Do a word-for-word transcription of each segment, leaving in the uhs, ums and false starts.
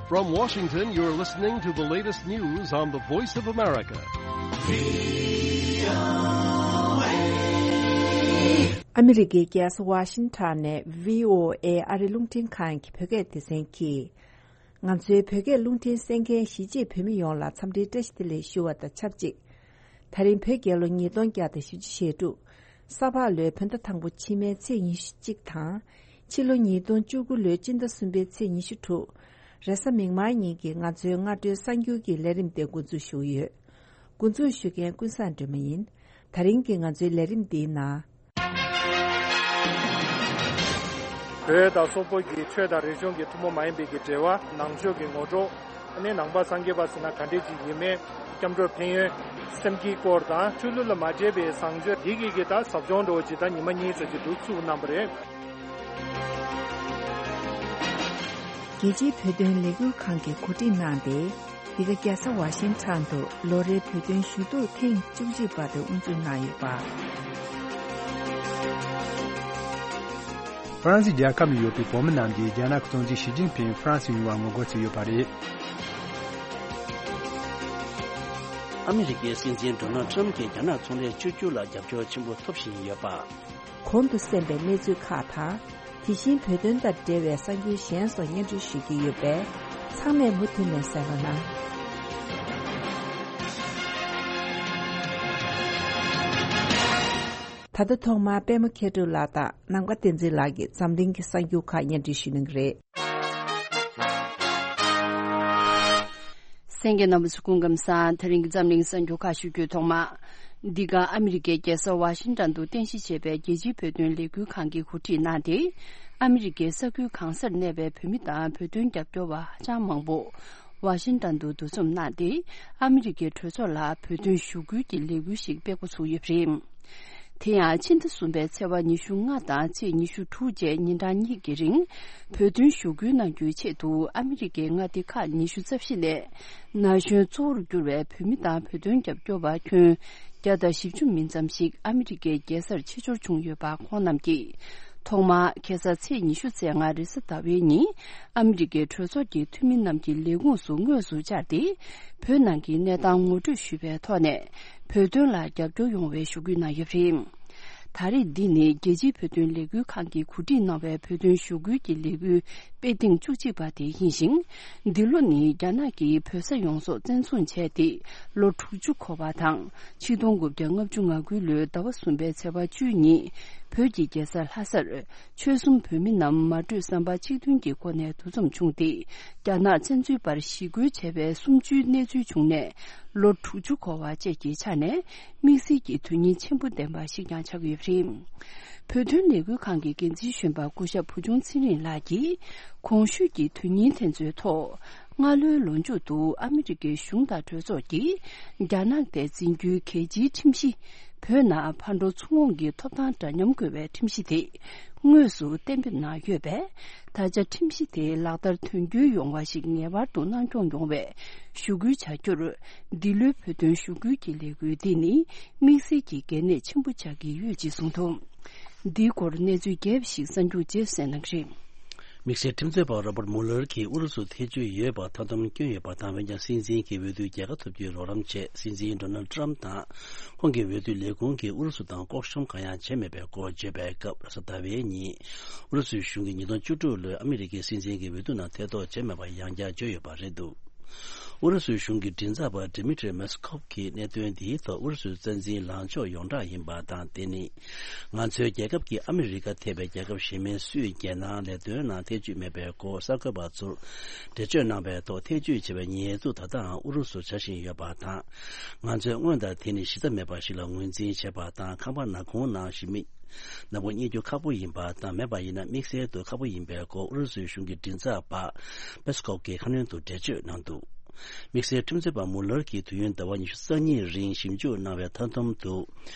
From Washington, you're listening to the latest news on the Voice of America. ཨ་མི་རི་ཀའི་རྒྱལ་ས་ཝ་ཤིང་ཊོན་ནས་བྷི་ཨོ་ཨེ་ཨ་རི་རླུང་འཕྲིན་ཁང་གི་བོད་སྐད་སྡེ་ཚན་གྱིས། ང་ཚོའི་བོད་སྐད་རླུང་འཕྲིན་གསན་མཁན་གཞིས་བྱེས་བོད་མི་ཡོངས་ལ་འཚམས་འདྲིའི་བཀྲ་ཤིས་བདེ་ལེགས་ཞུ་བ་དང་ཆབས་ཅིག་ད་རིང་བོད་རྒྱལ་ལོ་ཉིས་སྟོང་བརྒྱ་དང་བཞི་བཅུ་ཞེ་དྲུག་ས་ཕག་ལོའི་བོད་ཟླ་དང་པོ་ཕྱི་མའི་ཚེས་ཉི་ཤུ་གཅིག་དང་། ཕྱི་ལོ་ཉིས་སྟོང་བཅུ་དགུ་ལོའི་སྤྱི་ཟླ་གསུམ་པའི་ཚེས་ཉི་ཤུ་དྲུག་རེས་གཟའ་མིག་དམར་ཉིན་གྱི་ང་ཚོའི་སྔ་དྲོའི་གསར་འགྱུར་གྱི་ལས་རིམ་དེ་འགོ་འཛུགས་ཞུ་གི་ཡོད། འགོ་འཛུགས་ཞུ་མཁན་ཀུན་བཟང་སྒྲོལ་མ་ཡིན། ད་རིང་གི་ང་ཚོའི་ལས་རིམ་འདིའི་ནང་། བོད་དང་སོག་པོ་གི་ཆོས་དང་རིག་གཞུང་གི་ཐུན་མོང་མ་ཡིན་པའི་གི་འབྲེལ་བ། ནང་ཆོས་ཀྱི་ངོ་སྤྲོད། ཨ་ནི་ནང་པ་སངས་རྒྱས་པ་ཟེར་ན་ག་འདྲས་ཅིག་ཡིན་མིན། སྐྱབས་འགྲོ་ཕན་ཡོན། སེམས་བསྐྱེད་སྐོར་དང་ཆོས་ལུགས་ལ་མ་འདྲེས་པའི་བཟང་སྤྱོད་འདི་གི་གི་ད་ཟབ་སྦྱོང་འདྲ་བོ་ཅིག་ད་ཉི་མ་གཉིས་ཙམ་ཅིག་འདུག་ཚུགས་གནང་བ་རེད། རྒྱལ་སྤྱིའི་བོད་དོན་ལས་འགུལ་ཁང་གིས་གོ་སྒྲིག་གནང་སྟེ། འདི་ག་རྒྱལ་ས་ཝ་ཤིང་ཊོན་དུ་ལོ་རེའི་བོད་དོན་ཞུ་གཏུག་ཐེངས་བཅུ་གཅིག་པ་དེ་དབུ་འཛུགས་གནང་ཡོད་པ། ཧྥ་རན་སི་རྒྱལ་ཁབ་ནང་ཡོད་པའི་བོད་མི་རྣམས་ཀྱིས་རྒྱ་ནག་གི་གཙོ་འཛིན་ཞི་ཅིན་ཕིང་ཧྥ་རན་སི་ཡོང་བར་ངོ་རྒོལ་བྱས་ཡོད་པ་རེད། ཨ་མི་རི་ཀའི་སྲིད་འཛིན་ཌོ་ནལ་ཊམ་གྱིས་རྒྱ་ནག་ཚོང་ལས་བཅོས་བསྒྱུར་ལ་རྒྱབ་སྐྱོར་ཆེན་པོ་ཐོབ་བཞིན་ཡོད་པ། གོང་དུ་གསན་པའི་གནས་ཚུལ་ཁག་དང་། དེ་བཞིན་བོད་དོན་དང་འབྲེལ་བའི་གསར་འགྱུར་གཞན་སོགས་སྙན་སྒྲོན་ཞུ་རྒྱུ་ཡོད་པས། ཚང་མས་མུ་མཐུད་ནས་གསན་རོགས་གནང་། ད་ལྟ་ཐོག་མར་པད་མ་མཁས་གྲུབ་ལགས་དང་ནམ་མཁའ་བསྟན་འཛིན་ལགས་ཀྱིས་འཛམ་གླིང་གི་གསར་འགྱུར་ཁག་སྙན་སྒྲོན་ཞུ་གནང་གི་རེད། གསན་མཁན་རྣམ་པ་ཚོ་སྐུ་ཁམས་བཟང་། དེ་རིང་གི་འཛམ་གླིང་གསར་འགྱུར་ཁག་ཞུ་རྒྱུའི་ཐོག་མ། འདི་ག་ཨ་མི་རི་ཀའི་རྒྱལ་ས་ཝ་ཤིང་ཊོན་དུ་རྟེན་གཞི་བྱས་པའི་རྒྱལ་སྤྱིའི་བོད་དོན་ལས་འགུལ་ཁང་གིས་གོ་སྒྲིག་གནང་སྟེ། ཨ་མི་རི་ཀའི་ས་ཁུལ་གང་སར་གནས་པའི་བོད་མི་དང་བོད་དོན་རྒྱབ་སྐྱོར་བ་ཧ་ཅང་མང་པོ་ཝ་ཤིང་ཊོན་དུ་འདུ་འཛོམས་གནང་སྟེ། ཨ་མི་རི་ཀའི་གྲོས་ཚོགས་ལ་བོད་དོན་ཞུ་སྐུལ་གྱི་ལས་འགུལ་ཞིག་སྤེལ་འགོ་ཚུགས་ཡོད་པ་རེད། དེ་ཡང་ཕྱི་ཟླ་གསུམ་པའི་ཚེས་པ་ཉི་ཤུ་ལྔ་དང་ཚེས་ཉི་ཤུ་དྲུག་བཅས་ཉིན་གྲངས་གཉིས་ཀྱི་རིང་། བོད་དོན་ཞུ་སྐུལ་གནང་རྒྱུའི་ཆེད་དུ་ཨ་མི་རི་ཀའི་མངའ་སྡེ་ཁག་ཉི་ཤུ་རྩ་བཞི་ནས། ན་གཞོན་གཙོ་བོར་གྱུར་བའི་བོད་མི་དང་བོད་དོན་རྒྱབ་སྐྱོར་བ་ཁྱོན་བརྒྱ་དང་བཞི་བཅུ་མིན་ཙམ་ཞིག་ཨ་མི་རི་ཀའི་རྒྱལ་སར་ཆེད་འབྱོར་བྱུང་ཡོད་པ་ཁོང་རྣམས་ཀྱིས། ཐོག་མར་ཁ་སང་ཚེས་ཉི་ཤུ་རྩ་ལྔ་རེས་གཟའ་ཟླ་བའི་ཉིན། ཨ་མི་རི་ཀའི་གྲོས་ཚོགས་ཀྱི་འཐུས་མི་རྣམས་ཀྱི་ལས་ཁུངས་སུ་དངོས་སུ་བཅར་ཏེ། བོད་ནང་གི་གནས་སྟངས་ངོ་སྤྲོད་ཞུས་པའི་ཐོག་ནས། བོད་དོན་ལ་རྒྱབ་སྐྱོར་ཡོང་བའི་ཞུ་སྐུལ་གནང་ཡོད་པ་རེད། ད་རེས་འདི་ནི་རྒྱལ་སྤྱིའི་བོད་དོན་ལས་འགུལ་ཁང་གིས་གོ་སྒྲིག་གནང་བའི་བོད་དོན་ཞུ་སྐུལ་གྱི་ལས་འགུལ་སྤེལ་ཐེངས་བཅུ་གཅིག་པ་དེ་ཡིན་ཞིང་། འདི་ལོ་ནི་རྒྱ་ནག་གིས་བོད་ས་ཡོངས་རྫོགས་བཙན་བཟུང་བྱས་ཏེ་ལོ་དྲུག་ཅུ་འཁོར་བ་དང་། ཆིག་སྟོང་དགུ་བརྒྱ་ལྔ་བཅུ་ང་དགུ་ལོའི་ཟླ་བ་གསུམ་པའི་ཚེས་པ་བཅུ་གཉིས། བོད་ཀྱི་རྒྱལ་ས་ལྷ་སར། ཆོལ་གསུམ་བོད་མི་རྣམས་མ་གྲོས་བསམ་པ་གཅིག་མཐུན་གྱི་སྒོ་ནས་འདུ་འཛོམས་བྱུང་སྟེ། རྒྱ་ནག་བཙན་འཛུལ་པར་ཞི་རྒོལ་བྱས་པའི་གསུམ་བཅུའི་གནས་ཚུལ་བྱུང་ནས་ལོ་དྲུག་ཅུ་འཁོར་བ་བཅས་ཀྱི་ཆ་ནས། དམིགས་བསལ་གྱི་དོན་སྙིང་ཆེན་པོ་ལྡན་པ་ཞིག་ཀྱང་ཆགས་ཀྱི་ཡོད་པ་རེད། བོད་དོན་ལས་འགུལ་ཁང་གི་འགན་འཛིན་གཞོན་པ་སྐུ་ཞབས་བུ་ཆུང་ཚེ་རིང་ལགས་ཀྱིས། གོང་ཞུས་ཀྱི་དོན་སྙིང་དེ་ཚོའི་ཐོག་སྔ་ལོའི་ལོ་མཇུག་ཏུ་ཨ་མི་རི་ཀའི་གཞུང་དང་གྲོས་ཚོགས་ཀྱིས། རྒྱ་ནག་དེ་འཛིན་རྒྱུའི་གལ་ཆེའི་ཁྲིམས་གཞི། བོད་ནང་ཕར་འགྲོ་ཚུར་འོང་གི་ཐོབ་ཐང་འདྲ་མཉམ་དགོས་པའི་ཁྲིམས་གཞི་དེ། དངོས་སུ་གཏན་འབེབས་གནང་ཡོད་པས། ད་ཆ་ཁྲིམས་གཞི་དེ་ལག་བསྟར་དོན་འཁྱོལ་ཡོང་བ་ཞིག་ངེས་པར་དུ་གནང་སྐྱོང་ཡོང་བའི་ཞུ་སྐུལ་བྱ་རྒྱུར། འདི་ལོའི་བོད་དོན་ཞུ་སྐུལ་གྱི་ལས་འགུལ་འདི་ནི་དམིགས་བསལ་གྱི་གལ་གནད་ཆེན་པོ་ཆགས་ཀྱི་ཡོད་ཅེས་གསུངས་འདུག་འདིའི་སྐོར་གནས་ཚུལ་རྒྱས་པ་ཞིག་གསར་འགྱུར་རྗེས་སུ་གསན་གནང་གི་རེད། དམིགས་བསལ་ཁྲིམས་རྩོད་པ་རོ་བར་མུ་ལར་གྱིས་ཨུ་རུ་སུ་ཐེ་བྱུས་ཡོད་པར་མཐའ་སྡོམ་བསྐྱོན་ཡོད་པ་དང་། འོན་ཀྱང་སྲིད་འཛིན་གྱི་འོས་བསྡུ་རྒྱལ་ཁ་ཐོབ་རྒྱུའི་རོགས་རམ་ཆེད། སྲིད་འཛིན་ཌོ་ནལ་ཊམ་དང་ཁོང་གི་འོས་བསྡུ་ལས་ཁུངས་ཀྱིས་ཨུ་རུ་སུ་དང་ལྐོག་ཤོམ་གང་ཡང་བྱས་མེད་པའི་སྐོར་བརྗོད་པའི་སྐབས། རེས་གཟའ་ཟླ་བའི་ཉིན་ཨུ་རུ་སུའི་གཞུང་གིས་ཉིས་སྟོང་བཅུ་དྲུག་ལོའི་ཨ་མི་རི་ཀའི་སྲིད་འཛིན་གྱི་འོས་བསྡུ་ནང་ཐེ་གཏོགས་བྱས་མེད་པར་ཡང་བསྐྱར་བརྗོད་ཡོད་པ་རེད་འདུག་ཨུ་རུ་སུའི་གཞུང་གི་མགྲིན་ཚབ་པ་ཌི་མི་ཏྲི་མེ་སི་ཁོབ་ཀྱིས་གནད་དོན་འདིའི་ཐོག་ཨུ་རུ་སུའི་རྩ་འཛིན་ལངས་ཕྱོགས་ཡོངས་གྲགས་ཡིན་པ་དང་། དེ་ནི་ང་ཚོའི་རྒྱལ་ཁབ་ཀྱིས་ཨ་མི་རི་ཀ་ཐེ་བའི་རྒྱལ་ཁབ་གཞན་མིན་སུའི་རྒྱལ་ནང་ལས་དོན་ནང་ཐེ་བྱུས་མེད་པའི་སྐོར་གསར་འགོད་པ་ཚོར་འགྲེལ་བརྗོད་གནང་བའི་ཐོག་ཐེ་བྱུས་བྱས་པའི་ཉེས་འཛུགས་ད་ལྟའང་ཨུ་རུ་སུར་བྱ་བཞིན་ཡོད་པ་དང་། ང་ཚོས་སྔོན་དང་དེ་ནི་གཞི་རྩ་མེད་པ་ཞིག་ལ་ངོས་འཛིན་བྱས་པ་དང་། ཁང་པ་ནག་ཁུང་ནང་ཞི་མི་ནག་པོ་རྙེད་རྒྱུ་ཁག་པོ་ཡིན་པ་དང་། མེད་པ་ཡིན་ན་དམིགས་བསལ་དུ་ཁག་པོ་ཡིན་པའི་སྐོར་ཨུ་རུ་སུའི་གཞུང་གི་མགྲིན་ཚབ་པ་པེ་སི་ཀོབ་ཀྱིས་ཁ་སྣོན་དུ་འགྲེལ་བརྗོད་གནང་འདུག་དམིགས་བསལ་ཁྲིམས་རྩོད་པ་མུ་ལར་གྱིས་དུས་ཡུན་ཟླ་བ་ཉི་ཤུ་རྩ་གཉིས་རིང་ཞིབ་འཇུག་གནང་བའི་མཐའ་སྡོམ་དུ། འོས་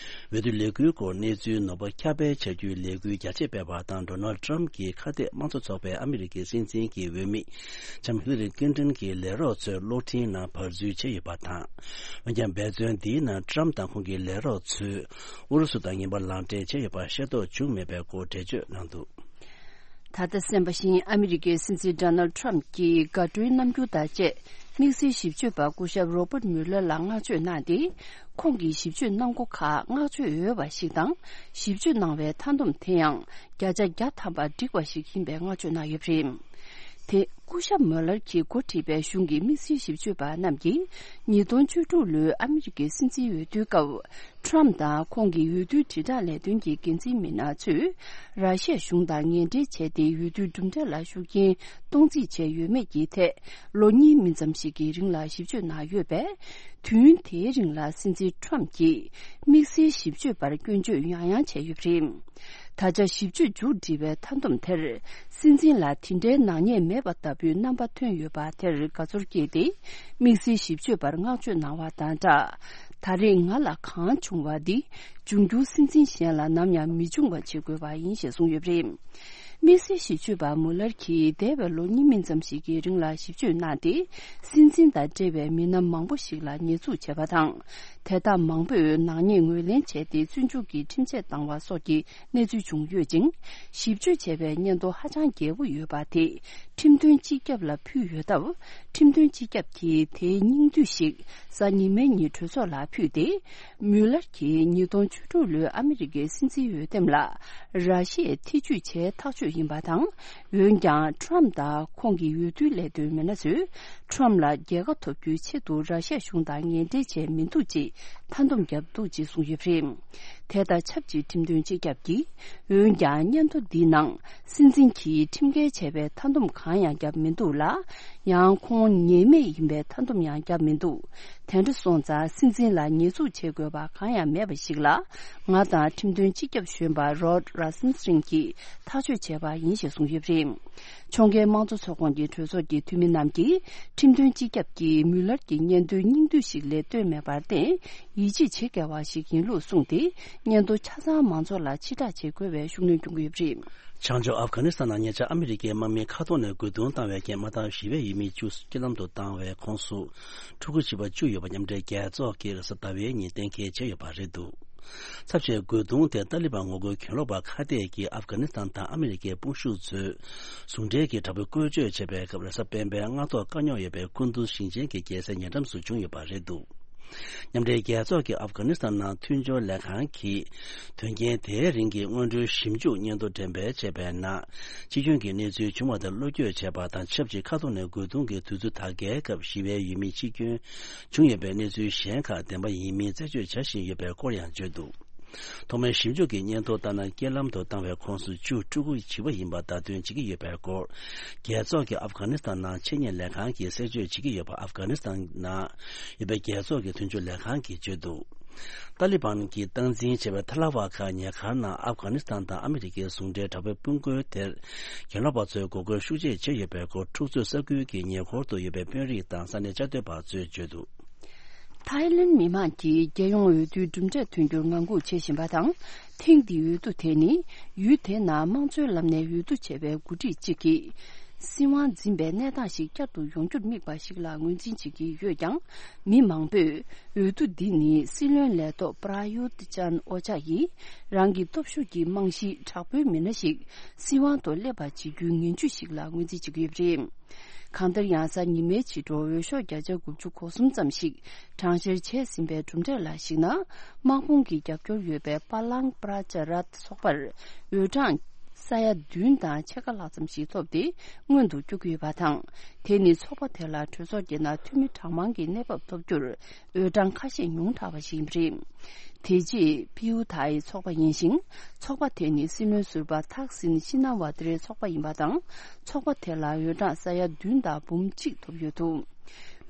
བསྡུ་ལས་འགུལ་སྐོར་གནས་ཚུལ་ནོར་བ་ཁྱབ་སྤེལ་བྱ་རྒྱུའི་ལས་འགུལ་རྒྱ་ཆེ་སྤེལ་བ་དང་། ཌོ་ནལ་ཊམ་གྱིས་ཁ་གཏད་དམངས་གཙོ་ཚོགས་པའི་ཨ་མི་རི་ཀའི་སྲིད་འཛིན་གྱི་འོས་མི་ལྕམ་ཧི་ལ་རི་ཀླིན་ཏོན་གྱི་ལས་རོགས་ཚོའི་གློག་འཕྲིན་ནང་བར་འཛུལ་བྱས་ཡོད་པ་དང་། འོན་ཀྱང་འབད་བརྩོན་འདིའི་ནང་ཊམ་དང་ཁོང་གི་ལས་རོགས་ཚོས་ཨུ་རུ་སུ་དང་ངན་པ་ལག་འབྲེལ་བྱས་ཡོད་པ་ཤེས་རྟོགས་བྱུང་མེད་པའི་སྐོར་འགྲེལ་བརྗོད་གནང་འདུག་ད་ལྟ་གསན་པ་བཞིན། ཨ་མི་རི་ཀའི་སྲིད་འཛིན་ཌོ་ནལ་ཌི་ཊརམ་ཕི་གྱིས་དགའ་སྤྲོའི་རྣམ་འགྱུར་དང་བཅས། དམིགས་བསལ་ཞིབ་དཔྱོད་པ་སྐུ་ཞབས་རོ་བརྟ་མུ་ལར་ལ་བསྔགས་བརྗོད་གནང་སྟེ། ཁོང་གིས་ཞིབ་དཔྱོད་གནང་སྒོ་ཁག་བསྔགས་བརྗོད་འོས་པ་ཞིག་དང་། ཞིབ་དཔྱོད་གནང་བའི་མཐའ་སྡོམ་དེ་ཡང་བརྒྱ་ཆ་བརྒྱ་ཐམ་པ་འགྲིག་པ་ཞིག་ཡིན་པའི་བསྔགས་བརྗོད་གནང་ཡོད་པ་རེད། དེ་སྐུ་ཞབས་མུ་ལར་གྱིས་འགོ་ཁྲིད་པའི་གཞུང་གི་དམིགས་བསལ་ཞིབ་དཔྱོད་པ་རྣམས་ཀྱིས། ཉིས་སྟོང་བཅུ་དྲུག་ལོའི་ཨ་མི་རི་ཀའི་སྲིད་འཛིན་འོས་བསྡུའི་སྐབས། ཊརམ་ཕི་དང་ཁོང་གི་འོས་བསྡུའི་དྲིལ་བསྒྲགས་ལས་དོན་གྱི་འགན་འཛིན་མི་སྣ་ཚོས། ར་ཤི་ཡ་གཞུང་དང་ངན་འབྲེལ་བྱས་ཏེ། འོས་བསྡུའི་གྲུབ་འབྲས་ལ་ཤུགས་རྐྱེན་གཏོང་རྩིས་བྱས་ཡོད་མེད་ཀྱི་ཐད། ལོ་གཉིས་མིན་ཙམ་ཞིག་གི་རིང་ལ་ཞིབ་དཔྱོད་གནང་ཡོད་པས། དུས་ཡུན་དེའི་རིང་ལ་སྲིད་འཛིན་ཊརམ་ཕི་གྱིས་དམིགས་བསལ་ཞིབ་དཔྱོད་པར་སྐྱོན་བརྗོད་ཡང་ཡང་བྱས་ཡོད་པ་རེད། ད་ཆ་ཞིབ་དཔྱོད་མཇུག་སྒྲིལ་བའི་མཐའ་སྡོམ་དེར། སྲིད་འཛིན་ལ་དེ་འདྲའི་ནག་ཉེས་མེད་པ་ལྟ་བུའི་རྣམ་པ་ཐོན་ཡོད་པ་དེར་དགའ་ཚོར་སྐྱེས་ཏེ། དམིགས་བསལ་ཞིབ་དཔྱོད་པར་བསྔགས་བརྗོད་གནང་བ་དང་སྦྲགས། ད་རེས་ང་ལ་གང་བྱུང་བ་འདི། འབྱུང་འགྱུར་སྲིད་འཛིན་གཞན་ལ་ནམ་ཡང་མི་འབྱུང་བ་བྱེད་དགོས་པ་ཡིན་ཞེས་གསུངས་ཡོད་པ་རེད། དམིགས་བསལ་ཞིབ་དཔྱོད་པ་མུ་ལར་གྱིས་འདས་པའི་ལོ་གཉིས་མིན་ཙམ་ཞིག་གི་རིང་ལ་ཞིབ་དཔྱོད་གནང་སྟེ། སྲིད་འཛིན་དང་འབྲེལ་བའི་མི་སྣ་མང་པོ་ཞིག་ལ་ཉེས་འཛུགས་བྱས་པ་དང་། དེ་དག་མང་པོས་ནག་ཉེས་ངོས་ལེན་བྱས་ཏེ། བཙོན་འཇུག་གི་ཁྲིམས་ཆད་བཏང་བ་སོགས་ཀྱི་གནས་ཚུལ་བྱུང་ཡོད་ཅིང་། ཞིབ་དཔྱོད་བྱས་པའི་སྙན་ཐོ་ཧ་ཅང་རྒྱས་པོ་ཡོད་པ་དེ། ཁྲིམས་དོན་སྤྱི་ཁྱབ་ལ་ཕུལ་ཡོད་སྟབས། ཁྲིམས་དོན་སྤྱི་ཁྱབ་ཀྱིས་དེའི་སྙིང་བསྡུས་ཤིག་གཟའ་ཉི་མའི་ཉིན་གྲོས་ཚོགས་ལ་ཕུལ་ཏེ། མུ་ལར་གྱིས་ཉིས་སྟོང་བཅུ་དྲུག་ལོའི་ཨ་མི་རི་ཀའི་སྲིད་འཛིན་འོས་འདེམས་ལ། ར་ཤི་ཡས་ཐེ་ཇུས་བྱས་ཐག་གཅོད་ཡིན་པ་དང་། འོན་ཀྱང་ཊརམ་ཕི་དང་ཁོང་གི་འོས་བསྡུ་ལས་དོན་མི་སྣ་ཚོས། ཊརམ་ཕི་ལ་རྒྱལ་ཁ་ཐོབ་རྒྱུའི་ཆེད་དུ་ར་ཤི་ཡ་གཞུང་དང་ངན་འབྲེལ་བྱས་མི་འདུག་ཅེས་མཐའ་སྡོམ་བརྒྱབ་འདུག་ཅེས་གསུངས་ཡོད་པ་རེད། དེ་དང་ཆབས་ཅིག་ཁྲིམས་དོན་སྤྱི་ཁྱབ་ཀྱིས། འོན་ཀྱང་སྙན་ཐོ་འདིའི་ནང་། སྲིད་འཛིན་གྱིས་ཁྲིམས་འགལ་བྱས་པའི་མཐའ་སྡོམ་གང་ཡང་བརྒྱབ་མི་འདུག་ལ། ཡང་ཁོང་ཉེས་མེད་ཡིན་པའི་མཐའ་སྡོམ་ཡང་བརྒྱབ་མི་འདུག་དེ་འདྲ་སོང་ཙང་། སྲིད་འཛིན་ལ་ཉེས་འཛུགས་བྱེད་དགོས་པ་གང་ཡང་མེད་པ་ཞིག་ལ། ང་དང་ཁྲིམས་དོན་སྤྱི་ཁྱབ་གཞོན་པ་རོཌ་རཱ་སམ་སི་རིན་གྱིས་ཐག་གཅོད་བྱས་པ་ཡིན་ཞེས་གསུངས་ཡོད་པ་རེད། ཕྱོགས་འགལ་དམངས་གཙོ་ཚོགས་ཁོངས་ཀྱི་གྲོས་ཚོགས་ཀྱི་འཐུས་མི་རྣམས་ཀྱིས། ཁྲིམས་དོན་སྤྱི་ཁྱབ་ཀྱིས་མུ་ལར་གྱི་སྙན་ཐོའི་སྙིང་བསྡུས་ཤིག་ལས་བཏོན་མེད་པར་བརྟེན། ཡིད་ཆེས་བྱེད་དཀའ་བ་ཞིག་ཡིན་ལུགས་གསུངས་ཏེ། སྙན་ཐོ་ཆ་ཚང་མང་ཚོགས་ལ་ཕྱིར་བསྒྲགས་བྱེད་དགོས་པའི་ཤུགས་སྣོན་སྐྱོན་གྱི་ཡོད་པ་རེད། བྱང་ཕྱོགས་ཨབ་གྷ་ནི་སི་ཐན་ནང་ཉེ་ཆར་ཨ་མི་རི་ཀའི་དམག་མིས་མཁའ་ཐོག་ནས་རྒོལ་རྡུང་བཏང་བའི་རྐྱེན། དམག་འཐབ་ཞི་བའི་ཡུལ་མི་བཅུ་རྐྱེན་ལམ་དུ་བཏང་བའི་ཁོངས་སུ། ཕྲུ་གུ་བྱིས་པ་བཅུ་ཡོད་པ་མཉམ་འབྲེལ་རྒྱལ་ཚོགས་ཀྱིས་རེས་གཟའ་ཟླ་བའི་ཉིན་གཏན་འཁེལ་བྱས་ཡོད་པ་རེད་འདུག་ཚབས་ཆེའི་རྒོལ་རྡུང་དེ་ཏཱ་ལི་བན་ངོ་རྒོལ་གྱེན་ལོག་པ་ཁ་གཏད་ཀྱིས་ཨབ་གྷ་ནི་སི་ཐན་དང་ཨ་མི་རི་ཀའི་དཔུང་ཤུགས་ཚོས་ཟུང་འབྲེལ་གྱིས་དྲག་པོའི་བཀོལ་སྤྱོད་བྱས་པའི་སྐབས། རེས་གཟའ་སྤེན་པའི་སྔ་ཐོག་དཀའ་རྙོག་ཡོད་པའི་ཀུན་ཏུར་ཞིང་ཆེན་གྱི་རྒྱལ་སའི་ཉེ་འགྲམ་དུ་བྱུང་ཡོད་པ་རེད་འདུག་མཉམ་འབྲེལ་རྒྱལ་ཚོགས་ཀྱི་ཨབ་གྷ་ནི་སི་ཐན་ནང་མཐུན་སྦྱོར་ལས་ཁང་གིས། དོན་རྐྱེན་དེའི་རིང་གི་སྔོན་འགྲོའི་ཞིབ་འཇུག་སྙན་ཐོ་འགྲེམས་སྤེལ་བྱས་པའི་ནང་། སྤྱི་ཁྱོན་གྱི་གནས་ཚུལ་བྱུང་བ་དེ་བློ་འགྱོད་བྱས་པ་དང་ཆབས་ཅིག་ཁ་ཐོག་ནས་རྒོལ་རྡུང་གི་དུས་ཚོད་དར་རྒྱས་སྐབས་ཞི་བའི་ཡུལ་མི་འཆི་སྐྱོན་བྱུང་ཡོད་པའི་གནས་ཚུལ་གཞན་ཁག་བདེན་པ་ཡིན་མིན་རྩད་གཅོད་བྱ་བཞིན་ཡོད་པའི་སྐོར་ཡང་བརྗོད་འདུག་ཐོག་མའི་ཞིབ་འཇུག་གི་སྙན་ཐོ་ལྟར་ན། རྐྱེན་ལམ་དུ་བཏང་བའི་ཁོངས་སུ་བཅུ་ཕྲུ་གུ་བྱིས་པ་ཡིན་པ་བརྡ་སྟོན་བྱེད་ཀྱི་ཡོད་པའི་སྐོར། རྒྱལ་ཚོགས་ཀྱི་ཨབ་གྷ་ནི་སི་ཐན་ནང་ཆེད་གཉེར་ལས་ཁང་གིས་གསལ་བརྗོད་བྱེད་ཀྱི་ཡོད་པ། ཨབ་གྷ་ནི་སི་ཐན་ནང་ཡོད་པའི་རྒྱལ་ཚོགས་ཀྱི་མཐུན་སྦྱོར་ལས་ཁང་གིས་བརྗོད་འདུག་ཏཱ་ལི་བན་གྱིས་སྟངས་འཛིན་བྱས་པའི་ཐ་ལ་ཝ་ཁ་ཉེ་འཁོར་ནང་ཨབ་གྷ་ནི་སི་ཐན་དང་ཨ་མི་རི་ཀའི་ཟུང་འབྲེལ་དྲག་པོའི་དཔུང་རྒོལ་དེར། གྱེན་ལོག་པ་ཚོས་འགོག་རྒོལ་ཤུགས་ཆེ་བྱས་ཡོད་པའི་སྐོར། འཁྲུག་རྩོད་ས་ཁུལ་གྱི་ཉེ་འཁོར་དུ་ཡོད་པའི་དཔོན་རིགས་དང་ས་གནས་བཅའ་སྡོད་པ་ཚོས་བརྗོད་འདུག་ཐའི་ལེན་མི་མང་གིས་རྒྱལ་ཡོངས་འོས་བསྡུའི་གྲུབ་འབྲས་ཐོན་རྒྱུར་ངང་སྒུག་བྱེད་བཞིན་པ་དང་། ཐེངས་འདིའི་འོས་བསྡུ་དེ་ནི། ཡུལ་དེའི་ནང་དམངས་གཙོའི་ལམ་ནས་འོས་བསྡུ་བྱས་པའི་འགོ་ཁྲིད་ཅིག་གིས། སྲིད་དབང་འཛིན་པའི་གནས་སྟངས་ཤིག་བསྐྱར་དུ་ཡོང་རྒྱུར་དམིགས་པ་ཞིག་ལ་ངོས་འཛིན་བྱེད་ཀྱི་ཡོད་ཀྱང་། མི་མང་པོས། འོས་བསྡུ་འདི་ནི་སྲིད་བློན་ལས་ཐོག་པྲ་ཡུད་ཅན་ཨོ་ཅཱ་ཡིས། རང་གི་སྟོབས་ཤུགས་ཀྱི་རྨང་གཞི་དྲག་པོའི་མི་སྣ་ཞིག་སྲིད་དབང་དུ་སླེབས་པ་བྱེད་རྒྱུའི་ངན་ཇུས་ཤིག་ལ་ངོས་འཛིན་བྱེད་ཀྱི་ཡོད་པ་རེད། གང་ལྟར་ཡང་། གཟའ་ཉི་མའི་ཕྱི་དྲོ་འོས་ཤོག་བརྒྱ་ཆ་དགུ་བཅུ་གོ་གསུམ་ཙམ་ཞིག་གྲངས་བཤེར་བྱས་ཟིན་པའི་གྲུབ་འབྲས་ལ་གཞིགས་ན། དམག་དཔུང་གི་རྒྱབ་སྐྱོར་ཡོད་པའི་པ་ལང་པྲ་ཅ་རཏ་ཚོགས་པར་འོས་གྲངས་ས་ཡ་བདུན་དང་ཕྱེད་ཀ་ལྷག་ཙམ་ཞིག་ཐོབ་སྟེ། སྔོན་དུ་བསྐྱོད་ཀྱི་ཡོད་པ་དང་། དེ་ནི་ཚོགས་པ་དེ་ལ་གྲོས་ཚོགས་ཀྱི་ནང་འཐུས་མི་གྲངས་མང་གི་གནས་བབ་ཐོབ་རྒྱུར། འོས་གྲངས་ཁ་ཤས་ཉུང་དྲགས་པ་ཞིག་ཡིན་པ་རེད། དེ་རྗེས་པིའུ་ཐའི་ཚོགས་པ་ཡིན་ཞིང་། ཚོགས་པ་དེ་ནི་སྲིད་བློན་ཟུར་པ་ཐག་སིན་ཤི་ན་ཝ་ཏི་རའི་ཚོགས་པ་ཡིན་པ་དང་། ཚོགས་པ་དེ་ལ་འོས་གྲངས་ས་ཡ་བདུན་དང་འབུམ་གཅིག་ཐོབ་ཡོད་འདུག་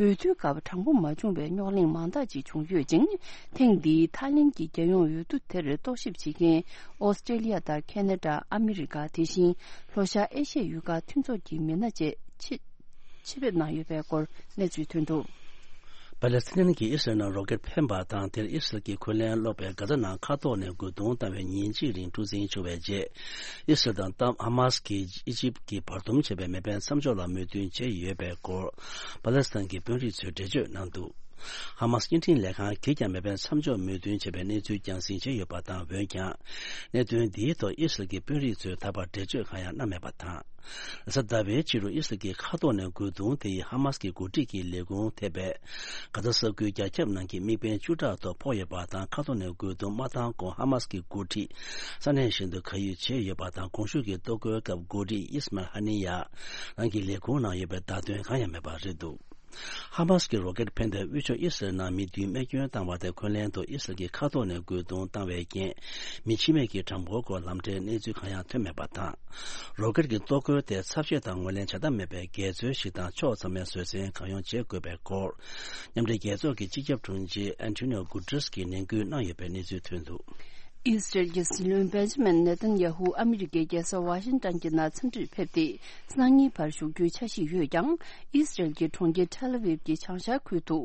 འོས་བསྡུའི་སྐབས་དྲང་པོ་མ་བྱུང་བའི་རྙོག་གླེང་མང་དག་ཅིག་བྱུང་ཡོད་ཅིང་། ཐེངས་འདིའི་ཐའི་ལེན་གྱི་རྒྱལ་ཡོངས་འོས་བསྡུ་དེར་རྟོག་ཞིབ་བྱེད་མཁན་ཨོ་སི་ཀྲེ་ལི་ཡ་དང་ཁེ་ན་ཌ། ཨ་མི་རི་ཀ། དེ་བཞིན་ལྷོ་ཤར་ཨེ་ཤི་ཡའི་ཡུལ་ཁག་མཐུན་ཚོགས་ཀྱི་མི་སྣ་བཅས་ཆེད། ཆེད་ཕེབས་གནང་ཡོད་པའི་སྐོར་གནས་ཚུལ་ཐོན་འདུག་པ་ལེ་སི་ཐན་གྱིས་ཨི་སི་རལ་ནང་རོ་ཀེད་འཕེན་པ་དང་། དེར་ཨི་སི་རལ་གྱིས་འཁོན་ལན་སློག་པའི་གྷ་ཛ་ནང་མཁའ་ཐོག་ནས་རྒོལ་རྡུང་བཏང་བའི་ཉིན་གཅིག་རིང་འཁྲུག་འཛིང་བྱུང་བའི་རྗེས། ཨི་སི་རལ་དང་ཏཱམ་ཧ་མཱ་སི་གིས་ཨི་ཇིབ་ཀྱིས་བར་འདུམ་བྱས་པའི་མེ་འཕེན་མཚམས་འཇོག་ལ་མོས་མཐུན་བྱས་ཡོད་པའི་སྐོར། པ་ལེ་སི་ཐན་གྱི་དཔོན་རིགས་ཚོས་འགྲེལ་བརྗོད་གནང་འདུག་ཧ་མ་སི་བརྙན་འཕྲིན་ལས་ཁང་གིས་ཀྱང་མེ་འཕེན་མཚམས་འཇོག་མོས་མཐུན་བྱས་པའི་གནས་ཚུལ་རྒྱང་སྲིང་བྱས་ཡོད་པ་དང་། འོན་ཀྱང་། གནད་དོན་འདིའི་ཐོག་ཨི་སི་རལ་གྱི་དཔོན་རིགས་ཚོས་ད་བར་འགྲེལ་བརྗོད་གང་ཡང་གནང་མེད་པ་དང་། རེས་གཟའ་ཟླ་བའི་ཕྱི་དྲོ་ཨི་སི་རལ་གྱི་མཁའ་ཐོག་ནས་རྒོལ་རྡུང་དེ་ཡིས་ཧ་མ་སི་གི་འགོ་ཁྲིད་ཀྱི་ལས་ཁུངས་ཐེ་བའི་གྷ་ཛ་ས་ཁུལ་རྒྱ་ཁྱབ་ནང་གི་དམིགས་འབེན་བཅུ་ཕྲག་ཐོག་ཕོག་ཡོད་པ་དང་། མཁའ་ཐོག་ནས་རྒོལ་རྡུང་མ་བཏང་གོང་ཧ་མ་སི་གི་འགོ་ཁྲིད་ས་གནས་གཞན་དུ་གར་ཡུལ་བྱས་ཡོད་པ་དང་། གོང་ཞུས་ཀྱི་གཏོར་རྒོལ་སྐབས་འགོ་ཁྲིད་ཨིས་མཱལ་ཧ་ནི་ཡ་རང་གི་ལས་ཁུངས་ནང་ཡོད་པའི་བརྡ་དོན་གང་ཡང་མེད་པ་རེད་འདུག་ཧ་མ་སི་གི་རོ་ཀེད་འཕེན་ཏེ་དབུས་ཕྱོགས་ཨི་སི་རལ་ནང་མི་བདུན་རྨས་སྐྱོན་བཏང་བ་དེ་འཁོན་ལན་དུ་ཨི་སི་རལ་གྱི་མཁའ་ཐོག་ནས་རྒོལ་རྡུང་བཏང་བའི་རྐྱེན། མི་འཆི་རྨས་ཀྱི་གྲངས་འབོར་སྐོར་ལམ་འབྲས་གནས་ཚུལ་གང་ཡང་ཐོན་མེད་པ་དང་། རོ་ཀེད་ཀྱི་གཏོར་རྒོལ་དེ་ཚབས་ཆེ་དང་ངོས་ལེན་བྱ་ཐབས་མེད་པའི་འགལ་འཛོལ་ཞིག་དང་། ཕྱོགས་ཚང་མས་བཟོད་བསྲན་གང་ཡོང་བྱེད་དགོས་པའི་སྐོར། མཉམ་འབྲེལ་རྒྱལ་ཚོགས་ཀྱི་སྤྱི་ཁྱབ་དྲུང་ཆེ་ཨན་ཐོ་ནིའོ་གུ་ཏྲེས་ཀྱིས་ནན་སྐུལ་གནང་ཡོད་པའི་གནས་ཚུལ་ཐོན་འདུག་ཨི་སི་རལ་གྱི་སྲིད་བློན་བེན་ཇ་མིན་ནེ་ཐན་ཡ་ཧུ་ཨ་མི་རི་ཀའི་རྒྱལ་ས་ཝ་ཤིང་ཏན་གྱི་ནང་འཚམས་འདྲིར་ཕེབས་ཏེ། སང་ཉིན་བར་བཞུགས་རྒྱུའི་འཆར་གཞི་ཡོད་ཀྱང་། ཨི་སི་རལ་གྱི་གྲོང་ཁྱེར་ཐེལ་ཨ་ཝིབ་ཀྱི་བྱང་ཤར་ཁུལ་དུ་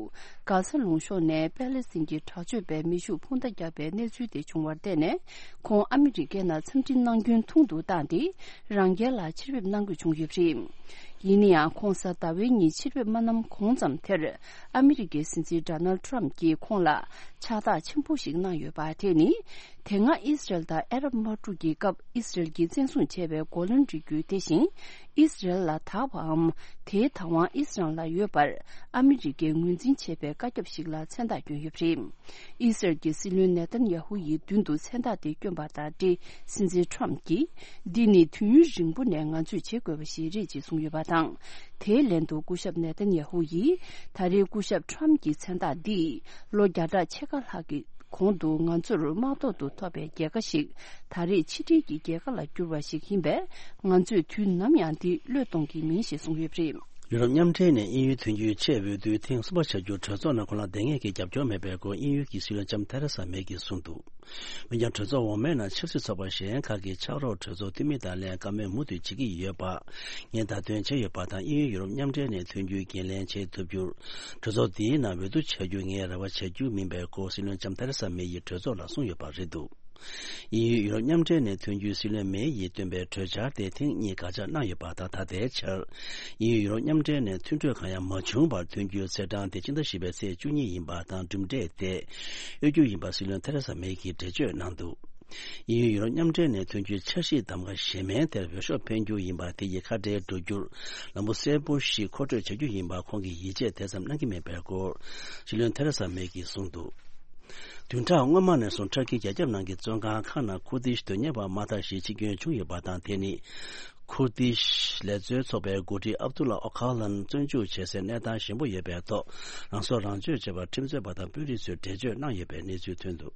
གྷ་ས་ལུང་གཤོང་ནས་པེ་ལེ་སི་ཐན་གྱི་དྲག་སྤྱོད་པས་མེ་ཤུགས་འཕུར་མདའ་བརྒྱབ་པའི་གནས་ཚུལ་དེ་བྱུང་བར་བརྟེན་ནས། ཁོང་ཨ་མི་རི་ཀའི་ནང་འཚམས་འདྲི་གནང་རྒྱུན་ཐུང་དུ་བཏང་སྟེ། རང་རྒྱལ་ལ་ཕྱིར་ཕེབས་གནང་དགོས་བྱུང་ཡོད་པ་རེད། ཡིན་ན་ཡང་། ཁོང་གཟའ་ཟླ་བའི་ཉིན་ཕྱིར་ཕེབས་མ་གནང་གོང་ཙམ་དེར། ཨ་མི་རི་ཀའི་སྲིད་འཛིན་ཌོ་ནལ་ཊམ་གྱིས་ཁོང་ལ་ཕྱག་རྟགས་ཆེན་པོ་ཞིག་གནང་ཡོད་པ་དེ་ནི། དེ་སྔ་ཨི་སི་རལ་དང་ཨ་རབ་དམག་འཁྲུག་གི་སྐབས་ཨི་སི་རལ་གྱིས་བཙན་བཟུང་བྱས་པའི་གོ་ལོན་རིགས་རྒྱུད་དེ་བཞིན་ཨི་སི་རལ་ལ་དག་པའམ། དེའི་བདག་དབང་ཨི་སི་རལ་ལ་ཡོད་པར་ཨ་མི་རི་ཀས་ངོས་འཛིན་བྱས་པའི་བཀའ་ཁྱབ་ཞིག་ལ་མཚན་རྟགས་བསྐྱོན་ཡོད་པ་རེད། ཨི་སི་རལ་གྱི་སྲིད་བློན་ནེ་ཐན་ཡ་ཧུ་ཡི་མདུན་དུ་མཚན་རྟགས་དེ་བསྐྱོན་པ་དང་འབྲེལ། སྲིད་འཛིན་ཊམ་གྱིས། འདི་ནི་དུས་ཡུན་རིང་པོ་ནས་ང་ཚོས་བྱེད་དགོས་པ་ཞིག་རེད་ཅེས་གསུངས་ཡོད་པ་དང་། དེའི་ལན་དུ་སྐུ་ཞབས་ནེ་ཐན་ཡ་ཧུ་ཡིས། ད་རེས་སྐུ་ཞབས་ཊམ་གྱི་མཚན་རྟགས་འདིས། ལོ་བརྒྱ་ཕྲག་ཕྱེད་ཀ་ལྷག་གི་གོང་དུ་ང་ཚོར་དམག་ཐོག་ཏུ་ཐོབ་པའི་རྒྱལ་ཁ་ཞིག་ད་རེས་ཕྱི་འབྲེལ་གྱི་རྒྱལ་ཁ་ལ་གྱུར་བ་ཞིག་ཡིན་པས། ང་ཚོས་དུས་ནམ་ཡང་འདི་བློས་གཏོང་གི་མིན་ཞེས་གསུངས་ཡོད་པ་རེད། ཡུ་རོབ་མཉམ་འབྲེལ་ནས་དབྱིན་ཡུལ་དོན་གཅོད་ཆེད་འོས་བསྡུའི་ཐེངས་གསུམ་པ་བྱ་རྒྱུ་གྲོས་ཚོགས་ནང་ཁོ་རང་བསྡད་མཁན་གྱི་རྒྱབ་སྐྱོར་མེད་པའི་སྐོར་དབྱིན་ཡུལ་གྱི་སྲིད་བློན་ལྕམ་ཐེ་རེ་ས་མེ་གིས་གསུངས་འདུག་འོན་ཀྱང་། གྲོས་ཚོགས་འོག་མའི་ནང་ཆབ་སྲིད་ཚོགས་པ་གཞན་ཁག་གིས་ཕྱག་རོགས་གྲོས་ཚོགས་འཐུས་མི་དང་ལྷན་བཀའ་མོལ་མུ་མཐུད་བྱེད་ཀྱི་ཡོད་པ། ངས་བརྡ་སྟོན་བྱས་ཡོད་པ་དང་། དབྱིན་ཡུལ་ཡུ་རོབ་མཉམ་འབྲེལ་ནས་ཐོན་རྒྱུའི་འགན་ལེན་བྱེད་ཐུབ་རྒྱུར། གྲོས་ཚོགས་འདིའི་ནང་འོས་བསྡུ་བྱ་རྒྱུ་ངས་རེ་བ་བྱ་རྒྱུ་མིན་པའི་སྐོར་སྲིད་བློན་ལྕམ་ཐེ་རེ་ས་མེ་ཡིས་གྲོས་ཚོགས་ལ་གསུངས་ཡོད་པ་རེད་འདུག་དབྱིན་ཡུལ་ཡུ་རོབ་མཉམ་འབྲེལ་ནས་ཐོན་རྒྱུའི་སྲིད་བློན་མེ་ཡིས་བཏོན་པའི་གྲོས་འཆར་དེ་ཐེངས་གཉིས་དགག་བྱ་གནང་ཡོད་པ་དང་། ད་ལྟའི་ཆར། དབྱིན་ཡུལ་ཡུ་རོབ་མཉམ་འབྲེལ་ནས་མཐུན་གྲོས་གང་ཡང་མ་བྱུང་བར་ཐོན་རྒྱུའི་ཚེས་གྲངས་དེ་ཕྱི་ཟླ་བཞི་པའི་ཚེས་བཅུ་གཉིས་ཡིན་པ་དང་། གྲུབ་འབྲས་དེ་གཡོལ་རྒྱུ་ཡིན་པ་སྲིད་བློན་ཐེ་རེ་ས་མེ་གིས་འགྲེལ་བརྗོད་གནང་འདུག་དབྱིན་ཡུལ་ཡུ་རོབ་མཉམ་འབྲེལ་ནས་ཐོན་རྒྱུའི་འཆར་གཞིའི་གདམ་ག་གཞན་མའི་དེར་འོས་ཤོག་འཕེན་རྒྱུ་ཡིན་པ་དེ་ཡིས་ཁ་བྲལ་འགྲོ་རྒྱུར་ལམ་བུ་གསལ་པོ་ཞིག་མཁོ་སྤྲོད་བྱ་རྒྱུ་ཡིན་པ་ཁོང་གིས་ཡིད་ཆེས་དེ་ཙམ་གནང་གི་མེད་པའི་སྐོར་སྲིད་བློན་ཐེ་རེ་ས་མེ་གིས་གསུངས་འདུག་བདུན་ཕྲག་སྔོན་མ་ནས་བཟུང་ཊར་ཀིའི་རྒྱ་ཁྱབ་ནང་གི་བཙོན་ཁང་ཁག་ནང་ཁུར་དིཤ་དོན་གཉེར་བ་མང་དག་ཞིག་འཆི་སྐྱོན་བྱུང་ཡོད་པ་དང་། དེ་ནི་ཁུར་དིཤ་ལས་བཟོའི་ཚོགས་པའི་འགོ་ཁྲིད་ཨབ་དུ་ལ་ཨོ་ཁ་ལན་བཙོན་འཇུག་བྱེད་སའི་གནས་སྟངས་ཞན་པོ་ཡོད་པའི་ཐོག་རང་སྲོག་རང་གཅོད་བྱས་པར་ཁྲིམས་རྩོད་པ་དང་དཔོན་རིགས་ཚོས་འགྲེལ་བརྗོད་གནང་ཡོད་པའི་གནས་ཚུལ་ཐོན་འདུག་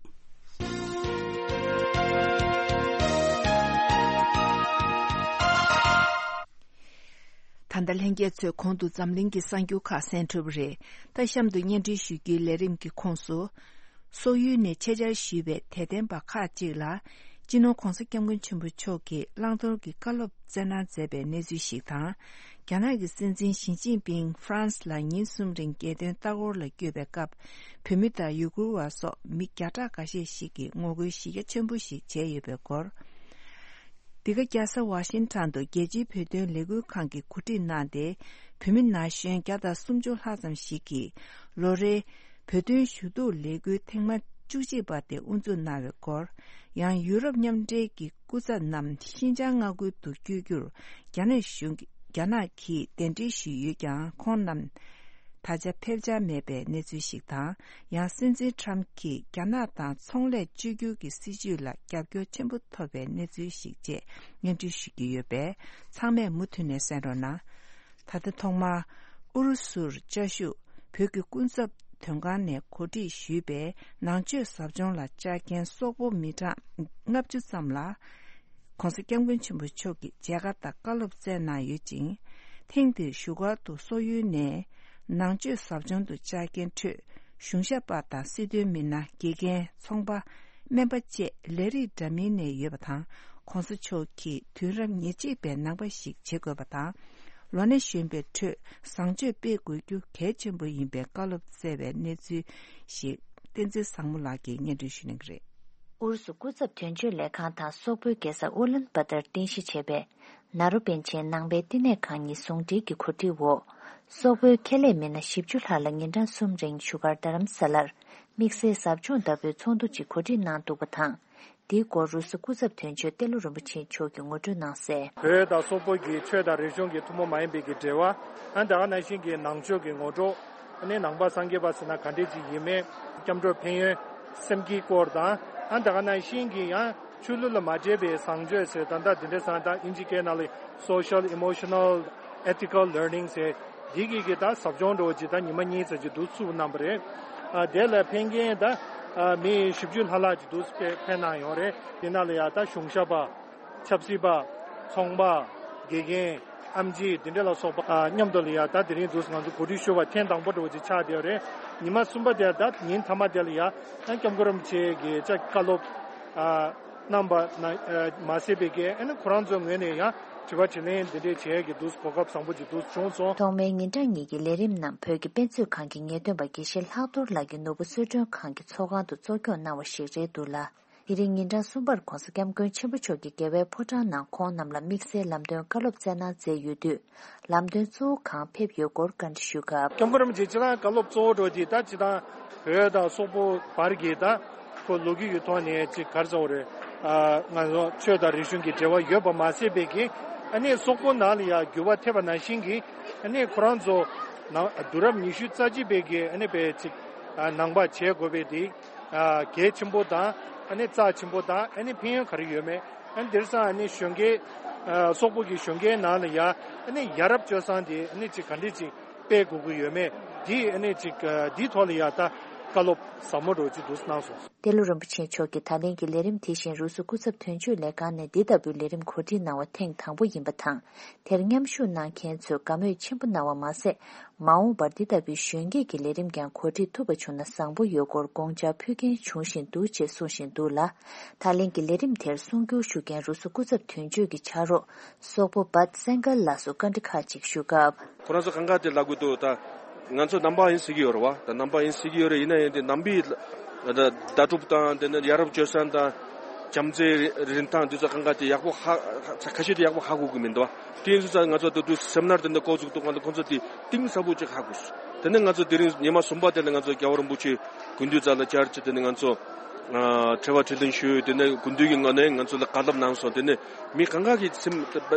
ད་ལྟ་ལྷན་རྒྱས་ཚོས་གོང་དུ་འཛམ་གླིང་གི་གསར་འགྱུར་ཁག་གསན་གྲུབ་རེད། ད་གཤམ་དུ་སྙན་སྒྲོན་ཞུ་རྒྱུའི་ལས་རིམ་གྱི་ཁོངས་སུ། སོག་ཡུལ་ནས་ཆེད་བཅར་ཞུས་པའི་དད་ལྡན་པ་ཁག་ཅིག་ལ། སྤྱི་ནོར་༧གོང་ས་༧སྐྱབས་མགོན་ཆེན་པོ་མཆོག་གིས་བླང་དོར་གྱི་བཀའ་སློབ་སྩལ་གནང་མཛད་པའི་གནས་ཚུལ་ཞིག་དང་། རྒྱ་ནག་གི་སྲིད་འཛིན་ཞི་ཅིན་ཕིང་ཧྥ་རན་སི་ལ་ཉིན་གསུམ་རིང་རྒྱལ་དོན་ལྟ་སྐོར་ལ་བསྐྱོད་པའི་སྐབས། བོད་མི་དང་ཡུ་གུར་བ་སོགས་མི་བརྒྱ་ཕྲག་འགའ་ཤས་ཤིག་གིས་ངོ་རྒོལ་གཞི་རྒྱ་ཆེན་པོ་ཞིག་བྱས་ཡོད་པའི་སྐོར། འདི་ག་རྒྱལ་ས་ཝ་ཤིང་ཊོན་དུ་རྒྱལ་སྤྱིའི་བོད་དོན་ལས་འགུལ་ཁང་གིས་གོ་སྒྲིག་གནང་སྟེ། བོད་མི་ན་གཞོན་བརྒྱ་དང་སུམ་ཅུ་ལྷག་ཙམ་ཞིག་གིས་ལོ་རེའི་བོད་དོན་ཞུ་གཏུག་ལས་འགུལ་ཐེངས་མ་བཅུ་གཅིག་པ་དེ་དབུ་འཛུགས་གནང་བའི་སྐོར། ཡང་ཡུ་རོབ་མཉམ་འབྲེལ་གྱི་སྐུ་ཚབ་རྣམས་ཤིན་ཅང་མངའ་ཁུལ་དུ་བསྐྱོད་རྒྱུར་རྒྱ་ནག་གཞུང་རྒྱ་ནག་གིས་གདན་འདྲེན་ཞུས་ཡོད་ཀྱང་། ཁོང་རྣམས་ད་ཆ་ཕེབས་འཆར་མེད་པའི་གནས་ཚུལ་ཞིག་དང་། ཡང་སྲིད་འཛིན་ཊམ་གྱིས་རྒྱ་ནག་དང་ཚོང་ལས་བཅོས་བསྒྱུར་གྱི་སྲིད་བྱུས་ལ་རྒྱབ་སྐྱོར་ཆེན་པོ་ཐོབ་པའི་གནས་ཚུལ་ཞིག་བཅས་སྙན་སྒྲོན་ཞུ་རྒྱུ་ཡོད་པས། ཚང་མས་མུ་མཐུད་ནས་གསན་རོགས་གནང་། ད་ལྟ་ཐོག་མར་ཨུ་རུ་སུར་བཅའ་བཞུགས་བོད་ཀྱི་སྐུ་ཚབ་དོན་ཁང་ནས་གོ་སྒྲིག་ཞུས་པའི་ནང་ཆོས་ཟབ་སྦྱོང་ལ་བཅར་མཁན་སོག་པོ་མི་གྲངས་ལྔ་བཅུ་ཙམ་ལ། ༸གོང་ས་༸སྐྱབས་མགོན་ཆེན་པོ་མཆོག་གིས་མཇལ་ཁ་དང་བཀའ་སློབ་སྩལ་གནང་ཡོད་ཅིང་། ཐེངས་འདིར་བཞུགས་སྒར་དུ་སོག་ཡུལ་ནས་ནང་ཆོས་ཟབ་སྦྱོང་དུ་བཅར་མཁན་ཁྲོད་གཞུང་ཞབས་པ་དང་སྲིད་དོན་མི་སྣ། དགེ་རྒན། ཚོང་པ། སྨན་པ་བཅས་ལས་རིགས་འདྲ་མིན་ནས་ཡོད་པ་དང་། ༸གོང་ས་མཆོག་གིས་དུས་རབས་ཉེར་གཅིག་པའི་ནང་པ་ཞིག་བྱེད་དགོས་པ་དང་། ལོ་ན་གཞོན་པའི་ཁྲོད་བཟང་སྤྱོད་སྤེལ་དགོས་རྒྱུ་གལ་ཆེན་པོ་ཡིན་པའི་བཀའ་སློབ་སྩལ་བའི་གནས་ཚུལ་ཞིག་བསྟན་འཛིན་བཟང་མོ་ལགས་ཀྱིས་སྙན་སྒྲོན་ཞུ་གནང་གི་རེད། ཨུ་རུ་སུ་སྐུ་ཚབ་དོན་གཅོད་ལས་ཁང་དང་སོག་པོའི་རྒྱལ་ས་ཨུ་ལན་བ་ཏར་རྟེན་གཞི་བྱས་པའི་ནཱ་རོ་པཎ་ཆེན་ནང་པའི་བསྟི་གནས་ཁང་གཉིས་ཟུང་འབྲེལ་གྱི་གོ་སྒྲིག་འོག་སོག་པོའི་ཁེ་ལས་མི་སྣ་བཞི་བཅུ་ལྷག་ལ་ཉིན་གྲངས་གསུམ་རིང་བཞུགས་སྒར་རྡ་རམ་ས་ལར་དམིགས་བསལ་ཟབ་སྦྱོང་ལྟ་བུའི་ཚོགས་འདུ་ཅིག་གོ་སྒྲིག་གནང་འདུག་པ་དང་། འདིའི་སྐོར་རུ་སུ་སྐུ་ཚབ་དོན་གཅོད་ཏེ་ལོ་རིན་པོ་ཆེ་མཆོག་གིས་ངོ་སྤྲོད་གནང་གསལ། བོད་དང་སོག་པོ་གི་ཆོས་དང་རིག་གཞུང་གི་ཐུན་མོང་མ་ཡིན་པའི་གི་འབྲེལ་བ། ཨ་ད་ག་ནང་བཞིན་གྱི་ནང་ཆོས་ཀྱི་ངོ་སྤྲོད། ཨ་ནི་ནང་པ་སངས་རྒྱས་པ་ཟེར་ན་ག་འདྲས་ཅིག་ཡིན་མིན། སྐྱབས་འགྲོ་ཕན་ཡོན་སེམས་བསྐྱེད་སྐོར་དང་། ཨ་ད་ག་ནང་བཞིན་གྱི་ཡང་ཆོས་ལུགས་ལ་མ་འདྲེས་པའི་བཟང་སྤྱོད་ཟེར་ད་ལྟ་འདི་འདྲས་སང་ད་ཨིན་ཇི་སྐད་ནང་ལ་social emotional ethical learning ཟེར། འདི་གི་གི་ད་ཟབ་སྦྱོང་འདྲ་བོ་ཅིག་ད་ཉི་མ་གཉིས་ཙམ་ཅིག་འདུག་ཚུགས་གནང་པ་རེད། ཨ་དེ་ལ་ཕན་མཁན་ད་ཨ་མི་བཞི་བཅུ་ལྷག་ལྷག་ཅིག་འདུག་ཕེབས་གནང་ཡོང་རེད། དེ་ནང་ལ་ཡང་ད་གཞུང་ཞབས་པ། ཆབ་སྲིད་པ། ཚོང་པ། དགེ་རྒན། ཨེམ་ཆི་འདི་འདྲ་ལ་སོགས་པ་ཨ་མཉམ་དུ་ལ་ཡང་ད་དེ་རིང་འདུག་ང་ཚོ་གོ་སྒྲིག་ཞུ་བ་ཐེངས་དང་པོ་འདྲ་བོ་ཅིག་ཆགས་བསྡད་ཡོད་རེད། ཉི་མ་གསུམ་པ་དེ་ད་ཉིན་མཐའ་མ་དེ་ལ་ཡང་ཨ་སྐྱབས་མགོན་རིན་པོ་ཆེ་གི་ཅག་བཀའ་སློབ་ཨ་གནང་པ་ན་ཨ་མ་ཟད་པའི་གི་ཨ་ནི་ཁོ་རང་ཚོའི་ངོས་ནས་ཡང་དྲི་བ་དྲིས་ལན་འདི་འདྲས་བྱེད་ཡས་ཀྱི་འདུག་གོ་སྐབས་བཟང་པོ་ཅིག་འདུག་བྱུང་སོང་། ཐོག་མའི་ཉིན་གྲངས་གཉིས་ཀྱི་ལས་རིམ་རྣམས་བོད་ཀྱི་དཔེ་མཛོད་ཁང་གི་ངེས་སྟོན་པ་དགེ་བཤེས་ལྷག་རྡོར་ལགས་ཀྱིས་ནོར་བུ་གསོལ་མགྲོན་ཁང་གི་ཚོགས་ཁང་དུ་གཙོ་སྐྱོང་གནང་བ་ཞིག་རེད་འདུག་ལ། དེ་རིང་ཉིན་གྲངས་གསུམ་པར་༸གོང་ས་༸སྐྱབས་མགོན་ཆེན་པོ་མཆོག་གིས་རྒྱལ་བའི་ཕོ་བྲང་ནང་ཁོང་རྣམས་ལ་དམིགས་བསལ་ལམ་སྟོན་བཀའ་སློབ་སྩལ་གནང་མཛད་ཡོད་དུས། ལམ་སྟོན་གཙོ་བོ་གང་ཕེབས་ཡོད་སྐོར་བཀའ་འདྲི་ཞུས་སྐབས། སྐྱབས་མགོན་རིན་པོ་ཆེ་སྤྱིར་བཏང་བཀའ་སློབ་གཙོ་བོ་འགྲོ་དེ་ད་སྤྱིར་བཏང་བོད་དང་སོག་པོ་བར་གྱི་ད་ཁོ་ལོ་རྒྱུས་ཀྱི་ཐོག་ནས་ཅིག་ག་རེ་ཟེར་དགོས་རེད། ཨ་ང་ཚོ་ཆོས་དང་རིག་གཞུང་གི་འབྲེལ་བ་ཡོད་པ་མ་ཟད་པའི་གི་ཨ་ནི་སོག་པོ་ནང་ལ་ཡང་འགྱུར་བ་ཐེབས་པ་ནང་བཞིན་གྱི་ཨ་ནི་ཁོ་རང་ཚོ་ནང་དུས་རབས་ཉི་ཤུ་རྩ་གཅིག་པའི་གི་ཨ་ནི་པའི་ཅིག་ཨ་ནང་པ་བྱེད་དགོས་པའི་དེ། ཨ་གལ་ཆེན་པོ་དང་ཨ་ནི་རྩ་ཆེན་པོ་དང་ཨ་ནི་ཕན་ཡོན་ག་རེ་ཡོད་མེད། ཨ་ནི་དེང་སང་ཨ་ནི་གཞོན་སྐྱེས་ཨ་སོག་པོ་གི་གཞོན་སྐྱེས་ནང་ལ་ཡ་ཨ་ནི་ཡ་རབས་སྤྱོད་བཟང་དེ་ཨ་ནི་ཅིག་ག་འདྲས་ཅིག་སྤེལ་དགོས་ཀྱི་ཡོད་མེད་དེ་ཨ་ནི་ཅིག་ཨ་དེའི་ཐོག་ལ་ཡ་ད་བཀའ་སློབ་ཟབ་མོ་འདྲ་བོ་ཅིག་འདུག་གནང་སོང་། ཏེ་ལོ་རིན་པོ་ཆེ་མཆོག་གིས་ད་ལན་གྱི་ལས་རིམ་དེ་བཞིན་རུ་སུ་སྐུ་ཚབ་དོན་གཅོད་ལས་ཁང་ནས་འདི་ལྟ་བུའི་ལས་རིམ་གོ་སྒྲིག་གནང་བ་ཐེངས་དང་པོ་ཡིན་པ་དང་། དེར་མཉམ་ཞུགས་གནང་མཁན་ཚོས་དགའ་མོས་ཆེན་པོ་གནང་བ་མ་ཟད། མ་འོངས་པར་འདི་ལྟ་བུའི་གཞོན་སྐྱེས་ཀྱི་ལས་རིམ་ཀྱང་གོ་སྒྲིག་ཐུབ་པ་བྱུང་ན་བཟང་པོ་ཡོད་སྐོར་དགོངས་འཆར་ཕུལ་མཁན་བྱུང་བཞིན་འདུག་ཅེས་གསུངས་བཞིན་འདུག་ལ། ད་ལན་གྱི་ལས་རིམ་དེར་གསུང་བསྒྱུར་ཞུ་མཁན་རུ་སུ་སྐུ་ཚབ་དོན་གཅོད་ཀྱི་ཕྱག་རོགས་སོག་པོ་བཱད་སེང་གལ་ལགས་སུ་བཀའ་འདྲི་ཁག་ཅིག་ཞུ་སྐབས། ཁོ་རང་ཚོ་གང་ག་དེ་ལབ་དགོས་འདུག་ད་ང་ཚོ་ནང་པ་ཡིན་ཟེར་གྱི་ཡོད་རེད་བ། ད་ནང་པ་ཡིན་ཟེར་གྱི་ཡོད་རེད། ཡིན་ན་ཡང་དེ་ནང་པའི་ལ་ད་ལྟ་གྲུབ་དང་དེ་ནས་ཡ་རབས་སྤྱོད་བཟང་དང་། བྱམས་བརྩེའི་རིན་ཐང་འདི་ཚོ་གང་ག་དེ་ཡག་པོ་ཧ་ཧ་ཁ་ཤས་དེ་ཡག་པོ་ཧ་གོ་གི་མི་འདུག་བ། དེ་ཡིན་ཙང་ང་ཚོ་ད་དུང་སེམ་ནར་དེ་འདྲ་འགོ་བཙུགས་འདུག་ག་ལ་ཁོང་ཚོ་དེ་གཏིང་ཟབ་པོ་ཅིག་ཧ་གོ་སོང་། དེ་ནས་ང་ཚོ་དེ་རིང་ཉི་མ་གསུམ་པ་དེ་ལ་ང་ཚོ་རྒྱལ་བ་རིན་པོ་ཆེ་དགུན་དུས་རྩ་ལ་བཅར་ཅིག་དེ་ནས་ང་ཚོ་ཨ་དྲི་བ་དྲིས་ལན་ཞུས། དེ་ནས་དགུན་དུས་ཀྱི་ངོས་ནས་ང་ཚོ་ལ་བཀའ་སློབ་གནང་སོང་། དེ་ནས་མི་གང་ག་གི་སེམས་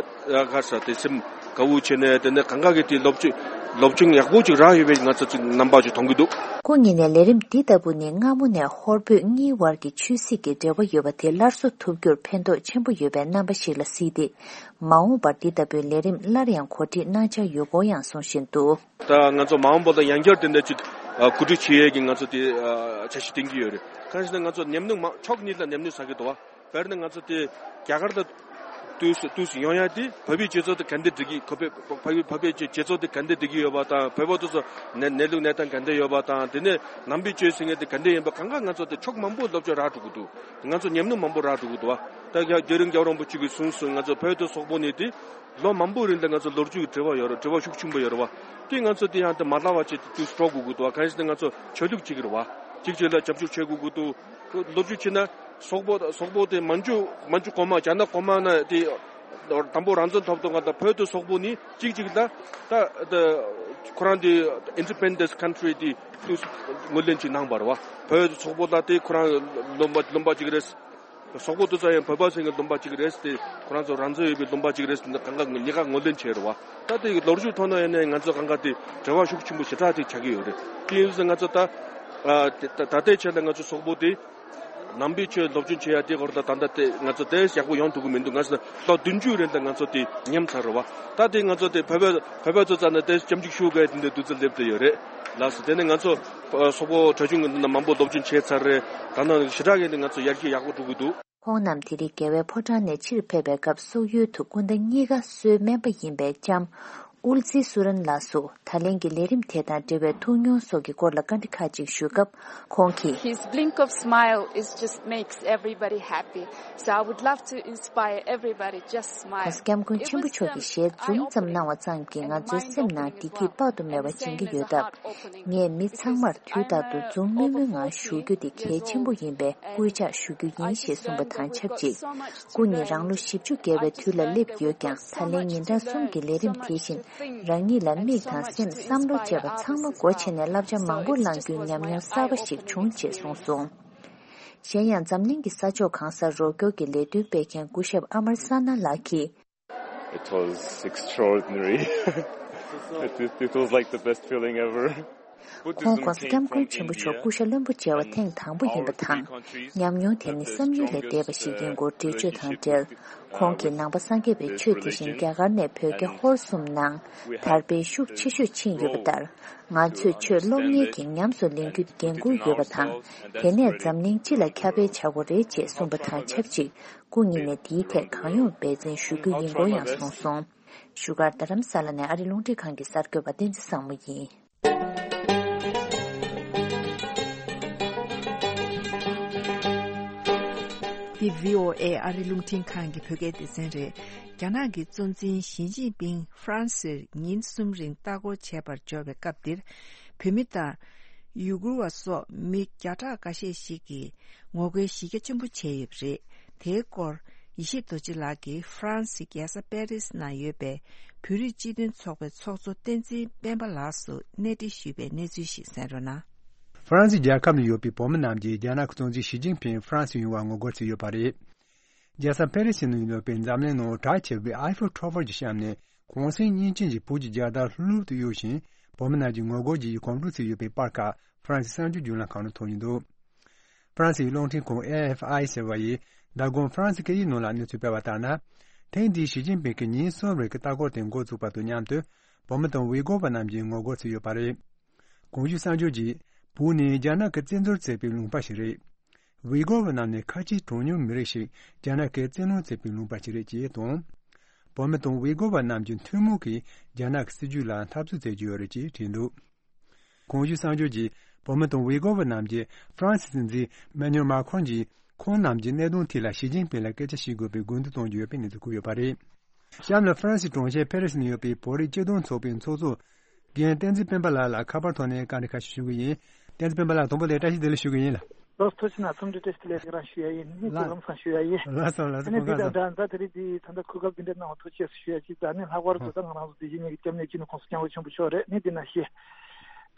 ཨ་ག་ས་དེ་སེམས་དགའ་བོ་བྱས་ནས་དེ་ནས་གང་ག་གི་དེ་སློབ་སྦྱོང་སློབ་སྦྱོང་ཡག་པོ་ཅིག་རག་ཡོད་པའི་ང་ཚོ་ཅིག་རྣམ་པ་ཅིག་མཐོང་གི་འདུག་སྐུ་ཉིད་ནས་ལས་རིམ་འདི་ལྟ་བུ་ནི་སྔ་མོ་ནས་ཧོར་བོད་གཉིས་དབར་གྱི་ཆོས་སྲིད་ཀྱི་འབྲེལ་བ་ཡོད་པ་དེ་སླར་གསོ་ཐུབ་རྒྱུར་ཕན་ཐོགས་ཆེན་པོ་ཡོད་པའི་རྣམ་པ་ཞིག་ལ་གཟིགས་ཏེ། མ་འོངས་པར་འདི་ལྟ་བུའི་ལས་རིམ་སླར་ཡང་གོ་སྒྲིག་གནང་འཆར་ཡོད་སྐོར་ཡང་གསུངས་བཞིན་འདུག་ད་ང་ཚོ་མ་འོངས་པ་ལ་ཡང་བསྐྱར་དེ་འདྲ་ཅིག་ཨ་གོ་སྒྲིག་བྱེད་ཡས་ཀྱི་ང་ཚོ་དེ་ཨ་འཆར་གཞི་བཏིང་གི་ཡོད་རེད། གང་ཞིག་ན་ང་ཚོ་ཉམས་མྱོང་མང་ཕྱོགས་གཉིས་ལ་ཉམས་མྱོང་བསགས་ཀྱི་འདུག་བ། དཔེར་ན་ང་ཚོ་དེ་རྒྱ་གར་ལ་དུས་སུ་དུས་སུ་ཡོང་ཡ་དེ་བོད་པའི་སྤྱི་ཚོགས་དེ་ག་འདྲ་སྒྲིག་གི་ཁོ་པའི་བོད་པའི་བོད་པའི་སྤྱི་ཚོགས་དེ་ག་འདྲ་སྒྲིག་གི་ཡོད་པ་དང་། བོད་པ་དེ་ཚོ་ནད་ནད་ལུགས་གནས་སྟངས་ག་འདྲ་ཡོད་པ་དང་། དེ་ནས་ནང་པའི་ཆོས་ཟེར་མཁན་དེ་ག་འདྲ་ཡིན་པ་གང་ག་ང་ཚོ་དེ་ཕྱོགས་མང་པོ་སློབ་སྦྱོང་རག་འགྲོ་གི་འདུག་ང་ཚོ་ཉམས་མྱོང་མང་པོ་རག་འགྲོ་གི་འདུག་བ། ད་རྒྱ་རྒྱ་རིང་རྒྱལ་བ་རིན་པོ་ཆེ་གིས་གསུངས་སོང་། ང་ཚོ་བོད་དང་སོག་པོ་གཉིས་དེ་ལོ་མང་པོའི་རིང་ལ་ང་ཚོ་ལོ་རྒྱུས་ཀྱི་འབྲེལ་བ་ཡོད་རེད། འབྲེལ་བ་ཤུགས་ཆེན་པོ་ཡོད་རེད་བ། དེ་ང་ཚོ་དེ་ཡང་དེ་མ་ལྷག་པ་ཅིག་དུས་སུ་འགྲོ་དགོས་ཀྱི་འདུག་བ། གང་ཡིན་ཟེར་ན་ང་ཚོ་ཆོས་ལུགས་གཅིག་རེད་བ། གཅིག་གཅིག་ལ་རྒྱབ་སྐྱོར་བྱེད་དགོས་ཀྱི་འདུག་ལོ་རྒྱུས་བྱས་ན་སོག་པོ་སོག་པོ་དེ་མན་ཇུ་མན་ཇུ་གོང་མ་རྒྱ་ནག་གོང་མ་ན་དེ་དང་པོ་རང་བཙན་ཐོབ་ཐོབ་ག་ད་བོད་དང་སོག་པོ་གཉིས་གཅིག་གཅིག་ལ་ད་ད་ཁོ་རང་དེ་independence country དེ་དུས་སུ་ངོས་ལེན་ཅིག་གནང་བ་རེད་བ། བོད་སོག་པོ་ལ་དེ་ཁོ་རང་ལུང་པ་ལུང་པ་གཅིག་རེད། སོག་པོ་དེ་ཚོ་ཡང་བོད་པ་ཚོ་གི་ལུང་པ་གཅིག་རེད་དེ། ཁོ་རང་ཚོ་རང་བཙན་ཡོད་པའི་ལུང་པ་གཅིག་རེད་དེ། གང་ག་གཉིས་ཀ་ངོས་ལེན་བྱས་རེད་བ། ད་དེ་ལོ་རྒྱུས་ཐོག་ནས་ཡིན་ནའི་ང་ཚོ་གང་ག་དེ་འབྲེལ་བ་ཤུགས་ཆེན་པོ་ཞེ་དྲག་དེ་ཆགས་ཀྱི་ཡོད་རེད། དེ་ཡིན་ཙང་ང་ཚོ་ད་ཨ་དེ་ད་ད་ལྟའི་ཆ་ལ་ང་ཚོ་སོག་པོ་དེ་ནང་པའི་ཆོས་སློབ་སྦྱོང་བྱེད་ཡ་དེ་སྐོར་ལ་ད་ལྟ་དེ་ང་ཚོ་དེ་ཡག་པོ་ཡོང་ཐུབ་ཀྱི་མི་འདུག་ང་ཚོ་ལོ་བདུན་ཅུ་རིང་ད་ང་ཚོ་དེ་ཉམས་ཚར་རེད་བ། ད་དེ་ང་ཚོ་དེ་བོད་པ་བོད་པ་ཚོ་རྩ་ནས་དེ་སྐྱབས་འཇུག་ཞུ་དགོས་དེ་འདྲའི་དུས་ཚོད་སླེབས་བསྡད་ཡོད་རེད། ལགས་སོ། དེ་ནས་ང་ཚོ་ཨ་སོག་པོ་གྲྭ་ཆུང་གི་ནང་མང་པོ་སློབ་སྦྱོང་བྱས་ཚར་རེད། ད་ནང་ཞེ་དྲག་གི་ང་ཚོ་ཡར་རྒྱས་ཡག་པོ་འགྲོ་གི་འདུག་ཁོང་རྣམས་དེ་རིང་རྒྱལ་བའི་ཕོ་བྲང་ནས་ཕྱིར་ཕེབས་པའི་སྐབས་སོག་ཡུལ་དུ་སྐུ་ཟླ་གཉིས་ཀ་གསོལ་སྨན་པ་ཡིན་པའི་ལྕམ་ཨུལ་ཙི་སུ་རན་ལགས་སུ་ད་ལན་གྱི་ལས་རིམ་དེ་དང་འབྲེལ་བའི་ཐུགས་མྱོང་སོགས་ཀྱི་སྐོར་ལ་བཀའ་འདྲི་ཁག་ཅིག་ཞུས་སྐབས། ཁོང་གིས། His blink of smile is just makes everybody happy. So I would love to inspire everybody, just smile. ༸གོང་ས་༸སྐྱབས་མགོན་ཆེན་པོ་མཆོག་གི་ཞལ་འཛུམ་ཙམ་གནང་བ་ཙམ་གྱིས་ང་ཚོའི་སེམས་ནང་བདེ་སྐྱིད་དཔག་ཏུ་མེད་པ་སྦྱིན་གྱི་ཡོད་སྟབས། ངས་མི་ཚང་མར་དུས་རྟག་ཏུ་འཛུམ་དམུལ་དམུལ་ངང་བཞུགས་རྒྱུ་དེ་གལ་ཆེན་པོ་ཡིན་པས་སྐུལ་ལྕག་ཞུ་རྒྱུ་ཡིན་ཞེས་གསུངས་པ་དང་ཆབས་ཅིག་སྐུ་ཉིད་རང་ལོ་བཞི་བཅུ་བརྒལ་བའི་དུས་ལ་སླེབས་ཡོད་ཀྱང་ད་ལན་ཉིན་གྲངས་གསུམ་གྱི་ལས་རིམ་དེ་བཞིན་ རང་ཉིད་ལ་མིག་དང་སེམས་བསམ་བློ་བཅས་པ་ཚང་མ་སྒོ་ཕྱེ་ནས་བསླབ་བྱ་མང་པོ་བླང་རྒྱུའི་ཉམས་མྱོང་གསར་པ་ཞིག་བྱུང་ཅེས་གསུངས་སོང་། གཞན་ཡང་འཛམ་གླིང་གི་ས་ཕྱོགས་གང་སར་རོགས་སྐྱོར་གྱི་ལས་དོན་སྤེལ་མཁན་སྐུ་ཞབས་ཨ་མར་ས་ན་ལགས་ཀྱིས། It was extraordinary. It, it, it was like the best feeling ever. ཁོང་༧གོང་ས་༧སྐྱབས་མགོན་ཆེན་པོ་མཆོག་སྐུ་ཤ་བློན་པོ་མཇལ་བ་ཐེངས་དང་པོ་ཡིན་པ་དང་། ཉམས་མྱོང་དེ་ནི་བསམ་ཡུལ་ལས་འདས་པ་ཞིག་ཡིན་སྐོར་འགྲེལ་བརྗོད་དང་འབྲེལ། ཁོང་གིས་ནང་པ་སངས་རྒྱས་པའི་ཆོས་དེ་བཞིན་རྒྱ་གར་ནས་བོད་རྒྱ་ཧོར་གསུམ་ནང་དར་སྤེལ་ཤུགས་ཆེ་ཤོས་ཕྱིན་ཡོད་པ་ལྟར། ང་ཚོས་ཆོས་སློབ་གཉེར་གྱིས་ཉམས་སུ་ལེན་རྒྱུ་འགན་འཁུར་ཡོད་པ་དང་། དེ་ནས་འཛམ་གླིང་སྤྱི་ལ་ཁྱབ་སྤེལ་བྱ་དགོས་རེད་ཅེས་གསུངས་པ་དང་ཆབས་ཅིག་སྐུ་ཉིད་ནས་དེའི་ཐད་གང་ཡོང་འབད་བརྩོན་ཞུ་རྒྱུ་ཡིན་སྐོར་ཡང་གསུངས་སོང་། བཞུགས་སྒར་རྡ་རམ་ས་ལ་ནས་ཨ་རི་རླུང་འཕྲིན་ཁང་གི་གསར་འགོད་པ་བསྟན་འཛིན་བཟང་མོ་ཡིན། འདི་བྷི་ཨོ་ཨེ་ཨ་རི་རླུང་འཕྲིན་ཁང་གི་བོད་སྐད་སྡེ་ཚན་རེད། རྒྱ་ནག་གི་གཙོ་འཛིན་ཞི་ཅིན་ཕིང་ཧྥ་རན་སིར་ཉིན་གསུམ་རིང་ལྟ་སྐོར་བྱེད་པར་འབྱོར་བའི་སྐབས་འདིར། བོད་མི་དང་། ཡུ་གུར་བ་སོགས་མི་བརྒྱ་ཕྲག་འགའ་ཤས་ཤིག་གིས་ངོ་རྒོལ་གཞི་རྒྱ་ཆེན་པོ་བྱས་ཡོད་པ་རེད། དེའི་སྐོར་ཡེ་ཤེས་རྡོ་རྗེ་ལགས་ཀྱིས་ཧྥ་རན་སིའི་རྒྱལ་ས་པེ་རིས་ནང་ཡོད་པའི་བོད་རིགས་སྤྱི་མཐུན་ཚོགས་པའི་ཚོགས་གཙོ་བསྟན་འཛིན་སྤེན་པ་ལགས་སུ་གནས་འདྲི་ཞུས་པའི་གནས་ཚུལ་ཞིག་གསན་རོགས་གནང་། ཧྥ་རན་སི་རྒྱལ་ཁབ་ནང་ཡོད་པའི་བོད་མི་རྣམས་ཀྱིས་རྒྱ་ནག་གི་གཙོ་འཛིན་ཞི་ཅིན་ཕིང་ཧྥ་རན་སི་ཡོང་བར་ངོ་རྒོལ་བྱས་ཡོད་པ་རེད། རྒྱལ་ས་པེ་རི་སི་ནང་ཡོད་པའི་འཛམ་གླིང་ནང་གྲགས་ཆེ་བའི་ཨའི་ཧྥེལ་མཐོ་སྒར་གྱི་གཤམ་ནས་གུང་སེང་བརྙན་ཅན་གྱི་བོད་ཀྱི་རྒྱལ་དར་ལྷུག་ལྷུག་ཏུ་གཡོ་བཞིན། བོད་མི་རྣམས་ཀྱིས་ངོ་རྒོལ་གྱི་གོམ་བགྲོད་བྱས་ཡོད་པའི་པར་ཁག་ཧྥ་རན་སི་གསར་འགྱུར་བརྒྱུད་ལམ་ཁག་ནང་ཐོན་ཡོད་འདུག་ཧྥ་རན་སིའི་རླུང་འཕྲིན་ཁང་ཨེ་ཨེཕ་ཨའི་ཟེར་བ་ཡིས་མདང་དགོང་ཧྥ་རན་སི་སྐད་ཡིག་ནང་ལ་གནས་ཚུལ་སྤེལ་བ་ལྟར་ན། ཐེངས་འདིའི་ཞི་ཅིན་ཕིང་གི་ཉིན་གསུམ་རིང་གི་ལྟ་སྐོར་དེ་འགོ་བཙུགས་པ་དང་མཉམ་དུ། བོད་མི་དང་ཝི་གོ་བ་རྣམས་ཀྱིས་ངོ་རྒོལ་བྱས་ཡོད་པ་རེད། གོང་ཞུས་གསར་འགྱུར་གྱིས། བོད་ནི་རྒྱ་ནག་གིས་བཙན་འཛུལ་བྱས་པའི་ལུང་པ་ཞིག་རེད། ཝི་གོ་བ་རྣམས་ནི་ཁ་ཆེའི་གྲངས་ཉུང་མི་རིགས་ཤིག་རྒྱ་ནག་གིས་བཙན་ལོག་བྱས་པའི་ལུང་པ་ཞིག་རེད་ཅེས་དང་། བོད་མི་དང་ཝི་གོ་བ་རྣམས་ཀྱི་ཐུན་མོང་གི་རྒྱ་ནག་གི་སྲིད་ཇུས་ལ་འཐབ་རྩོད་བྱེད་ཀྱི་ཡོད་རེད་ཅེས་བྲིས་འདུག་གོང་ཞུས་གསར་འགྱུར་གྱིས། བོད་མི་དང་ཝི་གོ་བ་རྣམས་ཀྱིས་ཧྥ་རན་སི་སྲིད་འཛིན་ཨེ་མ་ནུ་ཨེལ་མཱ་ཁོན་གྱིས་ཁོང་རྣམས་ཀྱི་གནད་དོན་ཐད་ལ་ཞི་ཅིན་ཕིང་ལ་སྐད་ཆ་བཤད་དགོས་པའི་དགོས་འདུན་གཏོང་གི་ཡོད་པའི་གནས་ཚུལ་གོ་ཡོད་པ་རེད། གཤམ་ལ་ཧྥ་རན་སིའི་གྲོང་ཁྱེར་ཕེ་རི་སི་ནང་ཡོད་པའི་བོད་རིགས་སྤྱི་མཐུན་ཚོགས་པའི་ཚོགས་གཙོ་རྒན་བསྟན་འཛིན་སྤེན་པ་ལགས་ལ་ཁ་པར་ཐོག་ནས་བཀའ་འདྲི་ཁ་ཤས་ཞུ་གི་ཡིན། བསྟན་འཛིན་སྤེན་པ་ལགས་དང་པོ་ལ་བཀྲ་ཤིས་བདེ་ལེགས་ཞུ་གི་ཡིན་ལ། ལགས་སོ་ཐུགས་རྗེ་གནང་། འཚམས་འདྲི་བཀྲ་ཤིས་བདེ་ལེགས་རང་ཞུ་ཡ་ཡིན། གནས་ཚུལ་ལགས། ལམ་སང་ཞུ་ཡ་ཡིན། ལགས་སོ་ལགས་སོ། ཨ་ནི་སྐུ་ཁམས་བཟང་། ད་ད་དེ་རིང་འདི་ད་ལྟ་གོ་སྐབས་འདི་འདྲ་གནང་བ་ཐུགས་རྗེ་ཆེ་ཞུ་ཡ་ཅིག་ད་ནི་ལྷག་པར་དུ་ད་ང་རང་ཚོ་དེ་བཞིན་ཉིད་ཀྱི་སྐྱབས་གནས་སྤྱི་ནོར་༸གོང་ས་༸སྐྱབས་མགོན་ཆེན་པོ་མཆོག་རེད། ནི་འདི་ན་ཞེས།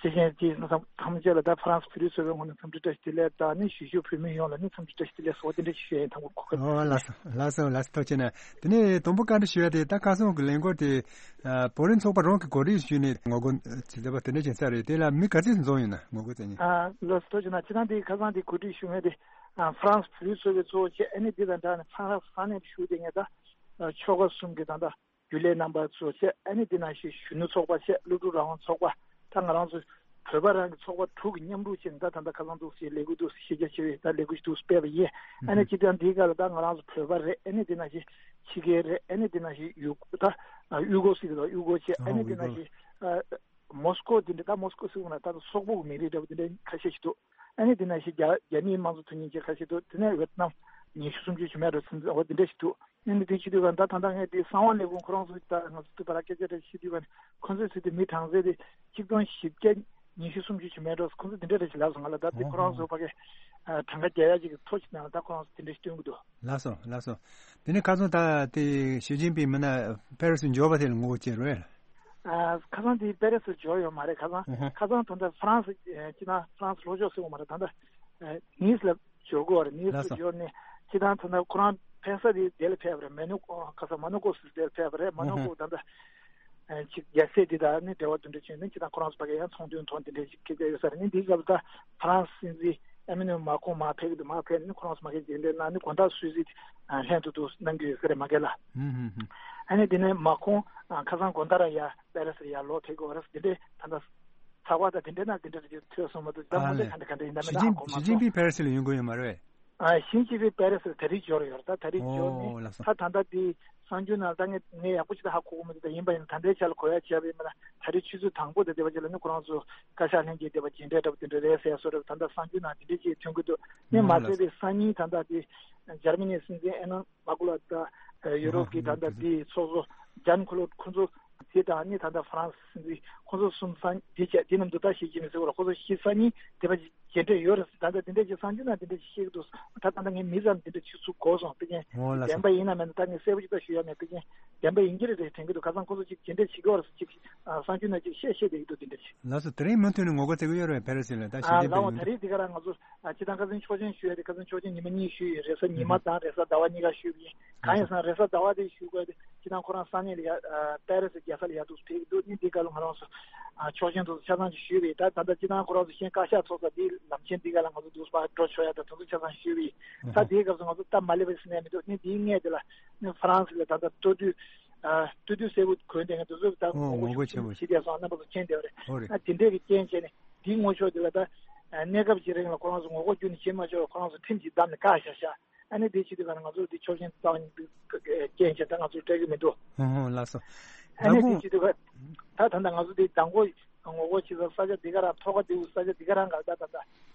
ཅི་ཞིག་ཅིག་ཐམས་ཅད་ལ་ད་ཧྥ་རན་སི་བོད་རིགས་ཚོགས་པའི་ངོས་ནས་འཚམས་འདྲི་བཀྲ་ཤིས་བདེ་ལེགས་དང་ནི་གཞིས་བཞུགས་བོད་མི་ཡོངས་ལ་ནི་འཚམས་འདྲི་བཀྲ་ཤིས་བདེ་ལེགས་སོགས་དེ་འདྲ་ཞིག་ཞུ་ཡ་ཡིན། དང་པོ་གོ་སྐབས། ཨོ་ལགས་སོ་ལགས་སོ་ལགས་སོ། ཐུགས་རྗེ་གནང་། དེ་ནས་དང་པོ་བཀའ་འདྲི་ཞུ་ཡ་དེ་ད་ཁ་སང་གི་ལས་འགུལ་དེ་བོད་རིགས་ཚོགས་པ་རང་གི་གོ་སྒྲིག་ཞུས་ནས་ངོ་རྒོལ་བྱེད་བསྡད་པ་དེ་འདྲ་ཅིག་ཡིན་ས་རེད། དེ་ལ་མི་ག་ཚོད་འཛོམས་ཡོད་ན་ངོ་རྒོལ་བྱེད་མཁན། ཨ་ལགས་སོ་ཐུགས་རྗེ་གནང་། སྤྱིར་བཏང་དེ་ཁ་སང་དེ་གོ་སྒྲིག་ཞུ་མཁན་དེ་ཧྥ་རན་སི་བོད་རིགས་ཚོགས་པའི་གཙོ་བོ་བྱས་ཨ་ནི་དེ་དང་སྦྲགས་ནས་ཧྥ་རན་སི་ས་གནས་ཞུགས་བསྡད་མཁན་ད་ཆོལ་ཁ་གསུམ་གྱི་ད་ལྟ་རྒྱུན་ལས་རྣམ་པ་ཚོ་བཅས་ཨ་ནི་འདི་ནང་བཞིན་གཞོན་ནུ་ཚོགས་པ་བཅས་སློབ་ཕྲུག་རང་དབང་ཚོགས་པ་ད་ང་རང་ཚོ་བོད་པ་རང་གི་ཚོགས་པ་དྲུག་གི་མཉམ་རུབ་བྱས་ནས་ད་ད་ལྟ་ཁ་སང་འདུག་སེ་ལས་འགུལ་འདུག་སེ་ཤེས་རྒྱ་ཆེ་བའི་ད་ལས་འགུལ་ཞིག་འདུག་སེ་སྤེལ་བ་ཡིན། ཨ་ནི་སྤྱི་བཏང་འདིའི་སྐབས་ལ་ད་ང་རང་ཚོ་བོད་པ་རེད། ཨ་ནི་འདི་ནང་བཞིན་ཕྱི་རྒྱལ་རེད། ཨ་ནི་འདི་ནང་བཞིན་ཡུ་ད་ཡུ་གོ་སི་གི་ད་ཡུ་གོ་བྱས་ཨ་ནི་འདི་ནང་བཞིན་མོ་སི་ཀོ་འདི་འདྲ་ད་མོ་སི་ཀོ་སི་གོ་ན་ད་སོག་པོ་གི་མི་རིགས་འདྲ་བོ་འདི་འདྲ་ཁ་ཤས་ཤིག་འདུག་ཨ་ནི་འདི་ནང་བཞིན་རྒྱ་རྒྱ་མིའི་དམངས་གཙོ་མཐུན་ལམ་བཅས་ཁ་ཤས་འདུག་དེ་ནས་ཝེ་ཏི་ནམ་ཉི་ཤུ་སུམ་ཅུ་ཅིག་མེད་འགྲོ་ཚུན་ཚོད་འོ་འདི་འདྲ་ཞིག་འདུག་ཨ་ནི་དེ་བྱེད་དུས་ག་ད་ད་ལྟ་ངས་དེ་གསང་བ་ལས་ཁུངས་ཁོ་རང་ཚོ་ད་ང་ཚོ་དུས་བར་སྐད་ཆ་རེ་བཤད་དུས་ག་ཁོ་ཚོས་ཟེར་དུས་མི་གྲངས་ཚད་དེ་གཅིག་སྟོང་བཞི་བརྒྱ་ཉི་ཤུ་སུམ་ཅུ་ཅིག་མེད་འགྲོ། ཁོ་ཚོ་དེ་འདྲ་རེ་ཞིག་ལབ་སོང་ང་ལ། ད་དེ་ཁོ་རང་ཚོ་ཕ་གི་གྲངས་ཀ་རྒྱག་ཡ་ཅིག་གི་ཐོ་ཞིག་ནང་ལ་ད་ཁོ་རང་ཚོ་དེ་འདྲ་ཞིག་སྟོན་གི་འདུག་ལགས་སོ་ལགས་སོ། དེ་ནས་ཁ་སང་ད་དེ་ཞི་ཅིན་ཕིང་མི་ན་པེ་རི་སི་འབྱོར་བ་དེ་ལ་ངོ་རྒོལ་བྱས་རེད། ཁ་སང་དེ་པེ་རི་སི་འབྱོར་ཡོད་མ་རེད། ཁ་སང་ཁ་སང་ད་ལྟ་ཧྥ་རན་སི་སྤྱི་ན་ཧྥ་རན་སི་ལྷོ་ཕྱོགས་ཟེར་བ་མ་རེད། ད་ལྟ་ནིས་ལ་འབྱོར་གོ་རེད། ནིས་ལ་འབྱོར་ནས་སྤྱི་ན་ད་ལྟ་ཁོ་རང་ཕེབས་ས་དེ་དེ་ལ་ཕེབས་པ་རེད། མོ་ནོ་ཁ་སང་མོ་ནོ་ཀོ་སི་དེ་ལ་ཕེབས་པ་རེད། མོ་ནོ་ཀོ་ད་ལྟ་ཅིག་རྒྱལ་སྲས་དེ་དག་ནི་འབྲེལ་བ་དེ་འདྲ་བྱུང་ནས་ཅི་དང་ཁོ་རང་ཚོ་ཕ་གི་ཡང་ཚོང་དོན་ཐོག་དེ་འདྲ་ཞིག་སྐད་ཆ་ཡོད་ས་རེད། ནི་འདིའི་སྐབས་ད་ཧྥ་རན་སི་སྲིད་འཛིན་ཨེ་མ་ནུ་ཨེལ་མཱ་ཁོང་མར་ཕེབས་ཀྱི་འདུག་མར་ཕེབས་ནས་ཁོ་རང་ཚོ་མ་གི་རྗེས་འབྲེལ་གནང་ནས་དགོང་དག་སུད་སི་ལྷན་དུ་འདུག་གནང་གི་ཡོད་ས་རེད་མ་གི་ལ། ཨ་ནི་དེ་ནས་མཱ་ཁོང་ཁ་སང་དགོང་དག་ར་ཡ་པེ་རི་སི་ཡ་ལོག་ཕེབས་ཀྱི་ཡོད་རེད། དེ་འདྲའི་ད་ལྟ་ཚགས་པར་དང་དེ་འདྲའི་ནང་དེ་འདྲ་རེ་ཐོས་སོང་མ་གཏོགས་ད་དངོས་གནས་ག་འདྲ་ག་འདྲ་ཡིན་ན་མིན་ན་ཧ་གོ་མ་སོང་། ཞི་ཅིན་ཕིང་པེ་རི་སི་ལ་ཡོང་གི་ཡོད་མ་རེད། ཨ་ཞིན་ཅི་ཕིང་པེ་རི་སི་ལ་ད་རེས་འབྱོར་ཡོད་རེད། ད་ད་རེས་འབྱོར་ནས་ད་ད་ལྟ་དེ་གསར་འགྱུར་ནང་ད་ངས་ངས་ཡག་པོ་ཅིག་ད་ཧ་གོ་གི་མི་འདུག་ད་ཡིན་པ་ཡིན་ན་ད་ལྟའི་ཆ་ལ་གོ་ཡ་བྱས་པ་ཡིན་པ་ན་ད་རེས་ཆུ་ཚོད་དང་པོ་དང་དེ་བ་ཅིག་ལ་ནི་ཁོ་རང་ཚོ་བཀའ་ཤག་ལྷན་རྒྱས་དེ་བ་མཇལ་འཕྲད་འདྲ་བོ་དེ་འདྲ་རེད་ཟེར་ཡ་སོགས་རེད། ད་ལྟ་གསར་འགྱུར་ནང་དེ་འདྲ་ཅིག་ཐོན་གི་འདུག་ནས་མ་ཟད་པའི་སང་ཉིན་ད་ལྟ་དེ་འཇར་མ་ནིའི་སྲིད་འཛིན་ཨེ་ན་མ་ཀུ་ལ་ད་ཡུ་རོབ་ཀྱི་ད་ལྟ་དེ་ཚོགས་གཙོ་ཇན་ཁོ་ལོད་ཁོ་ཚོ་དེ་དང་ནི་ད་ལྟ་ཧྥ་རན་སི་སྲིད་འཛིན་ཁོ་ཚོ་གསུམ་སང་དེ་བྱས་དེ་ནམ་དུ་ད་ཞི་ཅིན་ཕིང་ཟེར་བ་ལ་ཁོ་ཚོ་ཤི་སང་ཉིན་དེ་བ་ཅིག་མཇལ་འཕྲད་ཡོད་རེད། ད་ལྟ་འདི་འདྲ་ཅིག་གསར་འགྱུར་ནང་འདི་འདྲ་ཅིག་བཤད་ཀྱི་འདུག་ད་ད་ལྟ་ངས་མི་ཙམ་འདི་འདྲ་བྱེད་ཚུགས་དགོས་སོང་། དཔེ་ཅན་འོ་ལགས་བདེན་སོ། པ་ཡིན་ན་མིན་ན་ད་ངས་གསལ་པོ་ཅིག་ད་ཞུ་ཡ་མེད། དཔེ་ཅན་བདེན་པ་ཡིན་གྱི་རེད་རེད་དྲན་གྱི་འདུག་ཁ་སང་ཁོ་ཚོ་ཅིག་མཇལ་འཕྲད་བྱེད་ཀྱི་ཡོད་རེད་ཅིག་ཨ་གསར་འགྱུར་ནང་ཅིག་བཤད་བཤད་བསྡད་ཀྱི་འདུག་འདི་འདྲ་ཅིག་ལགས་སོ། དེ་རིང་མུ་མཐུད་ནས་ངོ་རྒོལ་བྱེད་ཀྱི་ཡོད་རེད་པ། ཕེ་རི་སི་ལ་ད་ཞི་ཨ་ཅིན་ལགས་འོ་ཕིང་ད་ཡོད། རེས་འདི་ག་རང་ང་ཚོ་ཨ་སྤྱིར་བཏང་ཁ་སང་ཆོག་མཆན་ཞུ་ཡ་དེ་ཁ་སང་ཆོག་མཆན་ཉི་མ་གཉིས་ཞུས་ཡོད། རེས་གཟའ་ཉི་མ་དང་རེས་གཟའ་ཟླ་བ་གཉིས་ཀ་ཞུས་པ་ཡིན། གང་ཡིན་ཟེར་ན་རེས་གཟའ་ཟླ་བ་དེ་ཞུ་དགོས་དེ་སྤྱིར་བཏང་ཁོ་རང་ས་གནས་ལ་ཡ་ཨ་པེ་རི་སི་རྒྱལ་ས་ལ་ཡ་འདུག་ཕེབས་ཀྱི་འདུག་ཨ་ནི་འདི་སྐབས་ལ་ང་རང་ཚོ་ཨ་ཆོག་མཆན་དེ་ཚོ་ཆ་ཚང་ཅིག་ཞུས་པ་ཡིན། ད་ད་ལྟ་སྤྱིར་བཏང་ཁོ་རང་ཚོ་གཞན་བཀའ་ཤག་ཚོགས་ས་དེའི་ལམ་ཆེན་འདི་ག་ལ་ང་ཚོ་འདུག་སེ་ཕར་འགྲོ་ཆོག་ཡ་དང་དེ་ཚོ་ཆ་ཚང་ཞུས་པ་ཡིན། ད་དེའི་སྐབས་སུ་ང་ཚོ་སྟབས་མ་ལེགས་པ་ཞིག་གནས་མི་འདུག་ཨ་ནི་དེའི་སྔས་དེ་ལ་ཨ་ནི་ཧྥ་རན་སི་ལ་ད་ལྟ་སྟོད་དུས་ཨ་སྟོད་དུས་སེར་པོ་གོན་བསྡད་མཁན་དེ་ཚོ་ད་ཨོ་ངོ་ངོ་རྒོལ་ཆེན་པོ་ཞིག་བྱས་བསྡད་སོང་། རྣམ་པ་ཚོ་མཁྱེན་བསྡད་པ་རེད། ཨོ་རེད། ཨ་དེ་འདྲས་ཀྱི་རྐྱེན་བྱས་ནས་དེའི་ངོ་ཕྱོགས་དེ་ལ་ད་ཨ་གནས་སྐབས་ཀྱི་རིང་ལ་ཁོ་རང་ཚོ་ངོ་རྒོལ་ཁྱོན་ནས་བྱེད་མ་ཆོག་ཁོ་རང་ཚོ་ཁྲིམས་ཀྱིས་བསྡམས་ནས་བཀག་བཞག་བཞག་ཨ་ནི་དེ་བྱེད་དུས་ག་ང་ཚོ་འདི་ཆོག་མཆན་རྩ་བ་ཉིད་དུ་རྐྱེན་བྱས་ད་ང་ཚོ་སྤྲད་ཀྱི་མི་འདུག་ཧོ་ཧོ་ལགས་སོ། ཨ་ནི་ད་དེ་གུང་བྱེད་དུས་ག་ད་ད་ལྟ་ང་ཚོ་འདི་མདང་དགོང་ངོ་རྒོལ་བྱེད་ས་ས་ཆ་འདི་ག་རང་ཐོག་ཁ་འདི་བོ་ས་ཆ་འདི་ག་རང་ག་ད་ད་ད་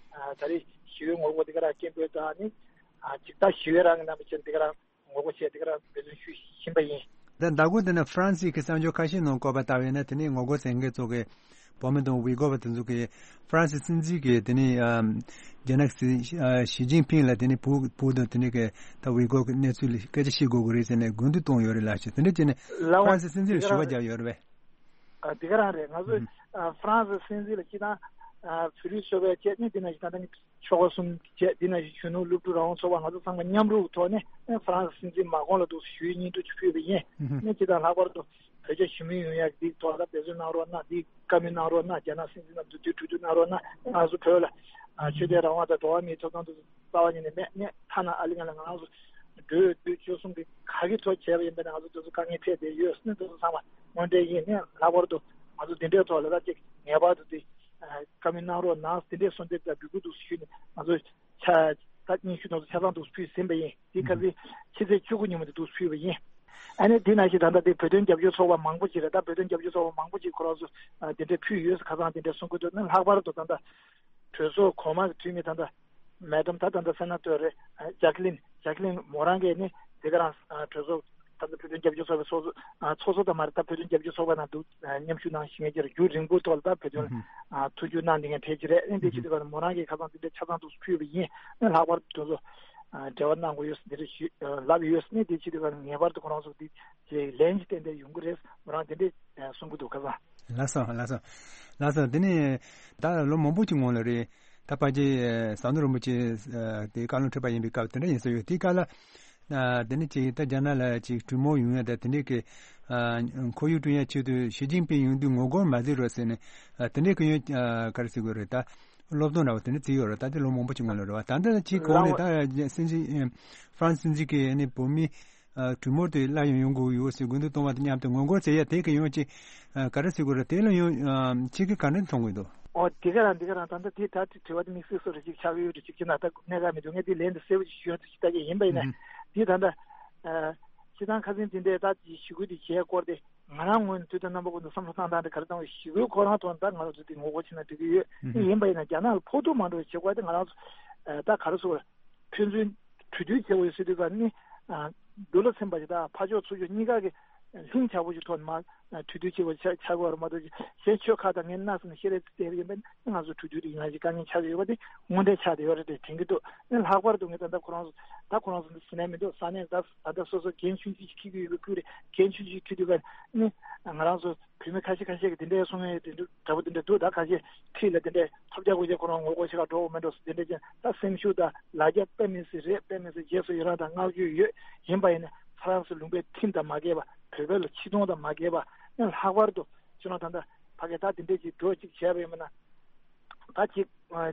ད་རེས་ཞི་བའི་ངོ་རྒོལ་འདི་ག་རང་སྐད་འབོད་དང་ཨ་ནི་ཨ་ཅིག་ད་ཞི་བའི་རང་གི་རྣམ་པ་ཅན་འདི་ག་རང་ངོ་རྒོལ་བྱས་འདི་ག་རང་འབད་བརྩོན་ཞུ་བཞིན་པ་ཡིན། ད་ཟླ་གོང་དེ་ནས་ཧྥ་རན་སི་གི་གསར་འགྱུར་ཁ་ཤས་ནང་བཀོད་པ་ལྟ་བས་ན་དེ་ནས་ངོ་རྒོལ་བྱེད་མཁན་ཚོ་གི་བོད་མི་དང་ཝི་གོ་བ་དེ་ཚོ་གིས་ཧྥ་རན་སི་སྲིད་འཛིན་གྱིས་དེ་ནས་ཨམ་རྒྱ་ནག་སྲིད་ཨ་ཞི་ཅིན་ཕིང་ལ་དེ་ནས་བུ་བུ་དང་དེ་ནས་གི་ད་ཝི་གོ་གི་གནས་ཚུལ་ལ་སྐད་ཆ་བཤད་དགོས་ཀྱི་རེད་ཟེར་ནས་སྐུལ་འདེད་གཏོང་ཡོད་རེད་ལགས་ཞེས་དེ་འདྲ་བྱས་ནས་ལགས་འོང་། ཧྥ་རན་སི་སྲིད་འཛིན་ལ་ཞུ་བ་བརྒྱབ་ཡོད་རེད་པས། ཨ་དེ་ག་རང་རེད། ང་ཚོས་ཨ་ཧྥ་རན་སི་སྲིད་འཛིན་ལ་སྤྱིར་བཏང་ཨ་བོད་རིགས་ཚོགས་པའི་ཆེད་ནས་དེ་ནང་བཞིན་ད་ལྟ་ནི་ཆོལ་ཁ་གསུམ་བཅས་དེ་ནང་བཞིན་གཞོན་ནུ་སློབ་ཕྲུག་རང་དབང་ཚོགས་པ་ང་ཚོ་ཚང་མ་མཉམ་རུབ་ཐོག་ནས་ཨ་ཧྥ་རན་སི་སྲིད་འཛིན་མ་ཀོང་ལ་འདུག་ཞུ་ཡིག་སྙན་སྒྲོན་ཞིག་ཕུལ་བ་ཡིན། ཨ་ནི་སྤྱིར་བཏང་ལྷག་པར་དུ་བོད་རྒྱ་ཞི་མོལ་ཡོང་ཡག་འདི་ཐོག་ལ་འབད་བརྩོན་གནང་རོགས་གནང་། འདི་བཀའ་མོལ་གནང་རོགས་གནང་། རྒྱ་ནག་སྲིད་འཛིན་ལ་མདུན་དུ་གྲོས་བསྡུར་གནང་རོགས་གནང་། ང་ཚོ་བོད་ལ་ཨ་ཆོས་དད་རང་དབང་དང་འགྲོ་བ་མིའི་ཐོབ་ཐང་དེ་ཚོ་རྩ་བ་ཉིད་ནས་མེད། ནས་ཐ་ན་ཨ་ལི་ང་ལ་ང་རང་ཚོ་འགྲོ་བའི་དུས་ཆོལ་གསུམ་གྱི་ག་གི་ཐོག་བྱས་པ་ཡིན་པ་ན་ང་ཚོ་དེ་ཚོ་དཀའ་ངལ་འཕྲད་བསྡད་ཡོད་ཟེར་ནས་དེ་ཚོ་ཚང་མ་དངོས་འབྲེལ་ཡིན། ནས་ལྷག་པར་དུ་ང་ཚོ་འདི་འདྲའི་ཐོག་ལ་ད་ཅིག་ངེས་པར་དུ་དེ་བཀའ་མོལ་གནང་རོགས་གནང་། དེ་འདྲའི་གསོལ་འདེབས་དང་འབོད་སྐུལ་དུ་ཞུས་ནས་ང་ཚོ་ཆ་ད་སྙན་ཞུ་དེ་ཚོ་ཆ་ཚང་དུ་ཕུལ་ཟིན་པ་ཡིན། དེ་ག་ཚོད་ཕྱི་ཚེས་བཅུ་དགུ་ཉིན་མོ་དེ་དུ་ཕུལ་བ་ཡིན། ཨ་ནི་དེ་ནང་བཞིན་ད་ལྟ་དེ་བོད་དོན་རྒྱབ་སྐྱོར་ཚོགས་པ་མང་པོ་ཅིག་རེད། ད་བོད་དོན་རྒྱབ་སྐྱོར་ཚོགས་པ་མང་པོ་ཅིག་ཁོ་རང་ཚོ་དེ་འདྲའི་ཕུལ་ཡོད་ཟེར་ཁ་སང་དེ་འདྲའི་གསུང་གི་འདུག་ནི་ལྷག་པར་དུ་ད་ལྟ་གྲོས་ཚོགས་གོང་མ་གི་འཐུས་མི་ད་ལྟ་མེ་ཌམ་ད་ད་ལྟ་སེ་ན་ཏོར་རེད། ཇ་ཀི་ལིན་ཇ་ཀི་ལིན་མོ་རང་གིས་ནི་དེ་ག་རང་གྲོས་ཚོགས་ད་ལྟ་བོད་དོན་རྒྱབ་སྐྱོར་ཚོགས་པའི་ཚོགས་གཙོ་ཚོགས་གཙོ་ད་མ་རེད། ད་བོད་དོན་རྒྱབ་སྐྱོར་ཚོགས་པ་ནང་དུ་མཉམ་ཞུགས་གནང་བཞིན་ཡོད་ཀྱི་རེད། རྒྱུན་རིང་པོའི་ཐོག་ལ་ད་བོད་དོན་ཐུགས་རྒྱུས་གནང་བསྡད་མཁན་དེ་ཅི་རེད། ཨ་ནི་དེ་ཅི་དེ་ག་མོ་རང་གིས་ཁ་སང་དེ་འདྲའི་ཆ་ཚང་དུ་ཕུལ་བ་ཡིན། ཨ་ནི་ལྷག་པར་དུ་ཚོ་འབྲེལ་བ་གནང་དགོས་ཡོད་དེ་འདྲ་ཞུ་ལབ་ཡོད། ཨ་ནི་དེ་ཅི་དེ་ག་ངེས་པར་དུ་ཁོ་རང་ཚོ་དེ་ལན་ཅིག་ཏན་ཏན་ཡོང་གི་རེད། མོ་རང་དེ་འདྲའི་གསུང་གི་འདུག་ཁ་སང་། ལགས་སོ་ལགས་སོ་ལགས་སོ། དེ་ནས་ད་ལོ་མང་པོ་ཅིག་སྔོན་ལ་རེད། ད་ཕལ་ཆེར་ཟམ་གདོང་རིན་པོ་ཆེ་དེ་བཀའ་བློན་ཁྲི་པ་ཡིན་པའི་སྐབས་དེ་འདྲ་ཡིན་ས་ཡོད། དེའི་སྐབས་ལ་དེ་ནས་ཅིག་ད་རྒྱ་ནག་ལ་ཅིག་གྲོས་མོལ་ཡོང་ཡ་ད་དེ་འདྲའི་གི་ཁོར་ཡུག་བསྐྲུན་ཡ་ཆེད་དུ་ཞི་ཅིན་ཕིང་ཡོང་དུས་ངོ་རྒོལ་མ་བྱེད་རོགས་ཟེར་ནས་དེ་འདྲའི་གི་ཡོང་ག་རེ་ཟེར་དགོས་རེད། ད་སློབ་སྟོན་འདྲ་བོ་དེ་འདྲ་བྱས་ཡོད་རེད། ད་དེ་ལོ་མང་པོ་ཅིག་སྔོན་ལ་རེད་བ། ད་ལྟ་ཅིག་གོང་ནས་ད་སྲིད་འཛིན་ཧྥ་རན་སི་སྲིད་འཛིན་གིས་ནི་བོད་མི་གྲོས་མོལ་དེ་སླར་ཡང་ཡོང་དགོས་ཡོད་ཟེར་སྐུལ་འདེད་གཏོང་བ་དང་མཉམ་དུ་ངོ་རྒོལ་བྱེད་ཡ་དེ་གི་ཡོང་ཅིག་ག་རེ་ཟེར་དགོས་རེད། དེ་ལ་ཡང་ཁྱེད་ཀྱིས་ག་འདྲ་མཐོང་གི་འདུག་ཨོ་དེ་ག་རང་དེ་ག་རང་ད་ལྟ་དེ་ད་དྲི་བ་དེ་དམིགས་བསལ་སོ་རེ་ཅིག་ཆགས་ཀྱི་ཡོད་རེད། ཅིག་ཅི་ན་ད་གནད་འགག་མི་འདུག་ངས་དེ་ལན་དུ་གསལ་པོ་ཅིག་ཞུ་ཡ་ཅིག་ལྟ་གི་ཡིན་པ་ཡིན་ན་དེ་ད་ལྟ་སྤྱི་བཏང་ཁ་སང་དེ་འདྲའི་ད་ཞི་རྒོལ་དེ་བྱས་སྐོར་དེ་ང་རང་ངོས་ནས་དུས་དང་རྣམ་པ་ཀུན་ཏུ་བསམ་བློ་བཏང་སྟངས་དེ་ག་རེ་བཏང་བའི་ཞི་རྒོལ་ཁོ་རང་ཐོག་ད་ང་རང་ཚོ་དེ་ངོ་རྒོལ་བྱེད་ན་འགྲིག་གི་ཡོད། དེ་ཡིན་པ་ཡིན་ན་རྒྱ་ནག་ལ་ཕོག་ཐུག་མ་འགྲོ་བའི་བྱེད་སྒོ་དེ་ང་རང་ཚོ་ད་ག་རེ་ཟེར་དགོས་རེད། ཕན་ཚུན་གྲོས་བསྡུར་བྱེད་དགོས་ཡོད་ཟེར་དུས་ཀ་ནི། འདུལ་ལ་ཚན་པ་ཞིག་དང་ཕར་ཕྱོགས་ཚུར་ཕྱོགས་གཉིས་ཀ་གི་ལྷིང་འཇགས་པོ་ཞིག་ཐོག་ནས་མར་གྲོས་བསྡུར་བྱེད་པ་ཆགས་ཆགས་དགོས་རེད་མ་གཏོགས་གཞན་ཆོལ་ཁ་དང་ངས་སྣ་ཟིན་ཤེས་རེ་བལྟས་པ་ཡིན་པ་ནི་ང་ཚོ་གྲོས་བསྡུར་དེ་ཡིན་ན་ཞིག་དཀའ་ངལ་ཆགས་ཀྱི་ཡོད་པ་དེ་དངོས་འབྲེལ་ཆགས་བསྡད་ཡོད་རེད་དེ་དྲན་གྱི་འདུག་ནི་ལྷག་པར་དུ་ངས་ད་ལྟ་ཁོ་རང་ཚོ་ད་ཁོ་རང་ཚོ་འདི་ཟིན་ནས་མི་འདུག་ས་གནས་ད་ད་ལྟ་སོ་སོ་འགན་ཆུང་ཆུང་ཞིག་འཁྱེར་གྱི་ཡོད་པའི་ཁུལ་རེད། འགན་ཆུང་ཆུང་འཁྱེར་དུས་ཀ་ནི་ང་རང་ཚོ་བོད་མི་ཁ་ཤས་ཁ་ཤས་ཀྱིས་དེ་འདྲའི་གསུང་ཡས་དེ་འདྲ་འདྲ་པོ་དེ་འདྲ་འདུག་ད་ཁ་ཤས་ཁྲིད་ལ་དེ་འདྲའི་ཐོབ་རྒྱག་དགོས་ཀྱི་ཁོ་རང་ངོ་རྒོལ་ཞིག་ག་འགྲོ་དགོས་མེད་འགྲོ་ཟེར་དེ་འདྲ་ཅན་ད་སེམས་ཤུགས་དང་ལ་རྒྱ་དཔེ་མི་སྲིད་རེད། དཔེ་མི་སྲིད་རྗེས་སུ་ཡི་རང་དང་བསྔགས་བརྗོད་ཡོད། ཡིན་པ་ཡིན་ན་ཧྥ་རན་སི་ལུང་པའི་ཁྲིམས་དང་མ་འགལ་བ་བོད་པའི་ལ་ཆེ་མཐོང་དང་མ་འགལ་བ་ནི་ལྷག་པར་དུ་ཁྱོད་རང་ད་ལྟ་ཕ་གི་ད་དེ་འདྲ་ཅིག་འགྲོ་ཅིག་བྱས་པ་ཡིན་པ་ན་ད་ཅིག་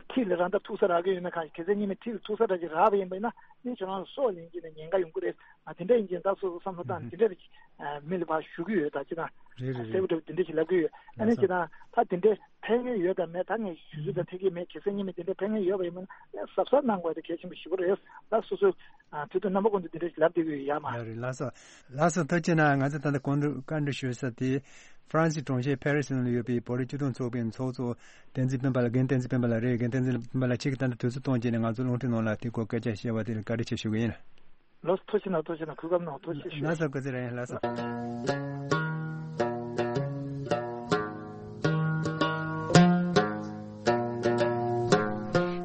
ཁྲིད་ལ་རང་ད་ཐུག་ས་རག་གི་ཡོད་ན་གང་ཞིག་གལ་སྲིད་ཉི་མ་ཁྲིད་ལ་ཐུག་ས་རག་ཅིག་རག་པ་ཡིན་པ་ཡིན་ན་ནི་ཁྱོད་རང་ལ་སྲོག་ལེན་གྱི་ནས་ཉེན་ཁ་ཡོང་གི་རེད། ཨ་དེ་འདྲ་ཡིན་ཅིང་ད་སོ་སོ་བསམ་བློ་བཏང་དེ་འདྲ་རེད། མི་ལ་ཕར་ཞུ་གི་ཡོད། ད་ཅི་ན་རེད་རེད་གསལ་པོ་རེད། འདྲ་བོ་དེ་འདྲ་ཞིག་ལབ་གི་ཡོད། ཨ་ནི་ལགས་སོ། ཅི་ན་ད་དེ་འདྲའི་ཕན་ངེས་ཡོད་དམ་མེད་ད་ངས་ཞུ་ཚོད་ད་ཐེག་གི་མེད། གལ་སྲིད་ཉི་མ་དེ་འདྲའི་ཕན་ངེས་ཡོད་པ་ཡིན་ན་ཡང་གཟབ་གཟབ་གནང་དགོས་དེ་གལ་ཆེན་པོ་ཞེ་པོ་རེད། ད་སོ་སོའི་དུས་དང་རྣམ་པ་ཀུན་ཏུ་དེ་འདྲ་ཞིག་ལབ་བསྡད་གི་ཡོད་ཡ་མ། ཡ་རེད་ལགས་སོ། ལགས་སོ་ཐུགས་རྗེ་གནང་། ང་ཚོ་ད་ལྟ་གོང་དུ་བཀའ་འདྲི་ཞུ་ས་དེ་ཧྥ་རན་སི་གྲོང་ཁྱེར་ཕེ་རི་སི་ནང་ལ་ཡོད་པའི་བོད་རིགས་སྤྱི་མཐུན་ཚོགས་པའི་ཚོགས་གཙོ་བསྟན་འཛིན་སྤེན་པ་ལགས། རྒན་བསྟན་འཛིན་སྤེན་པ་ལགས་རེད། རྒན་བསྟན་འཛིན་སྤེན་པ་ལགས་ཁྱེད་ཀྱིས་ད་ལྟ་དུས་ཚོད་བཏོན་བྱས་ནས་ང་ཚོ་རླུང་འཕྲིན་ནང་ལ་དེ་སྐོར་སྐད་ཆ་བཤད་པ་དེ་ལ་བཀའ་དྲིན་ཆེ་ཞུ་གི་ཡིན། ལགས་སོ། ཐུགས་རྗེ་གནང་། གུས་པ་གནང་། ཐུགས་རྗེ་ཆེ་ཞུ། ལགས་སོ། སྐུ་ཚེ་རིང་། ལགས་སོ།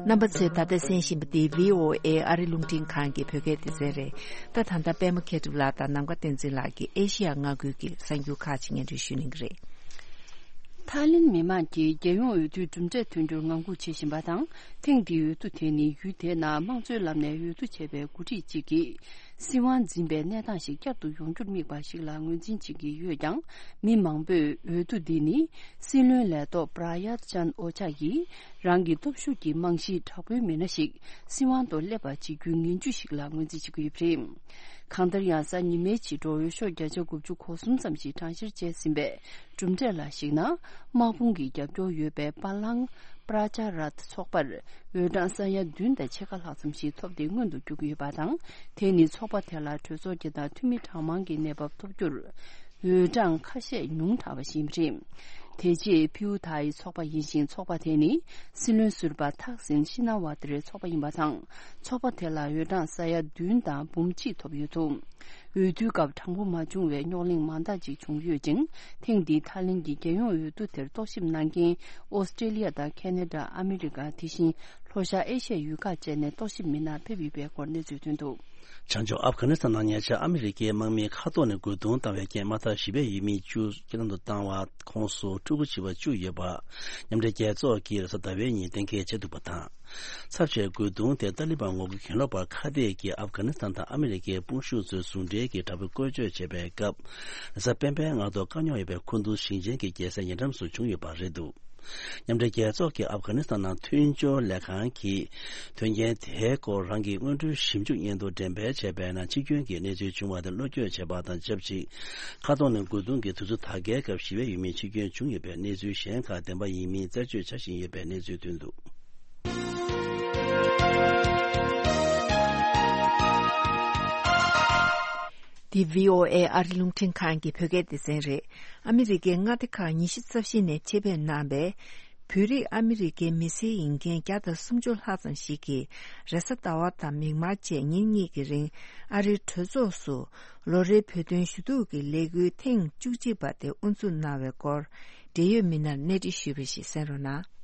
རྣམ་པ་ཚོས་ད་ལྟ་གསན་བཞིན་པ་འདི་བྷི་ཨོ་ཨེ་ཨ་རི་རླུང་འཕྲིན་ཁང་གི་བོད་སྐད་སྡེ་ཚན་རེད། ད་ད་ལྟ་པད་མ་མཁས་གྲུབ་ལགས་དང་ནམ་མཁའ་བསྟན་འཛིན་ལགས་ཀྱིས་ཨེ་ཤི་ཡ་མངའ་ཁུལ་གྱི་གསར་འགྱུར་ཁག་ཅིག་སྙན་སྒྲོན་ཞུ་གནང་གི་རེད། ཐའི་ལེན་མི་མང་གིས་རྒྱལ་ཡོངས་འོས་བསྡུའི་གྲུབ་འབྲས་ཐོན་རྒྱུར་ངང་སྒུག་བྱེད་བཞིན་པ་དང་། ཐེངས་འདིའི་འོས་བསྡུ་དེ་ནི་ཡུལ་དེའི་ནང་དམངས་གཙོའི་ལམ་ནས་འོས་བསྡུ་བྱས་པའི་འགོ་ཁྲིད་ཅིག་གིས། སྲིད་དབང་འཛིན་པའི་གནས་སྟངས་ཤིག་བསྐྱར་དུ་ཡོང་རྒྱུར་དམིགས་པ་ཞིག་ལ་ངོས་འཛིན་བྱེད་ཀྱི་ཡོད་ཀྱང་། མི་མང་པོས་འོས་བསྡུ་འདི་ནི་སྲིད་བློན་ལས་ཐོག་པྲ་ཡུད་ཅན་ཨོ་ཅཱ་ཡིས་རང་གི་སྟོབས་ཤུགས་ཀྱི་རྨང་གཞི་དྲག་པོའི་མི་སྣ་ཞིག་སྲིད་དབང་དུ་སླེབས་པ་བྱེད་རྒྱུའི་ངན་ཇུས་ཤིག་ལ་ངོས་འཛིན་བྱེད་ཀྱི་ཡོད་པ་རེད། གང་ལྟར་ཡང་། གཟའ་ཉི་མའི་ཕྱི་དྲོ་འོས་ཤོག་བརྒྱ་ཆ་དགུ་བཅུ་གོ་གསུམ་ཙམ་ཞིག་གྲངས་བཤེར་བྱས་ཟིན་པས། གྲུབ་འབྲས་ལ་གཞིགས་ན། དམག་དཔུང་གི་རྒྱབ་སྐྱོར་ཡོད་པའི་པ་ལང་པྲ་ཅ་ར་ཐ་ཚོགས་པར་འོས་གྲངས་ས་ཡ་བདུན་དང་ཕྱེད་ཀ་ལྷག་ཙམ་ཞིག་ཐོབ་སྟེ་སྔོན་དུ་རྒྱུག་གི་ཡོད་པ་དང་། དེ་ནི་ཚོགས་པ་དེ་ལ་གྲོས་ཚོགས་ཀྱི་དང་འཐུས་མི་གྲངས་མང་གི་གནས་བབ་ཐོབ་རྒྱུར། འོས་གྲངས་ཁ་ཤས་ཉུང་དྲགས་པ་ཞིག་ཡིན་པ་རེད། དེ་རྗེས་ཕིའུ་ཐའི་ཚོགས་པ་ཡིན་ཞིང་། ཚོགས་པ་དེ་ནི་སྲིད་བློན་ཟུར་པ་ཐག་སིན་ཤི་ན་ཝ་ཏི་རའི་ཚོགས་པ་ཡིན་པ་དང་། ཚོགས་པ་དེ་ལ་འོས་གྲངས་ས་ཡ་བདུན་དང་འབུམ་གཅིག་ཐོབ་ཡོད་འདུག་འོས་བསྡུའི་སྐབས་དྲང་པོ་མ་བྱུང་བའི་རྙོག་གླེང་མང་དག་ཅིག་བྱུང་ཡོད་ཅིང་། ཐེངས་འདིའི་ཐའི་ལེན་གྱི་རྒྱལ་ཡོངས་འོས་བསྡུ་དེར་རྟོག་ཞིབ་གནང་མཁན་ཨོ་སི་ཀྲེ་ལི་ཡ་དང་ཁེ་ན་ཌ། ཨ་མི་རི་ཀ། དེ་བཞིན་ལྷོ་ཤར་ཨེ་ཤི་ཡའི་ཡུལ་ཁག་བཅས་ནས་རྟོག་ཞིབ་མི་སྣ་ཕེབས་ཡོད་པའི་སྐོར་གནས་ཚུལ་ཐོན་འདུག་བྱང་ཕྱོགས་ཨབ་གྷ་ནི་སི་ཐན་ནང་ཉེ་ཆར་ཨ་མི་རི་ཀའི་དམག་མིས་མཁའ་ཐོག་ནས་རྒོལ་རྡུང་བཏང་བའི་རྐྱེན་དམག་འཐབ་བཞི་པའི་ཡུལ་མི་བཅུ་རྐྱེན་ལམ་དུ་བཏང་བ་ཁོངས་སུ་ཕྲུ་གུ་བྱིས་པ་བཅུ་ཡོད་པ། མཉམ་འབྲེལ་རྒྱལ་ཚོགས་ཀྱིས་རེས་གཟའ་ཟླ་བའི་ཉིན་གཏན་འཁེལ་བྱས་འདུག་པ་དང་། ཚབས་ཆེའི་རྒོལ་རྡུང་དེ་ཏཱ་ལི་བན་ངོ་རྒོལ་གྱེན་ལོག་པ་ཁ་གཏད་ཀྱིས་ཨབ་གྷ་ནི་སི་ཐན་དང་ཨ་མི་རི་ཀའི་དཔུང་ཤུགས་ཚོའི་ཟུང་འབྲེལ་གྱི་དྲག་པོའི་བཀོལ་སྤྱོད་བྱས་པའི་སྐབས། རེས་གཟའ་སྤེན་པའི་སྔ་དྲོ་བཀག་ཉར་ཡོད་པའི་ཁུ་ནུ་ཞིང་ཆེན་གྱི་རྒྱལ་སའི་ཉེ་འགྲམ་སུ་བྱུང་ཡོད་པ་རེད་འདུག་མཉམ་འབྲེལ་རྒྱལ་ཚོགས་ཀྱི་ཨབ་གྷ་ནི་སི་ཐན་ནང་མཐུན་སྦྱོར་ལས་ཁང་གིས། དོན་རྐྱེན་དེའི་སྐོར་རང་གི་སྔོན་འགྲོའི་ཞིབ་འཇུག་སྙན་ཐོ་འགྲེམས་སྤེལ་བྱས་པའི་ནང་། ཕྱི་སྐྱོན་གྱི་གནས་ཚུལ་བྱུང་བ་དེ་བློ་འགྱོད་བྱས་པ་དང་ཆབས་ཅིག་མཁའ་ཐོག་ནས་རྒོལ་རྡུང་གིས་དུས་ཚོད་ད་གའི་སྐབས་ཞི་བའི་ཡུལ་མིའི་འཆི་སྐྱོན་བྱུང་ཡོད་པའི་གནས་ཚུལ་གཞན་ཁག་བདེན་པ་ཡིན་མིན་རྩད་གཅོད་བྱ་བཞིན་ཡོད་པའི་གནས་ཚུལ་ཐོན་འདུག་འདི་བྷི་ཨོ་ཨེ་ཨ་རི་རླུང་འཕྲིན་ཁང་གི་བོད་སྐད་སྡེ་ཚན་རེད། ཨ་མི་རི་ཀའི་མངའ་སྡེ་ཁག་ཉི་ཤུ་རྩ་བཞི་ནས་ཆེད་ཕེབས་གནང་བའི་བོད་རིགས་ཨ་མི་རི་ཀའི་མི་སེར་ཡིན་མཁན་བརྒྱ་དང་སུམ་ཅུ་ལྷག་ཙམ་ཞིག་གིས་རེས་གཟའ་ཟླ་བ་དང་མིག་དམར་བཅས་ཉིན་གཉིས་ཀྱི་རིང་ཨ་རིའི་གྲོས་ཚོགས་སུ་ལོ་རེའི་བོད་དོན་ཞུ་གཏུག་གི་ལས་འགུལ་ཐེངས་བཅུ་གཅིག་པ་དེ་དབུ་འཛུགས་གནང་བའི་སྐོར་འབྲེལ་ཡོད་མི་སྣར་གནས་འདྲི་ཞུས་པ་ཞིག་གསན་རོགས་གནང་།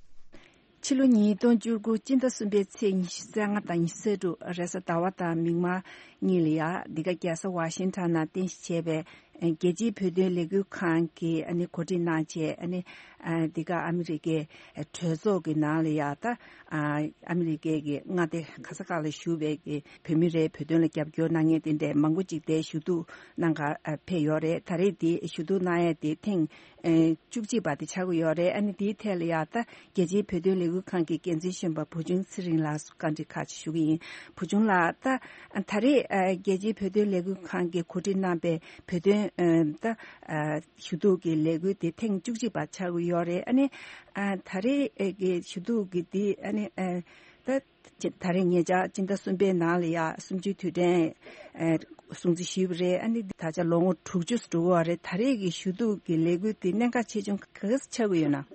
ཕྱི་ལོ་ཉིས་སྟོང་བཅུ་དགུ་སྤྱི་ཟླ་གསུམ་པའི་ཚེས་ཉི་ཤུ་རྩ་ལྔ་དང་ཉི་ཤུ་རྩ་དྲུག་རེས་གཟའ་ཟླ་བ་དང་མིག་དམར་གཉིས་ལ་ཡ་འདི་ག་རྒྱལ་ས་ཝ་ཤིང་ཊོན་ནང་རྟེན་གཞི་བྱས་པའི་རྒྱལ་སྤྱིའི་བོད་དོན་ལས་འགུལ་ཁང་གིས་ཨ་ནི་གོ་སྒྲིག་གནང་བྱས་ཨ་ནི་འདི་ག་ཨ་མི་རི་ཀའི་གྲོས་ཚོགས་ཀྱི་ནང་ལ་ཡ་ད་ཨ་མི་རི་ཀའི་གི་མངའ་སྡེ་ག་ས་ག་ལ་བཞུགས་པའི་གི་བོད་མི་རེད། བོད་དོན་ལ་རྒྱབ་སྐྱོར་གནང་མཁན་དེ་འདྲས་མང་པོ་ཅིག་དེ་ཞུ་གཏུག་གནང་ག་ཕེབས་ཡོད་རེད། ད་རེས་དེ་ཞུ་གཏུག་གནང་ཡས་དེ་ཐེངས་ཨེ་བཅུ་གཅིག་པ་དེ་ཆགས་ཀྱི་ཡོད་རེད། ཨ་ནི་དེའི་ཐད་ལ་ཡ་ད་རྒྱལ་སྤྱིའི་བོད་དོན་ལས་འགུལ་ཁང་གི་འགན་འཛིན་གཞོན་པ་བུ་ཆུང་ཚེ་རིང་ལགས་སུ་བཀའ་འདྲི་ཁག་ཅིག་ཞུ་གི་ཡིན། བུ་ཆུང་ལགས། ད་ད་རེས་ཨ་རྒྱལ་སྤྱིའི་བོད་དོན་ལས་འགུལ་ཁང་གིས་གོ་སྒྲིག་གནང་པའི་བོད་དོན་ཨ་ད་ཨ་ཞུ་གཏུག་གི་ལས་འགུལ་དེ་ཐེངས་བཅུ་གཅིག་པ་ཆགས་ཀྱི་ཡོད་རེད། ཨ་ནི་ཨ་ད་རེས་ཨ་གི་ཞུ་གཏུག་གི་དེ་ཨ་ནི་ཨ་ད་ད་རེས་ཉེ་ཆར་སྤྱི་ཟླ་གསུམ་པའི་ནང་ལ་ཡ་གསུམ་བཅུའི་དུས་དྲན་ཨ་སྲུང་བརྩི་ཞུས་པ་རེད། ཨ་ནི་ད་ཆ་ལོ་ངོ་དྲུག་ཅུ་འགྲོ་གི་ཡོད་རེད། ད་རེས་ཀྱི་ཞུ་གཏུག་གི་ལས་འགུལ་དེ་གནད་འགག་ཆེ་ཆུང་ག་ག་ཚོད་ཆགས་ཀྱི་ཡོད་ན།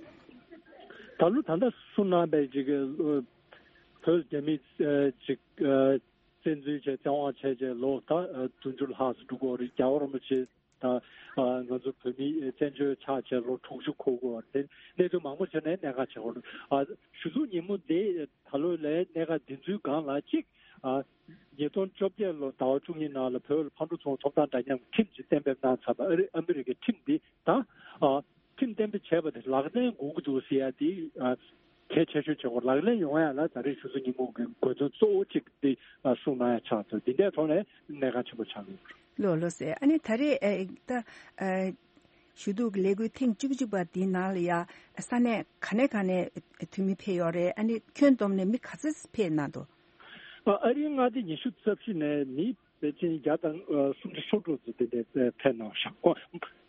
ད་ལོ་ད་ལྟ་གསུངས་གནང་པའི་ཅིག་བོད་རྒྱ་མི་ཅིག་བཙན་འཛུལ་བྱས་བཙན་དབང་བྱས་བྱས་ལོ་ད་བདུན་ཅུ་ལྷག་ཙམ་འགྲོ་གི་ཡོད་རེད། རྒྱལ་བ་རིན་པོ་ཆེ་དང་ང་ཚོ་བོད་མི་བཙན་བྱོལ་ཆགས་བྱས་ལོ་དྲུག་ཅུ་འཁོར་གྱི་ཡོད་རེད། གནད་དོན་མང་པོ་བྱས་ནས་གནད་འགག་ཆེ་བ་རེད། ཞུ་གཏུག་ཉིན་མོ་འདི་ད་ལོ་ལས་གནད་འགག་འདི་ཚོའི་སྒང་ལ་གཅིག་ཉིས་སྟོང་བཅོ་བརྒྱད་ལོ་ཟླ་བ་བཅུ་གཉིས་ནང་ལ་བོད་ལ་ཕར་འགྲོ་ཚུར་འགྲོ་ཐོབ་ཐང་འདྲ་མཉམ་ཁྲིམས་ཅིག་གཏན་འབེབས་གནང་ཚར་བ། ཨ་རི་ཨ་མི་རི་ཀའི་ཁྲིམས་འདི་དང་། ཁྲིམས་གཏན་འབེབས་བྱས་པ་དེ་ལག་ལེན་དགོས་ཀྱི་འདུག་ཟེར་ཡ་དེ་གལ་ཆེ་ཤོས་བྱེད་དགོས། ལག་ལེན་ཡོང་ཡ་ལ་ད་རེས་ཞུ་གཏུག་ཉིན་མོ་གི་དགོས་དོན་གཙོ་བོ་གཅིག་དེ་གསུངས་གནང་ཡ་ཆགས་ཚར། འདི་འདྲའི་ཐོག་ནས་གནད་འགག་ཆེན་པོ་ཆགས་ཡོད། ལགས་ལགས་སེ། ཨ་ནི་ད་རེས་ཨེ་ད་ཨེ་ཞུ་གཏུག་གི་ལས་འགུལ་ཐེངས་བཅུ་གཅིག་པ་འདིའི་ནང་ལ་ཡ་ས་གནས་ག་ནས་ག་ནས་འཐུས་མི་ཕེབས་ཡོད་རེད། ཨ་ནི་ཁྱོན་བསྡོམས་ནས་མི་ག་ཚོད་ཕེབས་གནང་འདུག་ཨ་རིའི་མངའ་སྡེ་ཉི་ཤུ་རྩ་བཞི་ནས་མི་ཕལ་ཆེར་བརྒྱ་དང་སུམ་ཅུ་སོ་དྲུག་ཙམ་དེ་འདྲའི་ཕེབས་གནང་ཤག་ཨོ།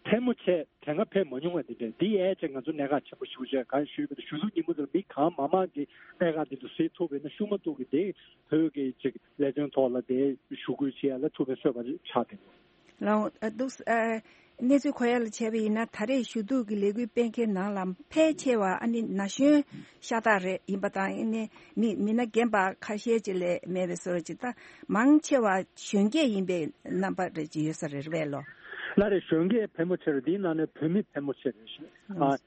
ཕལ་མོ་ཆེ་དེ་སྔ་ཕེབས་མ་མྱོང་བ་དེ་འདྲ། འདི་ཡས་ཅིག་ང་ཚོ་གནད་འགག་ཆེན་པོ་ཞིག་བྱས། གང་ཞུས་པ་དེ་ཞུ་གཏུག་ཉིན་མོ་དེར་མི་གང་མང་མང་གིས་གནད་འགག་འདི་ཚོ་སེལ་ཐུབ་པ་ཡིན་ན་ཤུགས་མ་གཏོགས་ཀྱི་དེ་བོད་ཀྱི་ཅིག་ལས་དོན་ཐོག་ལ་དེ་ཞུ་སྐུལ་བྱེད་ཡ་ལ་ཐུགས་ཕན་གསོས་པ་ཆགས་བསྡད་ཡོད། ལགས་འདུག་ཨ་གནས་ཚུལ་གོ་ཡ་ལ་བྱས་པ་ཡིན་ན་ད་རེས་ཞུ་གཏུག་གི་ལས་འགུལ་སྤེལ་མཁན་ནང་ལ་ཕལ་ཆེ་བ་ཨ་ནི་ན་གཞོན་ཤ་སྟག་རེད། ཡིན་པ་དང་ཨ་ནི་མི་མི་སྣ་རྒན་པ་ཁ་ཤས་ཅིག་ལས་མེད་པའི་བཟོ་འདྲ་ཅིག་ད་མང་ཆེ་བ་གཞོན་སྐྱེས་ཡིན་པའི་རྣམ་པ་རེ་ཅིག་ཡོད་ས་རེད་པས་ལོ། ལགས་རེད། གཞོན་སྐྱེས་ཕལ་མོ་ཆེ་རེད། དེའི་ནང་ནས་བུད་མེད་ཕལ་མོ་ཆེ་རེད་ཤག་ཨ་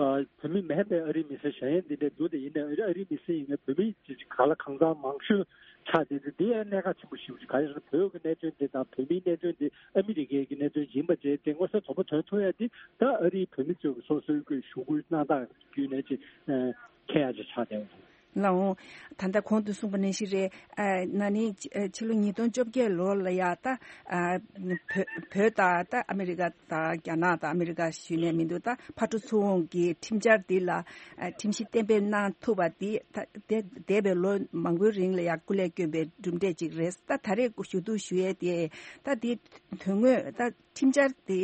བོད་མི་མིན་པའི་ཨ་རིའི་མི་སེར་གཞན་ཡང་འདི་འདྲའི་འདུག་དེ་ཡིན་ནའི་ཨ་རི་ཨ་རིའི་མི་སེར་ཡིན་ནའི་བོད་མི་ཅིག་ག་ལ་གང་འཚམ་མང་ཤོས་ཆགས་བསྡད་དེ་འདི་ཡང་གནད་འགག་ཆེན་པོ་ཞིག་རེད། ག་རེ་ཟེར་ན་བོད་ཀྱི་གནད་དོན་འདི་དང་བོད་མིའི་གནད་དོན་འདི་ཨ་མི་རི་ཀའི་གི་གནད་དོན་ཡིན་པ་བྱས་ཏེ་མངོན་གསལ་དོད་པོ་ཐོན་ཐུབ་ཡ་འདི་ད་ཨ་རིའི་བོད་མི་ཚོས་སོ་སོའི་གི་ཞུ་སྐུལ་གནང་སྟངས་བརྒྱུད་ནས་ཅིག་མཁྱེན་ཡ་ཅིག་ཆགས་བསྡད་ཡོད། ལགས་འོང་། ད་ལྟ་གོང་དུ་གསུངས་པ་ནང་བཞིན་རེད། ཨ་ན་ནིང་ཕྱི་ཕྱི་ལོ་ཉིས་སྟོང་བཅོ་བརྒྱད་ལོ་ལ་ཡ་ད་ཨ་བོད་བོད་དང་ད་ཨ་མི་རི་ཀ་དང་རྒྱ་ནག་དང་ཨ་མི་རི་ཀ་ཞུས་ནས་མི་འདུག་ད་ཕར་འགྲོ་ཚུར་འོང་གི་ཁྲིམས་འཆར་འདི་ལ་ཨ་ཁྲིམས་གཞི་གཏན་འབེབས་གནང་ཐུབ་པ་འདི་ད་འདས་འདས་པའི་ལོ་མང་པོའི་རིང་ལ་ཡ་སྐུ་ལས་བསྐྱོན་པའི་གྲུབ་འབྲས་ཅིག་རེད། ད་ད་རེས་ཞུ་གཏུག་ཞུ་ཡས་དེ་ད་འདི་དོན་དངོས་ད་ཁྲིམས་འཆར་དེ་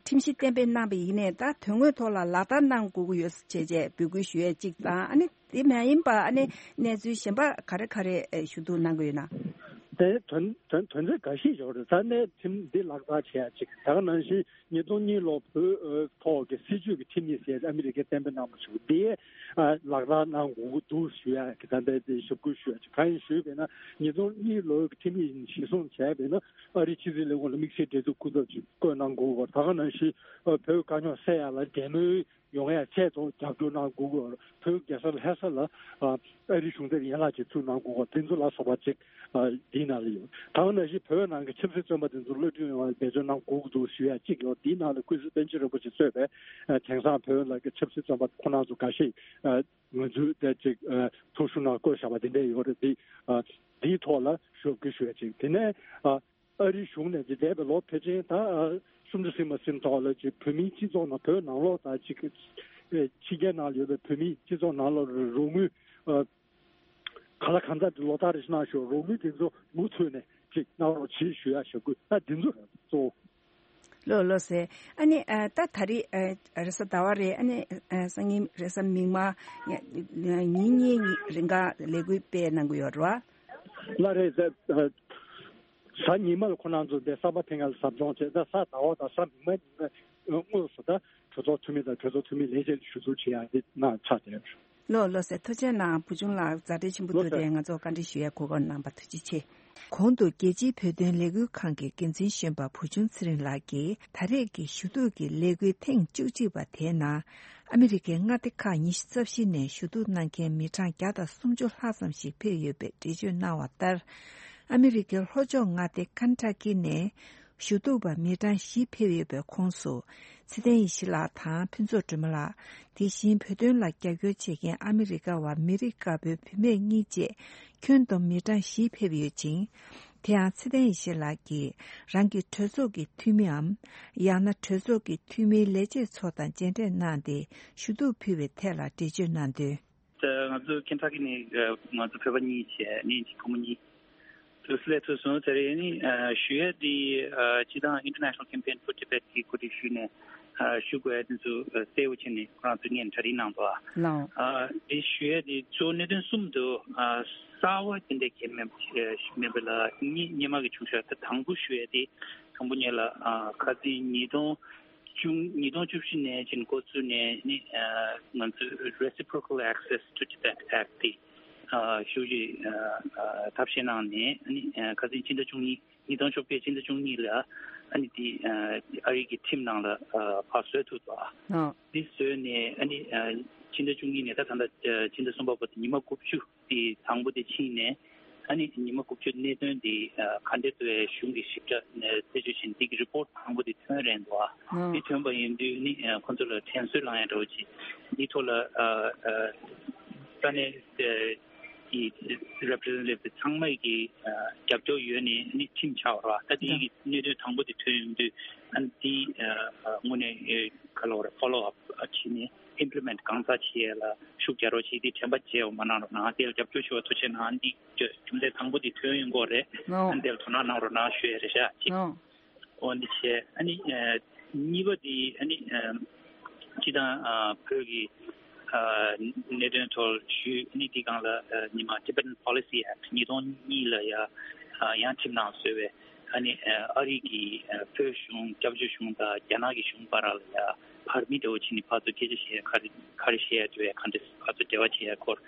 ཁྲིམས་གཞི་གཏན་འབེབས་གནང་བ་ཡིན་ནའི་ད་དོན་དངོས་ཐོག་ལ་ལག་བསྟར་གནང་དགོས་ཀྱི་ཡོད་བྱས་རྗེས་འབོད་སྐུལ་ཞུ་ཡས་གཅིག་དང་ཨ་ནི་དེ་མ་ཡིན་པ་ཨ་ནི་གནས་ཚུལ་གཞན་པ་ག་རེ་ག་རེ་ཞུ་གཏུག་གནང་གི་ཡོད་ན། དེ་དོན་དོན་དོན་ཚན་འགའ་ཤས་ཡོད་རེད། ད་ནས་ཁྲིམས་འདི་ལག་བསྟར་བྱེད་ཡ་གཅིག་ད་ག་ནང་བཞིན་ཉིས་སྟོང་གཉིས་ལོ་བོད་ཐོག་གི་སྲིད་བྱུས་ཀྱི་ཁྲིམས་ཡིག་ཟེར་ཨ་མི་རི་ཀས་གཏན་འབེབས་གནང་བ་ཞིག་འདི་ལག་བསྟར་གནང་དགོས་ཀྱི་འདུག་ཞུ་ཡ་གི་ད་ལྟ་དེ་ཞུ་སྐུལ་ཞུ་ཡ་གཅིག་གང་ཡིན་ཞུས་པས་ན་ཉིས་སྟོང་གཉིས་ལོའི་ཁྲིམས་ཡིག་གཞིར་བཟུང་བྱས་པས་ན། ཨ་རིའི་ཕྱི་སྲིད་ལས་ཁུངས་ལ་དམིགས་བསལ་འབྲེལ་མཐུད་སྐུ་ཚབ་ཅིག་བསྐོས་གནང་དགོས་པ། ད་ག་ནང་བཞིན་ཨ་བོད་དཀའ་རྙོག་སེལ་ཡག་ལ་འབྲེལ་མོལ་ཡོང་ཡག་ཆེད་དུ་རྒྱབ་སྐྱོར་གནང་དགོས་པ། བོད་རྒྱལ་ས་ལྷ་ས་ལ་ཨ་ཨ་རིའི་གཞུང་འབྲེལ་ཡན་ལག་ཅིག་ཚུགས་གནང་དགོས་པ། དེ་ཚོ་ལ་སོགས་པ་ཅིག་ཨ་འདིའི་ནང་ལ་ཡོད། ད་ག་ནང་བཞིན་བོད་ནང་གི་ཆབ་སྲིད་བཙོན་པ་དེ་ཚོ་གློད་གྲོལ་ཡོང་བར་འབད་བརྩོན་གནང་དགོས་ཀྱི་འདུག་ཞུ་ཡག་ཅིག་ཡོད། འདིའི་ནང་ལ་ཀུན་གཟིགས་པཎ་ཆེན་རིན་པོ་ཆེ་གཙོས་པའི་ཨ་དེང་སང་བོད་ནང་གི་ཆབ་སྲིད་བཙོན་པ་ཁོང་རྣམ་ཚོ་འགའ་ཤས་ཨ་ང་ཚོའི་དེ་ཅིག་ཨ་ཐུགས་ཞུ་ནང་བཀོད་བཞག་པ་དེ་འདྲ་ཡོད་རེད། འདི་ཨ་འདིའི་ཐོག་ལ་ཞུ་སྐུལ་ཞུ་ཡ་ཅིག་དེ་ནས་ཨ་ཨ་རིའི་གཞུང་ནས་ཅིག་འདས་པའི་ལོ་ཕལ་ཆེར་ད་ཨ་གསུམ་བཅུ་ཟིན་མ་ཟིན་ཐོག་ལ་ཅིག་བོད་མིའི་སྤྱི་ཚོགས་ནང་བོད་ནང་ལོགས་དང་ཅིག་ཨ་ཕྱི་རྒྱལ་ནང་ལ་ཡོད་པའི་བོད་མིའི་སྤྱི་ཚོགས་ནང་ལ་རོགས་དངུལ་ཨ་ག་ལ་གང་འཚམ་ཅིག་ལོ་ལྟར་རེ་བཞིན་གནང་ཞོར་རོགས་དངུལ་དེ་ཚོ་མུ་མཐུད་ནས་ཅིག་གནང་རོགས་བྱེད་ཞུ་ཡ་ཞུ་སྐུལ་ད་འདི་ཚོ་རེད་གཙོ་བོ། ལོ་ལོ་ཟེར། ཨ་ནི་ཨ་ད་ད་རེས་ཨ་རེས་གཟའ་ཟླ་བ་རེད། ཨ་ནི་ཨ་སང་ཉིན་རེས་གཟའ་མིག་དམར་ཉིན་གཉིས་རིང་ག་ལས་འགུལ་སྤེལ་གནང་གི་ཡོད་རེད་བ། ལ་རེད་ཟེར། གཟའ་ཉི་མ་ལ་ཁོ་རང་ཚོ་འདི་གསར་པ་ཕེབས་མཁན་ལ་ཟབ་སྦྱོང་བྱས། ད་གཟའ་ཟླ་བ་དང་གཟའ་མིག་དམར་ཉིན་དངོས་སུ་ད་གྲོས་ཚོགས་འཐུས་མི་དང་གྲོས་ཚོགས་འཐུས་མི་ལས་བྱེད་ཞུ་གཏུག་བྱེད་ཡག་འདི་གནང་ཆགས་བསྡད་ཡོད། ལོ་ལོ་ཟེར། ཐུགས་རྗེ་གནང་། བུ་ཆུང་ལགས་མཛའ་འབྲེལ་ཆེན་པོ་ཐུགས་ལོ་ཟེར། དེ་ང་ཚོ་བཀའ་འདྲི་ཞུ་ཡ་གོ་སྐབས་གནང་བ་ཐུགས་རྗེ་ཆེ། གོང་དུ་རྒྱལ་སྤྱིའི་བོད་དོན་ལས་འགུལ་ཁང་གི་འགན་འཛིན་གཞོན་པ་བུ་ཆུང་ཚེ་རིང་ལགས་ཀྱིས་ད་རེས་ཀྱི་ཞུ་གཏུག་གི་ལས་འགུལ་ཐེངས་བཅུ་གཅིག་པ་དེའི་ནང་ཨ་མི་རི་ཀའི་མངའ་སྡེ་ཁག་ཉི་ཤུ་རྩ་བཞི་ནས་ཞུ་གཏུག་གནང་མཁན་མི་གྲངས་བརྒྱ་དང་སུམ་ཅུ་ལྷག་ཙམ་ཞིག་ཕེབས་ཡོད་པའི་འགྲེལ་བརྗོད་གནང་བ་ལྟར། ཨ་མི་རི་ཀའི་ལྷོ་ཕྱོགས་མངའ་སྡེ་ཀན་ཊ་ཀི་ནས་ཞུ་གཏུག་པ་མི་གྲངས་བཞི་ཕེབས་ཡོད་པའི་ཁོངས་སུ། ཚེ་བརྟན་ཡེ་ཤེས་ལགས་དང་ཕུན་ཚོགས་སྒྲོལ་མ་ལགས། དེ་བཞིན་བོད་དོན་ལ་རྒྱབ་སྐྱོར་བྱེད་མཁན་ཨ་མི་རི་ཀ་བ་མི་རིགས་དཀར་པོའི་བུད་མེད་གཉིས་བཅས་ཁྱོན་བསྡོམས་མི་གྲངས་བཞི་ཕེབས་ཡོད་ཅིང་། དེ་ཡང་ཚེ་བརྟན་ཡེ་ཤེས་ལགས་ཀྱིས་རང་གི་གྲོས་ཚོགས་ཀྱི་འཐུས་མིའམ། ཡང་ན་གྲོས་ཚོགས་ཀྱི་འཐུས་མིའི་ལས་བྱེད་ཚོ་དང་མཇལ་འཕྲད་གནང་སྟེ་ཞུ་གཏུག་ཕུལ་བའི་ཐད་ལ་འགྲེལ་བརྗོད་གནང་དོན། ད་ང་ཚོ་ཁེན་ཊ་ཀི་ནས་ང་ཚོ་བོད་པ་གཉིས་བྱས་ནས་ཅིག་བུ་མོ་གཉིས་དུ་སླེབས་ཐུབ་སོང་། དེ་རིང་ནི་ཞུ་ཡས་དེ་སྤྱི་བཏང་International Campaign for Tibet གི་གོ་སྒྲིག་ཞུས་ནས་ཞུ་དགོས་ཡ་དེ་ཚོ་གསལ་པོ་བྱས་ནས་ཁོ་རང་ཚོ་སྔོན་གྲ་སྒྲིག་གནང་འདུག་ཨ། ལགས། དེ་ཞུ་ཡས་དེ་གཙོ་བོ་གནད་དོན་གསུམ་འདུག་གསར་པ་དེ་འདྲ་གལ་མེད་མེད་པ་ལ་གཉིས་སྔོན་མ་གི་བྱུང་ཤག་ད་དང་པོ་ཞུ་ཡས་དེ་དང་པོ་ཉིད་ལ་ཁ་སང་ཉིས་སྟོང་བཅུ་ཉིས་སྟོང་བཅུ་བཞི་ནས་ཅིག་འགོ་བཙུགས་ནས་ནི་ང་ཚོས་Reciprocal Access to Tibet Act དེ་ཞུ་ཞིག་ཐབས་ཤེས་གནང་ནས་ནི་ཁ་སང་ཕྱི་ཟླ་བཅུ་གཉིས་ཉིས་སྟོང་བཅོ་བརྒྱད་ཕྱི་ཟླ་བཅུ་གཉིས་ལ་ཨ་ནི་དེ་ཨ་རི་གི་ཁྲིམས་ནང་ལ་ཕར་བཟོས་ཐུབ་པ། དེ་བཟོས་ནས་ཨ་ནི་ཕྱི་ཟླ་བཅུ་གཉིས་ནས་ད་ད་ལྟ་ཕྱི་ཟླ་གསུམ་པ་བར་དུ་ཉི་མ་དགུ་བཅུ། དེ་དང་པོ་དེ་ཕྱིན་ནས་ཨ་ནི་ཉི་མ་དགུ་བཅུ་གནད་དོན་དེ་ག་འདྲ་འདུག་གཞུང་གི་ཞིབ་ཕྲ་རྩད་གཅོད་བྱས་ནས་དེ་གི་རི་པོར་ཊི་དང་པོ་དེ་ཐོན་རན་འདུག་ཨ། དེ་ཐོན་པ་ཡིན་དུས་ནི་ཁོ་ཚོ་ལ་དྲན་གསོ་བསླང་ཡ་འདྲ་བོ་ཅིག་འདི་ཐོག་ལ་ས་གནས་ཀྱི་རེ་པི་རི་ཟེན་ཊེ་ཊིབ་དེ་ཚང་མ་གི་རྒྱབ་སྐྱོར་ཡོད་ནས་ནི་ཁྲིམས་ཆགས་པ་རེད་བ། ད་དེ་གི་གནད་དོན་དང་པོ་དེ་ཐོན་ཡོང་དུས་ཨ་ནི་དེ་དངོས་གནས་ག་ལ་བ་རེད་ཕོ་ལོ་ཨབ་བྱས་ནས། Implement གང་ཙམ་བྱེད་ཡས་ལ་ཤུགས་རྒྱག་རོགས་བྱེད། དེ་དྲན་པ་བརྗེད་པ་མ་གནང་རོགས་གནང་། དེ་ལ་རྒྱབ་སྐྱོར་ཞུ་བ་ཐུགས་རྗེ་གནང་། འདི་རྒྱུ་མཚན་དང་པོ་དེ་ཐོན་ཡོང་གི་རེད། ཨོ། ཨ་ནི་དེ་ལ་དོ་སྣང་གནང་རོགས་གནང་ཞུ་ཡས་རེད་ཤག་ཅིག་ཨོ། འོ་འདི་བྱས་ཨ་ནི་གཉིས་པ་དེ་ཨ་ནི་སྤྱི་བཏང་བོད་ཀྱི་གནད་དོན་ཐོག་ཞུས། ཨ་ནི་དེ་སྒང་ལ་ཉི་མ་Tibetan Policy Act ཉིས་སྟོང་གཉིས་ལ་ཡ་ཡང་ཁྲིམས་ནང་བཟོས་པའི་ཨ་ནི་ཨ་རི་གི་བོད་གཞུང་སྐྱབས་བཅོལ་གཞུང་དང་རྒྱ་ནག་གི་གཞུང་བར་ལ་ཡ་བར་མི་འདྲ་བོ་བྱས་ནས་ཕར་ཚུར་སྐད་ཆ་བཤད་ག་རེ་ག་རེ་བཤད་ཡ་འདྲ་བའི་ག་འདྲ་ཕར་ཚུར་འབྲེལ་བ་བྱེད་ཡ་སྐོར་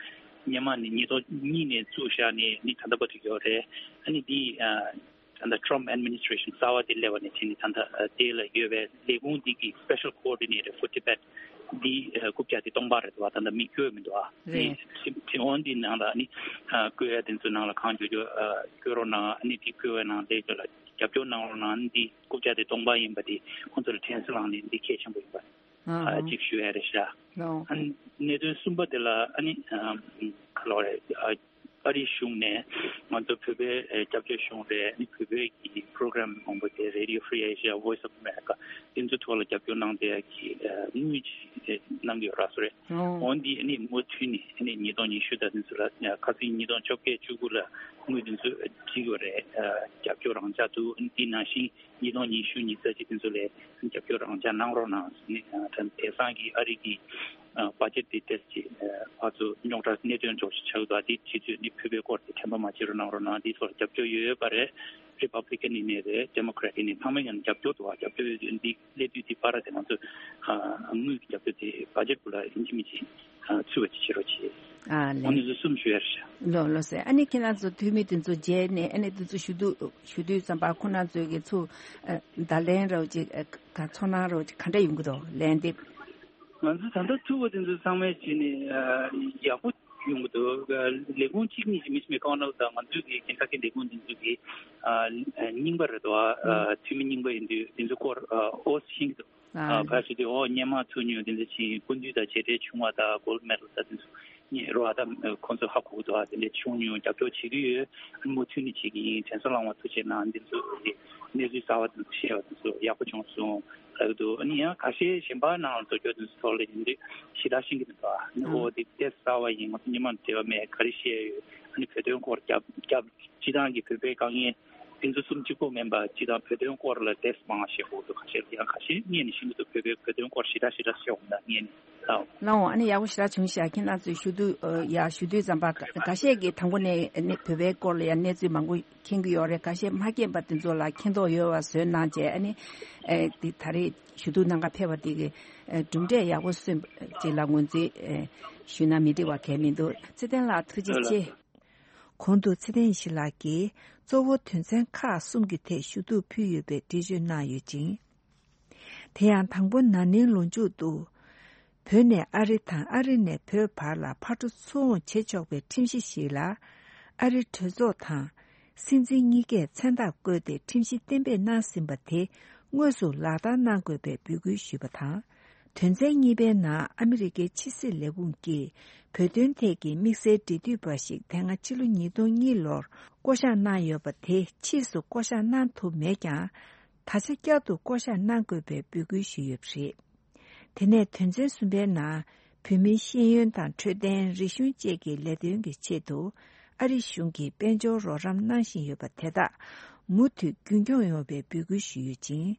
སྔོན་མ་ནས་ཉིས་སྟོང་གཉིས་ནས་བཙུགས་བཞག་ནས་ནི་ད་ལྟ་བར་དུ་ཡོད་རེད། ཨ་ནི་འདི་ ད་ལྟ་Trump administration གསར་བ་དེ་སླེབས་པ་ནས་བྱས་ནས་ད་ལྟ་དེ་ལ་ཡོད་པའི་ལས་ཁུངས་འདི་གི་Special Coordinator for Tibet འདི་རྐུབ་བཀྱག་དེ་སྟོང་པ་རེད་འདུག་བ། ད་ལྟ་མི་བསྐྱོད་མི་འདུག་བ། དེ་དེ་འོན་འདི་ནང་ལ་ནི་བསྐོས་ཡ་དེ་ཚོའི་ནང་ལ་གང་འཇོག་འཇོག་བསྐོས་རོགས་གནང་། ཨ་ནི་དེ་བསྐོས་པའི་ནང་ལས་ཚོ་ལ་རྒྱབ་སྐྱོར་གནང་རོགས་གནང་། ཨ་ནི་འདི་རྐུབ་བཀྱག་དེ་སྟོང་པ་ཡིན་པ་དེ་ཁོང་ཚོ་ལ་དྲན་གསོ་བསླངས་ནས་འདི་གལ་ཆེན་པོ་ཡིན་པ་ཨ་ཅིག་ཞུ་ཡ་རེད་ཤག་ཨ་ནི་གནད་དོན་གསུམ་པ་དེ་ལ་ཨ་ནི་ཁ་ལོ་རེད། ཨ་རིའི་གཞུང་ནས་ང་ཚོ་བོད་པའི་ཨེ་སྐྱབས་བཅོལ་གཞུང་རེད། ཨ་ནི་བོད་པའི་གི་པོ་རོ་གྷ་རམ་མང་པོ་དེ་Radio Free Asia, Voice of America དེ་ཚོ་ཐོག་ལ་རྒྱབ་སྐྱོར་གནང་བསྡད་ཀྱི་ཨ་དངུལ་ཅིག་གནང་གི་ཡོད་ར་སོ་རེད། འོ་འདི་ཨ་ནི་མུ་མཐུད་ནས་ཨ་ནི་ཉིས་སྟོང་ཉི་ཤུ་དང་དེ་ཚོ་ལ་ཁ་སང་ཉིས་སྟོང་བཅོ་བརྒྱད་བཅུ་དགུ་ལ་དངུལ་དེ་ཚོ་བསྒྲིགས་ཡོད་རེད། རྒྱབ་སྐྱོར་རང་འཇགས་འདུག་ཨ་ནི་འདི་ནང་བཞིན་ཉིས་སྟོང་ཉི་ཤུ་ཉི་ཤུ་རྩ་གཅིག་དེ་ཚོ་ལ་རྒྱབ་སྐྱོར་རང་འཇགས་གནང་རོགས་གནང་ཟེར་ནས་དེང་སང་གི་ཨ་རི་གི་བ་ཇེ་ཊི་དེ་ཏེས་ཀྱི་ཕར་ཚུར་རྙོག་དྲ་གནད་དོན་འཇོག་ཞིག་ཆགས་འདུག་དེ་ཕྱི་ཚོས་ནི་བོད་པའི་སྐོར་དེ་དྲན་པ་མ་བརྗེད་རོགས་གནང་རོགས་གནང་། དེའི་ཐོག་ལ་རྒྱབ་སྐྱོར་ཡོད་ཡོད་པ་རེད། རི་པབ་ལི་ཀན་ཡིན་ནའི་རེད། ཌེ་མོ་ཀེ་རེ་ཊི་ཡིན་ནའི་ཚང་མས་ཀྱང་རྒྱབ་སྐྱོར་འདུག་རྒྱབ་སྐྱོར་ཡོད་དུས་འདི་སླེབས་དུས་དེ་བར་དེ་ང་ཚོས་དངུལ་གྱི་རྒྱབ་སྐྱོར་དེ་བ་ཇེ་ཊི་ལ་ཡིན་གཅིག་མིན་གཅིག་ཚུད་པ་ཅིག་བྱེད་རོགས་བྱེད། ཨ་ལེ། ཨ་ནི་ཚོ་གསུམ་ཞུ་ཡ་རེད་ཤག་ལོ་ལོ་ཟེར། ཨ་ནི་ཁྱེད་རང་ཚོ་འཐུས་མི་དེ་ཚོ་མཇལ་ནས་ཨ་ནི་དེ་ཚོ་ཞུ་དུས་ཞུ་དུས་ཙམ་པ་ཁོ་རང་ཚོའི་གི་ཚུར་བརྡ་ལན་རོགས་ཅིག་ག་ཚོར་སྣང་རོགས་ཅིག་ག་འདྲ་ཡོང་གི་འདུག་ལན་འདེབས། ང་ཚོ་ད་ལྟ་ཐུག་པ་དེ་ཚོ་ཚང་མས་བྱས་ནས་ཡག་པོ་ཡོང་གི་འདུག་ལས་ཁུངས་གཅིག་གཉིས་ཀྱི་མི་སྨེ་ཀོ་ནལ་དང་ང་ཚོའི་གི་ཁེན་ཊ་ཀི་ལས་ཁུངས་དེ་ཚོ་གི་རྙིང་པ་རེད་དོ། འཐུས་མི་རྙིང་པ་ཡིན་དུས་དེ་ཚོ་སྐོར་ཨོ་ཤེས་ཀྱི་འདུག་ཨ་ཕར་ཞུ་དུས་ཨོ་སྙན་མ་ཚུར་ཉོས་དེ་འདྲ་ཕྱིན་སྐུ་མདུན་དང་མཇལ་འཕྲད་བྱུང་བ་དང་གོལ་མེ་ཌལ་དང་དེ་ཚོ་རྙེད་རོགས་དང་ཁོང་ཚོ་ཧ་གོ་གི་འདུག་ཨ་དེ་འདྲ་བྱུང་མྱོང་། རྒྱབ་སྐྱོར་བྱེད་ཀྱི་ཡོད། ཨ་ནི་མུ་མཐུད་ནས་བྱེད་ཀྱི་ཡིན། དྲན་གསོ་བསླང་བ་ཐུགས་རྗེ་གནང་། འདི་ཚོ་གི་གནས་ཚུལ་གསར་བ་དེ་ཚོ་བཤད་པ་དེ་ཚོ་ཡག་པོ་བྱུང་སོང་ལབ་ཀྱི་འདུག་ཨ་ནི་ཡང་ཁ་ཤས་གཞན་པ་ནང་ལ་འགྲོ་རྒྱུ་དེ་ཚོ་ཐོག་ལ་ཡིན་དུས་ཞེ་དྲག་ཤེས་ཀྱི་མི་འདུག་ཨ་ནི་ཨོ་དེ་ཏེས་གསར་བ་ཡིན། ང་ཚོ་སྔོན་མ་འབྲེལ་བ་མེད། ག་རེ་བཤད་ཡོད། ཨ་ནི་བོད་དོན་སྐོར་རྒྱབ་རྒྱབ་སྤྱི་བཏང་གི་བོད་པའི་དཀའ་ངལ་དེ་ཚོ་གསུམ་གཅིག་པོ་མིན་པ་སྤྱི་བཏང་བོད་དོན་སྐོར་ལ་ཏེས་མང་བཤད་དགོས་འདུག་ཁ་ཤས་ཡང་ཁ་ཤས་ངས་ནི་ཤེས་ཀྱི་འདུག་བོད་པའི་བོད་དོན་སྐོར་ཞེ་དྲག་ཞེ་དྲག་བཤད་འོང་ན་ངས་ནི་ལའོ། ལའོ། ཨ་ནི་ཡག་པོ་ཞེ་དྲག་བྱུང་ཤག་ཁྱེད་རང་ཚོས་ཞུ་དུས་ཡ་ཞུ་དུས་ཙམ་པ་འགའ་ཤས་ཀྱིས་དང་པོ་ནས་ནི་བོད་པའི་སྐོར་ལ་ཡང་གནས་ཚུལ་མང་པོ་མཁྱེན་གྱི་ཡོད་རེད། འགའ་ཤས་མ་མཁྱེན་པ་དེ་ཚོ་ལ་མཁྱེན་རྟོགས་ཡོད་པ་བཟོས་གནང་བྱས། ཨ་ནི་ཨེ་འདི་ད་རེས་ཞུ་གཏུག་གནང་ག་ཕེབས་པ་དེ་གི་ཨེ་གྲུབ་འབྲས་ཡག་པོ་སོན་ཅིག་ལ་ངོས་འཛིན་ཨེ་ཞུས་ན་མི་འགྲིག་པ་གང་ཡང་མི་འདུག་ཚེ་བརྟན་ལགས་ཐུགས་རྗེ་ཆེ། གོང་དུ་ཚེ་བརྟན་ཡེ་ཤེས་ལགས་ཀྱིས་གཙོ་བོ་དོན་ཚན་ཁག་གསུམ་གྱི་ཐད་ཞུ་གཏུག་ཕུལ་ཡོད་པའི་འགྲེལ་བརྗོད་གནང་ཡོད་ཅིང་། དེ་ཡང་དང་པོ་ན་ནིང་ལོ་མཇུག་ཏུ། བོད་ནས་ཨ་རི་དང་ཨ་རི་ནས་བོད་བར་ལ་ཕར་འགྲོ་ཚུར་འོང་བྱེད་ཆོག་པའི་ཁྲིམས་གཞི་ཞིག་ལ། ཨ་རི་གྲོས་ཚོགས་དང་། སྲིད་འཛིན་གཉིས་ཀས་མཚན་རྟགས་བཀོད་དེ་ཁྲིམས་གཞི་གཏན་འབེབས་གནང་ཟིན་པ་དེ་དངོས་སུ་ལག་བསྟར་གནང་དགོས་པའི་འབོད་སྐུལ་ཞུས་པ་དང་། དོན་ཚན་གཉིས་པའི་ནང་ཨ་མི་རི་ཀའི་ཕྱི་སྲིད་ལས་ཁུངས་ཀྱིས་བོད་དོན་ཐད་ཀྱི་དམིགས་བསལ་འབྲེལ་མཐུད་པ་ཞིག་དེ་སྔ་ཕྱི་ལོ་ཉིས་སྟོང་གཉིས་ལོར་བསྐོ་གཞག་གནང་ཡོད་པ་དེ་ཕྱིས་སུ་བསྐོ་གཞག་གནང་ཐུབ་མེད་ཀྱང་། ད་ཆ་བསྐྱར་དུ་བསྐོ་གཞག་གནང་དགོས་པའི་འབོད་སྐུལ་ཞུས་ཡོད་པ་རེད། དེ་ནས་དོན་ཚན་གསུམ་པའི་ནང་བོད་མིའི་ཤེས་ཡོན་དང་འཕྲོད་བསྟེན། རིག་གཞུང་བཅས་ཀྱི་ལས་དོན་གྱི་ཆེད་དུ་ཨ་རི་གཞུང་གིས་དཔལ་འབྱོར་རོགས་རམ་གནང་བཞིན་ཡོད་པ་དེ་དག་མུ་མཐུད་རྒྱུན་འཁྱོངས་ཡོང་བའི་འབོད་སྐུལ་ཞུས་ཡོད་ཅིང་།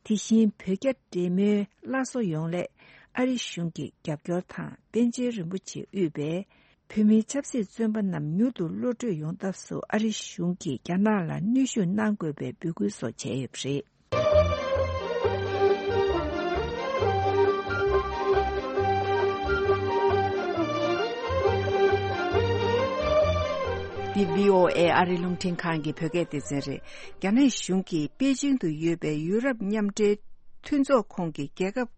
དེ་བཞིན་བོད་རྒྱ་འབྲེལ་མོལ་སླར་གསོ་ཡོང་སླད་ཨ་རི་གཞུང་གི་རྒྱབ་སྐྱོར་དང་པཎ་ཆེན་རིན་པོ་ཆེ་དབུས་པའི་བོད་མིའི་ཆབ་སྲིད་བཙོན་པ་རྣམས་མྱུར་དུ་གློད་གྲོལ་ཡོང་ཐབས་སུ་ཨ་རི་གཞུང་གིས་རྒྱ་ནག་ལ་གནོན་ཤུགས་གནང་དགོས་པའི་འབོད་སྐུལ་སོགས་བྱས་ཡོད་པ་རེད། འདི་བྷི་ཨོ་ཨེ་ཨ་རི་རླུང་འཕྲིན་ཁང་གི་བོད་སྐད་སྡེ་ཚན་རེད། རྒྱ་ནག་གཞུང་གིས་པེ་ཅིང་དུ་ཡོད་པའི་ཡུ་རོབ་མཉམ་འབྲེལ་མཐུན་ཚོགས་ཁོངས་ཀྱི་རྒྱལ་ཁབ་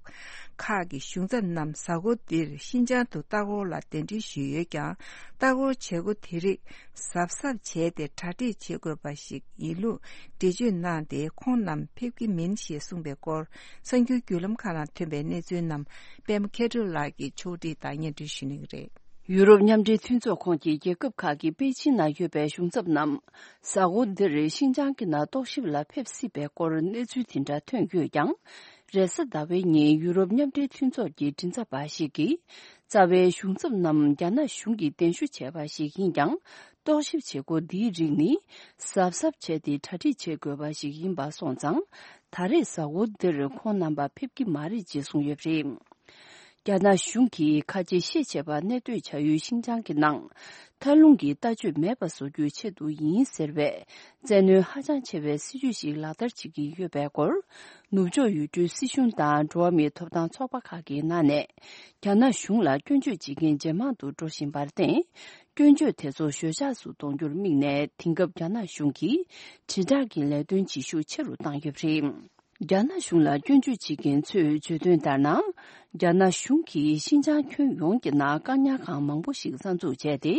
ཁག་གི་གཞུང་ཚབ་རྣམས་གཟའ་འཁོར་འདིར་ཤིན་ཅང་དུ་ལྟ་སྐོར་ལ་གདན་འདྲེན་ཞུས་ཡོད་ཀྱང་། ལྟ་སྐོར་བྱེད་སྒོ་དེ་རིགས་གཟབ་གཟབ་བྱས་ཏེ་གྲ་སྒྲིག་བྱེད་དགོས་པ་ཞིག་ཡིན་ལུགས་འགྲེལ་བརྗོད་གནང་སྟེ། ཁོང་རྣམས་ཕེབས་ཀྱི་མིན་ཞེས་གསུངས་པའི་སྐོར་གསར་འགྱུར་བརྒྱུད་ལམ་ཁག་ནང་ཐོན་པའི་གནས་ཚུལ་རྣམས་པད་མ་མཁས་གྲུབ་ལགས་ཀྱིས་ཕྱོགས་སྒྲིག་དང་སྙན་སྒྲོན་ཞུ་གནང་གི་རེད། ཡུ་རོབ་མཉམ་འབྲེལ་མཐུན་ཚོགས་ཁོངས་ཀྱི་རྒྱལ་ཁབ་ཁག་གི་པེ་ཅིན་ནང་ཡོད་པའི་གཞུང་ཚབ་རྣམས་གཟའ་འཁོར་འདིར་ཤིན་ཅང་གི་ནང་རྟོག་ཞིབ་ལ་ཕེབས་སྲིད་པའི་སྐོར་གནས་ཚུལ་དེ་འདྲ་ཐོན་ཡོད་ཀྱང་། རེས་གཟའ་ཟླ་བའི་ཉིན་ཡུ་རོབ་མཉམ་འབྲེལ་མཐུན་ཚོགས་ཀྱི་མགྲིན་ཚབ་པ་ཞིག་གིས། རྩ་བའི་གཞུང་ཚབ་རྣམས་རྒྱ་ནག་གཞུང་གིས་གདན་ཞུ་བྱས་པ་ཞིག་ཡིན་ཀྱང་། རྟོག་ཞིབ་བྱེད་སྒོ་འདིའི་རིགས་ནི་གཟབ་གཟབ་བྱས་ཏེ་གྲ་སྒྲིག་བྱེད་དགོས་པ་ཞིག་ཡིན་པ་སོང་ཙང་། ད་རེས་གཟའ་འཁོར་འདིར་ཁོང་རྣམ་པ་ཕེབས་ཀྱི་མ་རེད་ཅེས་གསུངས་ཡོད་པ་རེད། རྒྱ་ནག་གཞུང་གིས་ཁ་ཆེ་ཤེས་བྱ་བ་གནས་སྡོད་བྱ་ཡུལ་ཤིན་ཅང་གི་ནང་། མཐའ་ལྷུང་གི་ལྟ་སྤྱོད་མེད་པ་བཟོ་རྒྱུའི་ཆེད་དུ་ཡིན་ཟེར་བའི་བཙན་གནོན་ཧ་ཅང་ཆེ་བའི་སྲིད་ཇུས་ཤིག་ལག་བསྟར་བྱེད་ཀྱི་ཡོད་པའི་སྐོར། ནུབ་ཕྱོགས་ཡུལ་གྲུའི་སྲིད་གཞུང་དང་འགྲོ་བ་མིའི་ཐོབ་ཐང་ཚོགས་པ་ཁག་གི་ནང་ནས། རྒྱ་ནག་གཞུང་ལ་སྐྱོན་བརྗོད་བྱེད་མཁན་ཇེ་མང་དུ་འགྲོ་བཞིན་པར་བརྟེན། སྐྱོན་བརྗོད་དེ་ཚོ་ཞོད་འཇགས་སུ་གཏོང་རྒྱུར་དམིགས་ནས། དེང་སྐབས་རྒྱ་ནག་གཞུང་གིས་དྲིལ་བསྒྲགས་ཀྱི་ལས་དོན་བྱེད་ཤུགས་ཆེ་རུ་བཏང་ཡོད་པ་རེད། རྒྱ་ནག་གཞུང་ལ་སྐྱོན་བརྗོད་བྱེད་མཁན་ཚོས་བརྗོད་དོན་ལྟར་ན། རྒྱ་ནག་གཞུང་གིས་ཤིན་ཅང་ཁྱོན་ཡོངས་ཀྱི་ནང་བཀག་ཉར་ཁང་མང་པོ་ཞིག་གསར་འཛུགས་བྱས་ཏེ།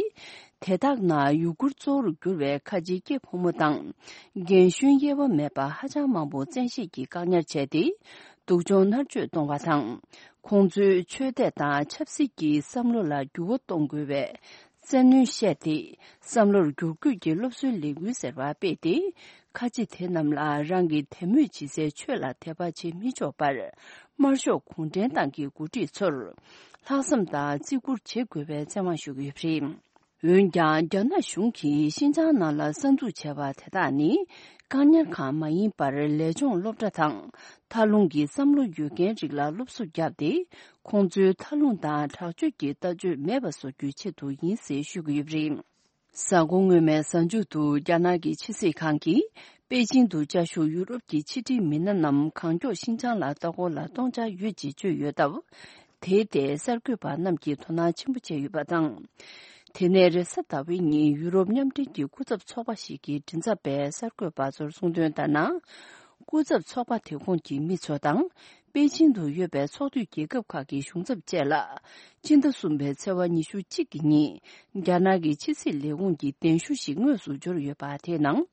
དེ་དག་ནང་ཡུ་གུར་གཙོ་བོར་གྱུར་བའི་ཁ་ཆེའི་སྐྱེས་ཕོ་མོ་དང་། རྒན་གཞོན་དབྱེ་བ་མེད་པར་ཧ་ཅང་མང་པོ་བཙན་ཤེད་ཀྱིས་བཀག་ཉར་བྱས་ཏེ། སྡུག་སྦྱོང་མནར་གཅོད་གཏོང་བ་དང་། ཁོང་ཚོའི་ཆོས་དད་དང་ཆབ་སྲིད་ཀྱི་བསམ་བློ་ལ་འགྱུར་བ་གཏོང་དགོས་པའི་བཙན་གནོན་བཤད་དེ། བསམ་བློར་བསྒྱུར་བཀོད་ཀྱི་སློབ་གསོའི་ལས་འགུལ་ཟེར་བ་སྤེལ་ཏེ། ཁ་ཆེ་དེ་རྣམས་ལ་རང་གི་དད་མོས་བྱེད་སའི་ཆོས་ལ་དད་པ་བྱེད་མི་ཆོག་པར། དམར་ཤོག་གུང་ཁྲན་ཏང་གི་འགོ་ཁྲིད་ཚོར། ལྷག་བསམ་དང་བརྩི་བཀུར་བྱེད་དགོས་པའི་བཙན་དབང་ཞུ་གི་ཡོད་པ་རེད། འོན་ཀྱང་། རྒྱ་ནག་གཞུང་གིས་ཤིན་ཅང་ནང་ལ་གསར་འཛུགས་བྱས་པ་དེ་དག་ནི། བཀག་ཉར་ཁང་མ་ཡིན་པར། ལས་སྦྱོང་སློབ་གྲྭ་དང་། མཐར་ལྷུང་གི་བསམ་བློ་ཡོད་མཁན་རིགས་ལ་སློབ་གསོ་བརྒྱབ་སྟེ། ཁོང་ཚོའི་མཐར་ལྷུང་དང་དྲག་སྤྱོད་ཀྱི་ལྟ་སྤྱོད་མེད་པ་བཟོ་རྒྱུའི་ཆེད་དུ་ཡིན་ཟེར་ཞུ་གི་ཡོད་པ་རེད། གཟའ་འཁོར་སྔོན་མའི་གཟའ་མཇུག་ཏུ། རྒྱ་ནག་གི་ཕྱི་སྲིད་ཁང་གིས། པེ་ཅིང་དུ་བཅའ་བཞུགས་ཡུ་རོབ་ཀྱི་ཕྱི་འབྲེལ་མི་སྣ་རྣམས། གང་མགྱོགས་ཤིན་ཅང་ལ་ལྟ་སྐོར་ལ་གཏོང་འཆར་ཡོད་ཅེས་བརྗོད་ཡོད་སྟབས། དེའི་ཐད་གསར་འགོད་པ་རྣམས་ཀྱིས་དོ་སྣང་ཆེན་པོ་བྱས་ཡོད་པ་དང་། དེ་ནས་རེས་གཟའ་ཟླ་བའི་ཉིན། ཡུ་རོབ་མཉམ་འབྲེལ་གྱི་སྐུ་ཚབ་ཚོགས་པ་ཞིག་གི་མགྲིན་ཚབ་པས་གསར་འགོད་པ་ཚོར་གསུངས་དོན་ལྟར་ན། སྐུ་ཚབ་ཚོགས་པ་དེ་ཁོངས་ཀྱི་མི་ཚོ་དང་། པེ་ཅིང་དུ་ཡོད་པའི་ཚོགས་འཐུས་རྒྱལ་ཁབ་ཁག་གི་གཞུང་ཚབ་བཅས་ལ། སྤྱི་ཟླ་གསུམ་པའི་ཚེས་པ་ཉི་ཤུ་གཅིག་གི་ཉིན། རྒྱ་ནག་གི་ཕྱི་སྲིད་ལས་ཁུངས་ཀྱི་གདན་ཞུ་ཞིག་དངོས་སུ་འབྱོར་ཡོད་པ་དེའི་ནང་།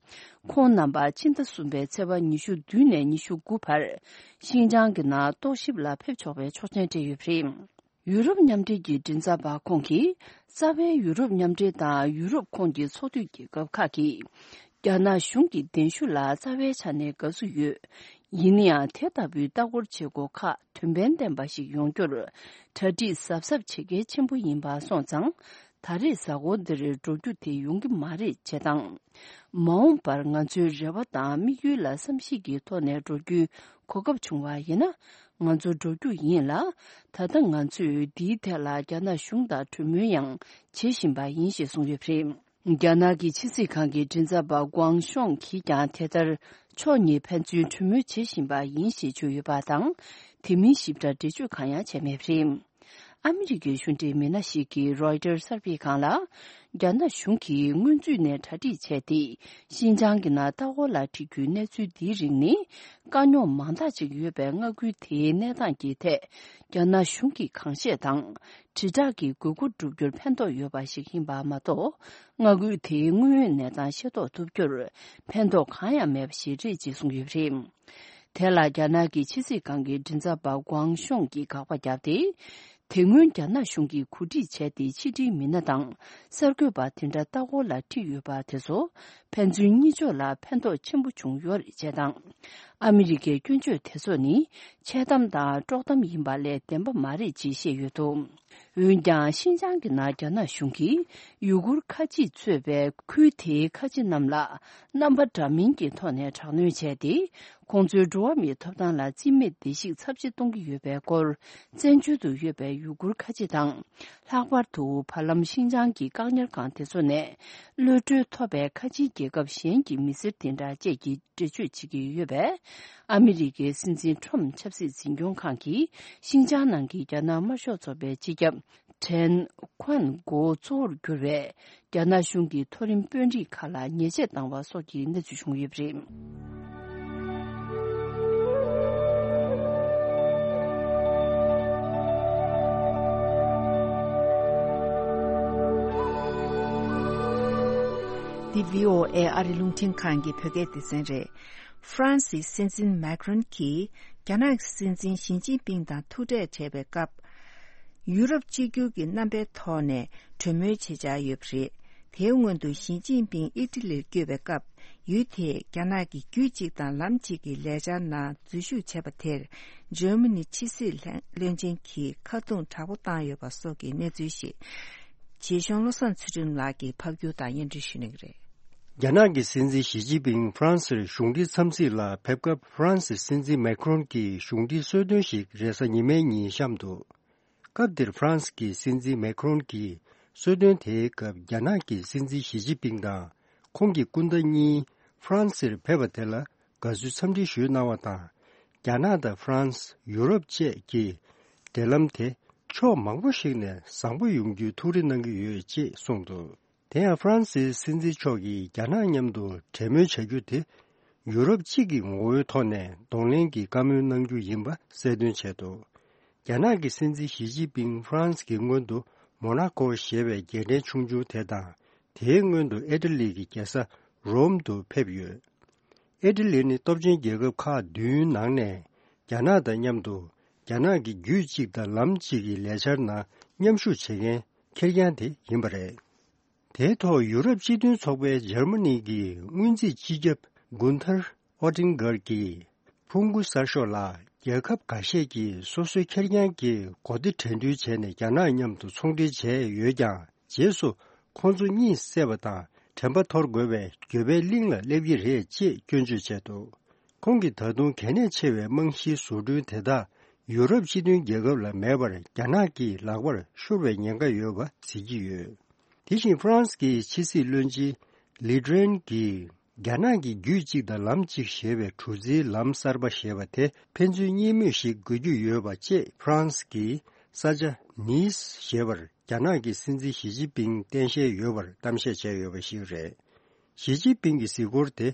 ཁོང་རྣམ་པ་ཕྱི་ཟླ་གསུམ་པའི་ཚེས་པ་ཉི་ཤུ་བདུན་ནས་ཉི་ཤུ་དགུ་བར། ཤིན་ཅང་གི་ནང་རྟོག་ཞིབ་ལ་ཕེབས་ཆོག་པའི་ཆོག་མཆན་སྤྲད་ཡོད་པ་རེད། ཡུ་རོབ་མཉམ་འབྲེལ་གྱི་མགྲིན་ཚབ་པ་ཁོང་གིས། རྩ་བའི་ཡུ་རོབ་མཉམ་འབྲེལ་དང་ཡུ་རོབ་ཁོངས་ཀྱི་ཚོགས་འཐུས་རྒྱལ་ཁབ་ཁག་གིས། རྒྱ་ནག་གཞུང་གི་གདན་ཞུ་ལ་རྩ་བའི་ཆ་ནས་དགའ་བསུ་ཡོད། ཡིན་ན་ཡང་། དེ་ལྟ་བུའི་ལྟ་སྐོར་བྱེད་སྒོ་ཁག་དོན་ཕན་ལྡན་པ་ཞིག་ཡོང་རྒྱུར། གྲ་སྒྲིག་གཟབ་གཟབ་བྱེད་གལ་ཆེན་པོ་ཡིན་པ་སོང་ཙང་། ད་རེས་གཟའ་འཁོར་འདིར་འགྲོ་རྒྱུ་དེ་ཡོང་གི་མ་རེད་ཅེས་དང་། མ་འོངས་པར་ང་ཚོའི་རེ་བ་དང་དམིགས་ཡུལ་ལ་བསམ་གཞིག་གི་ཐོག་ནས་འགྲོ་རྒྱུའི་གོ་སྐབས་བྱུང་བ་ཡིན་ན། ང་ཚོ་འགྲོ་རྒྱུ་ཡིན་ལ། ད་ལྟ་ང་ཚོས་འདིའི་ཐད་ལ་རྒྱ་ནག་གཞུང་དང་གྲོས་མོལ་ཡང་བྱེད་བཞིན་པ་ཡིན་ཞེས་གསུངས་ཡོད་པ་རེད། རྒྱ་ནག་གི་ཕྱི་སྲིད་ཁང་གི་མགྲིན་ཚབ་པ་ཀུའང་ཤོང་གིས་ཀྱང་དེ་ལྟར། ཕྱོགས་གཉིས་ཕན་ཚུན་གྲོས་མོལ་བྱེད་བཞིན་པ་ཡིན་ཞེས་བརྗོད་ཡོད་པ་དང་། དེ་མིན་ཞིབ་ཕྲ་འགྲེལ་བརྗོད་གང་ཡང་བྱས་མེད་པ་རེད། ཨ་མི་རི་ཀའི་གཞུང་འབྲེལ་མི་སྣ་ཞིག་གིས་རོའི་ཊར་གསར་སྤེལ་ཁང་ལ། རྒྱ་ནག་གཞུང་གིས་སྔོན་ཚུད་ནས་གྲ་སྒྲིག་བྱས་ཏེ། ཤིན་ཅང་གི་ནང་ལྟ་སྐོར་ལ་ཁྲིད་རྒྱུའི་གནས་ཚུལ་འདིའི་རིགས་ནི། དཀའ་རྙོག་མང་དག་ཅིག་ཡོད་པའི་མངའ་ཁུལ་དེའི་གནས་སྟངས་ཀྱི་ཐད། རྒྱ་ནག་གཞུང་གི་གང་བཤད་དང་། དྲིལ་བསྒྲགས་ཀྱི་དགོས་མཁོ་བསྒྲུབ་རྒྱུར་ཕན་ཐོགས་ཡོད་པ་ཞིག་ཡིན་པ་མ་གཏོགས། མངའ་ཁུལ་དེའི་དངོས་ཡོད་གནས་སྟངས་ཤེས་རྟོགས་ཐུབ་རྒྱུར། ཕན་ཐོགས་གང་ཡང་མེད་པ་ཞིག་རེད་ཅེས་གསུངས་ཡོད་པ་རེད། དེ་ལ་རྒྱ་ནག་གི་ཕྱི་སྲིད་ཁང་གི་མགྲིན་ཚབ་པ་ཀུའང་ཤོང་གིས་དགག་པ་བརྒྱབ་སྟེ། དེ་སྔོན་རྒྱ་ནག་གཞུང་གིས་གོ་སྒྲིག་བྱས་ཏེ། ཕྱི་དྲིལ་མི་སྣ་དང་གསར་འགོད་པ་དེ་འདྲ་ལྟ་སྐོར་ལ་ཁྲིད་ཡོད་པ་དེ་ཚོ། ཕན་ཚུན་གཉིས་ཕྱོགས་ལ་ཕན་ཐོགས་ཆེན་པོ་བྱུང་ཡོད་རེད་ཅེས་དང་། ཨ་མི་རི་ཀའི་སྐྱོན་བརྗོད་དེ་ཚོ་ནི། འཆལ་གཏམ་དང་དཀྲོག་གཏམ་ཡིན་པ་ལས་བདེན་པ་མ་རེད་ཅེས་བཤད་ཡོད་འདུག་འོན་ཀྱང་། ཤིན་ཅང་གི་ནང་རྒྱ་ནག་གཞུང་གིས་ཡུ་གུར་ཁ་ཆེས་གཙོས་པའི་ཁུལ་དེའི་ཁ་ཆེ་རྣམས་ལ། རྣམ་པ་འདྲ་མིན་གྱི་ཐོག་ནས་དྲག་གནོན་བྱས་ཏེ། ཁོང་ཚོའི་འགྲོ་བ་མིའི་ཐོབ་ཐང་ལ་རྩིས་མེད་བརྡལ་བཤིག་ཚབས་ཆེ་གཏོང་གི་ཡོད་པའི་སྐོར། བཙན་བྱོལ་དུ་ཡོད་པའི་ཡུ་གུར་ཁ་ཆེ་དང་། ལྷག་པར་དུ་བར་ལམ་ཤིན་ཅང་གི་བཀག་ཉར་ཁང་དེ་ཚོ་ནས། གློད་གྲོལ་ཐོབ་པའི་ཁ་ཆེའི་རྒྱལ་ཁབ་གཞན་གྱི་མི་སེར་དེ་འདྲ་བཅས་ཀྱིས་འགྲེལ་བརྗོད་བྱེད་ཀྱི་ཡོད་པས། ཨ་མི་རི་ཀའི་སྲིད་འཛིན་ཁྲོམ་ཆབ་སྲིད་འཛིན་སྐྱོང་ཁང་གིས་ཤིན་ཅང་ནང་གི་རྒྱ་ནག་དམར་ཤོག་ཚོགས་པའི་སྤྱི་ཁྱབ་ཁྲེན་ཁོན་གོ་གཙོ་བོར་གྱུར་བའི་རྒྱ་ནག་གཞུང་གི་མཐོ་རིམ་དཔོན་རིགས་ཁག་ལ་ཉེས་ཆད་བཏང་བ་སོགས་ཀྱི་གནས་ཚུལ་བྱུང་ཡོད་པ་རེད། འདི་བྷི་ཨོ་ཨེ་ཨ་རི་རླུང་འཕྲིན་ཁང་གི་བོད་སྐད་སྡེ་ཚན་རེད། ཧྥ་རན་སིའི་སྲིད་འཛིན་མེག་རོན་གྱིས་རྒྱ་ནག་གི་སྲིད་འཛིན་ཞི་ཅིན་ཕིང་དང་ཐུག་འཕྲད་བྱས་པའི་སྐབས། ཡུ་རོབ་གཅིག་གྱུར་གྱི་རྣམ་པའི་ཐོག་ནས་གྲོས་མོལ་བྱེད་འཆར་ཡོད་པ་རེད། དེའི་སྔོན་དུ་ཞི་ཅིན་ཕིང་ཨི་ཊ་ལིར་བསྐྱོད་པའི་སྐབས། ཡུལ་དེས་རྒྱ་ནག་གི་རྒྱུད་གཅིག་དང་ལམ་གཅིག་གི་ལས་འཆར་ནང་འཛུལ་ཞུགས་བྱས་པ་དེར། འཇར་མ་ནི་ཕྱི་སྲིད་བློན་ཆེན་གྱིས་ཁ་རྡུང་དྲག་པོ་བཏང་ཡོད་པ་སོགས་ཀྱི་གནས་ཚུལ་ཞིག་རྗེ་གཞུང་བློ་བཟང་ཚུལ་ཁྲིམས་ལགས་ཀྱིས་ཕབ་སྒྱུར་དང་སྙན་སྒྲོན་ཞུ་གནང་གི་རེད། རྒྱ་ནག་གི་སྲིད་འཛིན་ཞི་ཅིན་ཕིང་ཧྥ་རན་སིར་གཞུང་འབྲེལ་འཚམས་གཟིགས་ལ་ཕེབས་སྐབས། ཧྥ་རན་སིའི་སྲིད་འཛིན་མེག་རོན་གྱིས་གཞུང་འབྲེལ་གསོལ་སྟོན་ཞིག་རེས་གཟའ་ཉི་མའི་ཉིན་བཤམས་འདུག་སྐབས་དེར་ཧྥ་རན་སི་གི་སྲིད་འཛིན་མེག་རོན་གྱིས་གསོལ་སྟོན་དེའི་སྐབས། རྒྱ་ནག་གི་སྲིད་འཛིན་ཞི་ཅིན་ཕིང་དང་ཁོང་གི་སྐུ་ཟླ་གཉིས་ཧྥ་རན་སིར་ཕེབས་པ་དེ་ལ་དགའ་བསུའི་འཚམས་འདྲི་ཞུས་གནང་བ་དང་། རྒྱ་ནག་དང་ཧྥ་རན་སི། ཡུ་རོབ་བཅས་ཀྱིས་འབྲེལ་ལམ་དེ་ ཕྱོགས་མང་པོ་ཞིག་ནས་བཟང་པོ་ཡོང་རྒྱུའི་ཐུགས་རེ་གནང་གི་ཡོད་ཅེས་གསུངས་འདུག་དེ་ཡང་ཧྥ་རན་སིའི་སྲིད་འཛིན་མཆོག་གིས་རྒྱ་ནག་མཉམ་དུ་གྲོས་མོལ་བྱ་རྒྱུ་དེ་ཡུ་རོབ་གཅིག་གི་ངོ་བོའི་ཐོག་ནས་གདོང་ལེན་གྱི་བཀའ་མོལ་གནང་རྒྱུ་ཡིན་པ་གསལ་སྟོན་བྱས་འདུག་རྒྱ་ནག་གི་སྲིད་འཛིན་ཞི་ཅིན་ཕིང་ཧྥ་རན་སི་གི་སྔོན་དུ་མོ་ན་ཀོ་ཞེས་པའི་རྒྱལ་ཕྲན་ཆུང་ཆུང་དེ་དང་། དེའི་སྔོན་དུ་ཨི་ཊ་ལི་གི་རྒྱལ་ས་རོམ་དུ་ཕེབས་ཡོད། ཨི་ཊ་ལི་ནི་སྟོབས་ཆེན་རྒྱལ་ཁབ་ཁག་བདུན་ནང་ནས་རྒྱ་ནག་དང་མཉམ་དུ་རྒྱ་ནག་གི་རྒྱུད་གཅིག་དང་ལམ་གཅིག་གི་ལས་འཆར་ནང་མཉམ་ཞུགས་བྱེད་མཁན་ཁེར་རྐྱང་དེ་ཡིན་པ་རེད། དེའི་ཐོག་ཡུ་རོབ་སྤྱི་མཐུན་ཚོགས་པའི་འཇར་མ་ནི་གི་སྔོན་རྩིས་སྤྱི་ཁྱབ་གུན་ཐར་ཨོ་ཏིང་གར་གྱིས། ཕུང་པོ་གསར་ཤོག་ལ། རྒྱལ་ཁབ་འགའ་ཤས་ཀྱིས་སོ་སོའི་ཁེར་རྐྱང་གི་གོ་སྡེ་གྲོས་མཐུན་བྱས་ནས་རྒྱ་ནག་མཉམ་དུ་ཚོང་འབྲེལ་བྱས་ཡོད་ཀྱང་། རྗེས་སུ་ཁོང་ཚོ་གཉིད་སད་པ་དང་དྲན་པ་འཐོར་དགོས་པའི་འགྱོད་པའི་གླིང་ལ་སླེབས་ཀྱི་རེད་ཅེས་སྐྱོན་བརྗོད་བྱས་འདུག་ཁོང་གིས་ད་དུང་གལ་གནད་ཆེ་བའི་རྨང་གཞིའི་བཟོ་སྐྲུན་དེ་དག་ཡུ་རོབ་སྤྱི་མཐུན་རྒྱལ་ཁབ་ལ་མེད་པར་རྒྱ་ནག་གི་ལག་པར་ཤོར་བའི་ཉེན་ཁ་ཡོད་པ་གཟིགས་ཀྱི་ཡོད། དེ་བཞིན་ཧྥ་རན་སི་གི་ཕྱི་སྲིད་བློན་ཆེན་ལི་ཏྲེན་གྱིས། རྒྱ་ནག་གི་རྒྱུད་གཅིག་དང་ལམ་གཅིག་ཞེས་པའི་གྲུ་གཟིངས་ལམ་གསར་པ་ཞེས་པ་དེ་ཕན་ཚུན་གཉིས་མོས་ཤིག་དགོས་ཀྱི་ཡོད་པ་བཅས་ཧྥ་རན་སི་གི་ས་ཆ་ནིས་ཞེས་པར་རྒྱ་ནག་གི་སྲིད་འཛིན་ཞི་ཅིན་ཕིང་གཏན་བཤད་ཡོད་པར་གཏམ་བཤད་བྱས་ཡོད་པ་ཞིག་རེད། ཞི་ཅིན་ཕིང་གི་གཟིགས་སྐོར་དེ་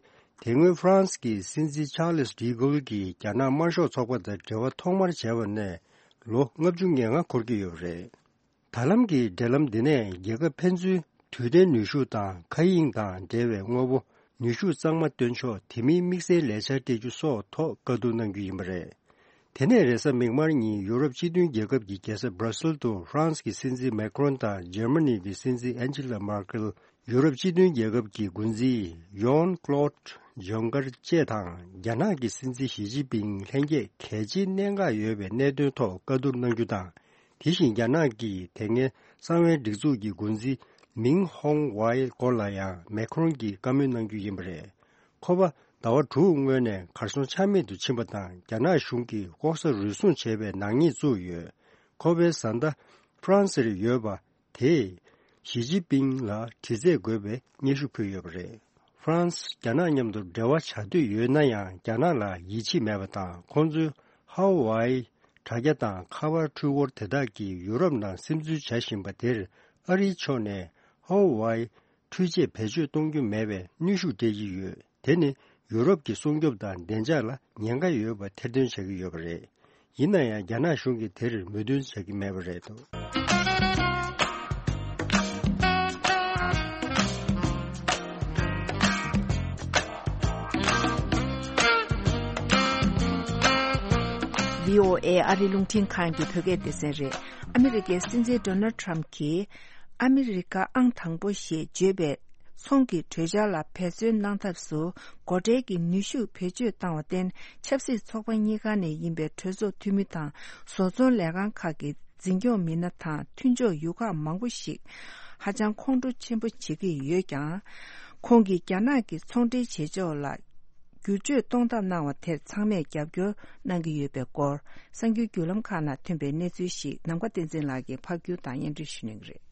དེ་སྔོན་ཧྥ་རན་སི་གི་སྲིད་འཛིན་ཆཱ་ལིས་ཌི་གོལ་གྱིས་རྒྱ་ནག་དམར་ཤོག་ཚོགས་པ་དང་འབྲེལ་བ་ཐོག་མར་བྱས་པ་ནས་ལོ་ལྔ་བཅུ་ང་ལྔ་འཁོར་གྱི་ཡོད་པ་རེད། ད་ལམ་གྱི་འབྲེལ་ལམ་འདི་ནས་རྒྱལ་ཁབ་ཕན་ཚུན་དུས་མཐའི་ནུས་ཤུགས་དང་མཁའ་དབྱིངས་དང་འབྲེལ་བའི་དངོས་པོ་ནུས་ཤུགས་གཙང་མ་སྟོན་ཕྱོགས་དེ་མིན་དམིགས་བསལ་ལས་འཆར་སྤྲད་རྒྱུ་སོགས་ཐོག་བཀའ་བསྡུར་གནང་རྒྱུ་ཡིན་པ་རེད། དེ་ནས་རེས་གཟའ་མིག་དམར་ཉིན་ཡུ་རོབ་སྤྱི་མཐུན་རྒྱལ་ཁབ་ཀྱི་རྒྱལ་ས་སྦྲ་སིལ་དུ་ཧྥ་རན་སི་གི་སྲིད་འཛིན་མེ་ཁྲོན་དང་འཇར་མ་ནི་གི་སྲིད་འཛིན་ཨན་ཇི་ལ་མར་ཀེལ། ཡུ་རོབ་སྤྱི་མཐུན་རྒྱལ་ཁབ་ཀྱི་འགོ་འཛིན་ཡོན་ཀློད་ཇོང་ཀར་བཅས་དང་རྒྱ་ནག་གི་སྲིད་འཛིན་ཞི་ཅིན་ཕིང་ལྷན་རྒྱས་གལ་ཆེའི་གནད་འགག་ཡོད་པའི་གནད་དོན་ཐོག་བཀའ་བསྡུར་གནང་རྒྱུ་དང་། དེ་བཞིན་རྒྱ་ནག་གི་དེ་སྔའི་གསང་བའི་སྒྲིག་འཛུགས་ཀྱི་འགོ་འཛིན་མིང་ཧོང་ཝའེ་སྐོར་ལ་ཡང་མེ་ཁྲོན་གྱིས་བཀའ་མོལ་གནང་རྒྱུ་ཡིན་པ་རེད། ཁོ་པ་ཟླ་བ་དྲུག་སྔོན་ནས་གར་སོང་ཆ་མེད་དུ་ཕྱིན་པ་དང་རྒྱ་ནག་གཞུང་གིས་ལྐོག་ཟ་རུལ་སུངས་བྱས་པའི་ནག་ཉེས་བཙུགས་ཡོད། ཁོ་པའི་བཟའ་ཟླ་ཧྥ་རན་སིར་ཡོད་པ། དེས་ཞི་ཅིན་ཕིང་ལ་དྲི་རྩད་དགོས་པའི་སྙན་ཞུ་ཕུལ་ཡོད་པ་རེད། ཧྥ་རན་སི་རྒྱ་ནག་མཉམ་དུ་འབྲེལ་བ་བྱ་འདོད་ཡོད་ན་ཡང་རྒྱ་ནག་ལ་ཡིད་ཆེས་མེད་པ་དང་ཁོང་ཚོའི་ཧ་ཝའེ་དྲ་རྒྱ་དང་ཁ་པར་འཕྲུལ་འཁོར་དེ་དག་གིས་ཡུ་རོབ་ནང་སིམ་འཛུལ་བྱ་བཞིན་པ་དེར་ཨ་རིའི་ཕྱོགས་ནས་ཧ་ཝའེ་འཕྲུལ་ཆས་བེད་སྤྱོད་གཏོང་རྒྱུ་མེད་པའི་གནོན་ཤུགས་སྤྲད་ཀྱི་ཡོད། དེ་ནི་ཡུ་རོབ་ཀྱི་སྲུང་སྐྱོབ་དང་བདེ་འཇགས་ལ་ཉེན་ཁ་ཡོད་པ་ཐེར་འདོན་བྱ་གི་ཡོད་པ་རེད། ཡིན་ན་ཡང་རྒྱ་ནག་གཞུང་གིས་དེར་མོས་མཐུན་བྱ་གི་མེད་པ་རེད་འདུག་བྷི་ཨོ་ཨེ་ཨ་རི་རླུང་འཕྲིན་ཁང་གི་བོད་སྐད་སྡེ་ཚན་རེད། ཨ་མི་རི་ཀའི་སྲིད་འཛིན་ཌོ་ནལ་ཊམ་གྱིས། ཨ་མི་རི་ཀ་ཨང་དང་པོ་ཞེས་བརྗོད་པའི་ཚོང་གི་གྲོས་འཆར་ལ་འབད་བརྩོན་གནང་ཐབས་སུ་སྒོ་ཁྲལ་གྱི་ནུས་ཤུགས་བེད་སྤྱོད་བཏང་བར་བརྟེན་ཆབ་སྲིད་ཚོགས་པ་གཉིས་ཀ་ནས་ཡིན་པའི་གྲོས་ཚོགས་འཐུས་མི་དང་བཟོ་ཚོང་ལས་ཁང་ཁག་གི་འཛིན་སྐྱོང་མི་སྣ་དང་མཐུན་ཕྱོགས་ཡུལ་ཁག་མང་པོ་ཞིག་ཧ་ཅང་ཁོང་ཁྲོ་ཆེན་པོ་བྱེད་ཀྱི་ཡོད་ཀྱང་། ཁོང་གིས་རྒྱ་ནག་གི་ཚོང་འབྲེལ་བྱེད་ཕྱོགས་ལ་བསྒྱུར་བཅོས་གཏོང་ཐབས་གནང་བ་དེར་ཚང་མས་རྒྱབ་སྐྱོར་གནང་གི་ཡོད་པའི་སྐོར་གསར་འགྱུར་བརྒྱུད་ལམ་ཁག་ནང་ཐོན་པའི་གནས་ཚུལ་ཞིག་ནམ་མཁའ་བསྟན་འཛིན་ལགས་ཀྱིས་ཕབ་སྒྱུར་དང་སྙན་སྒྲོན་ཞུ་གནང་གི་རེད།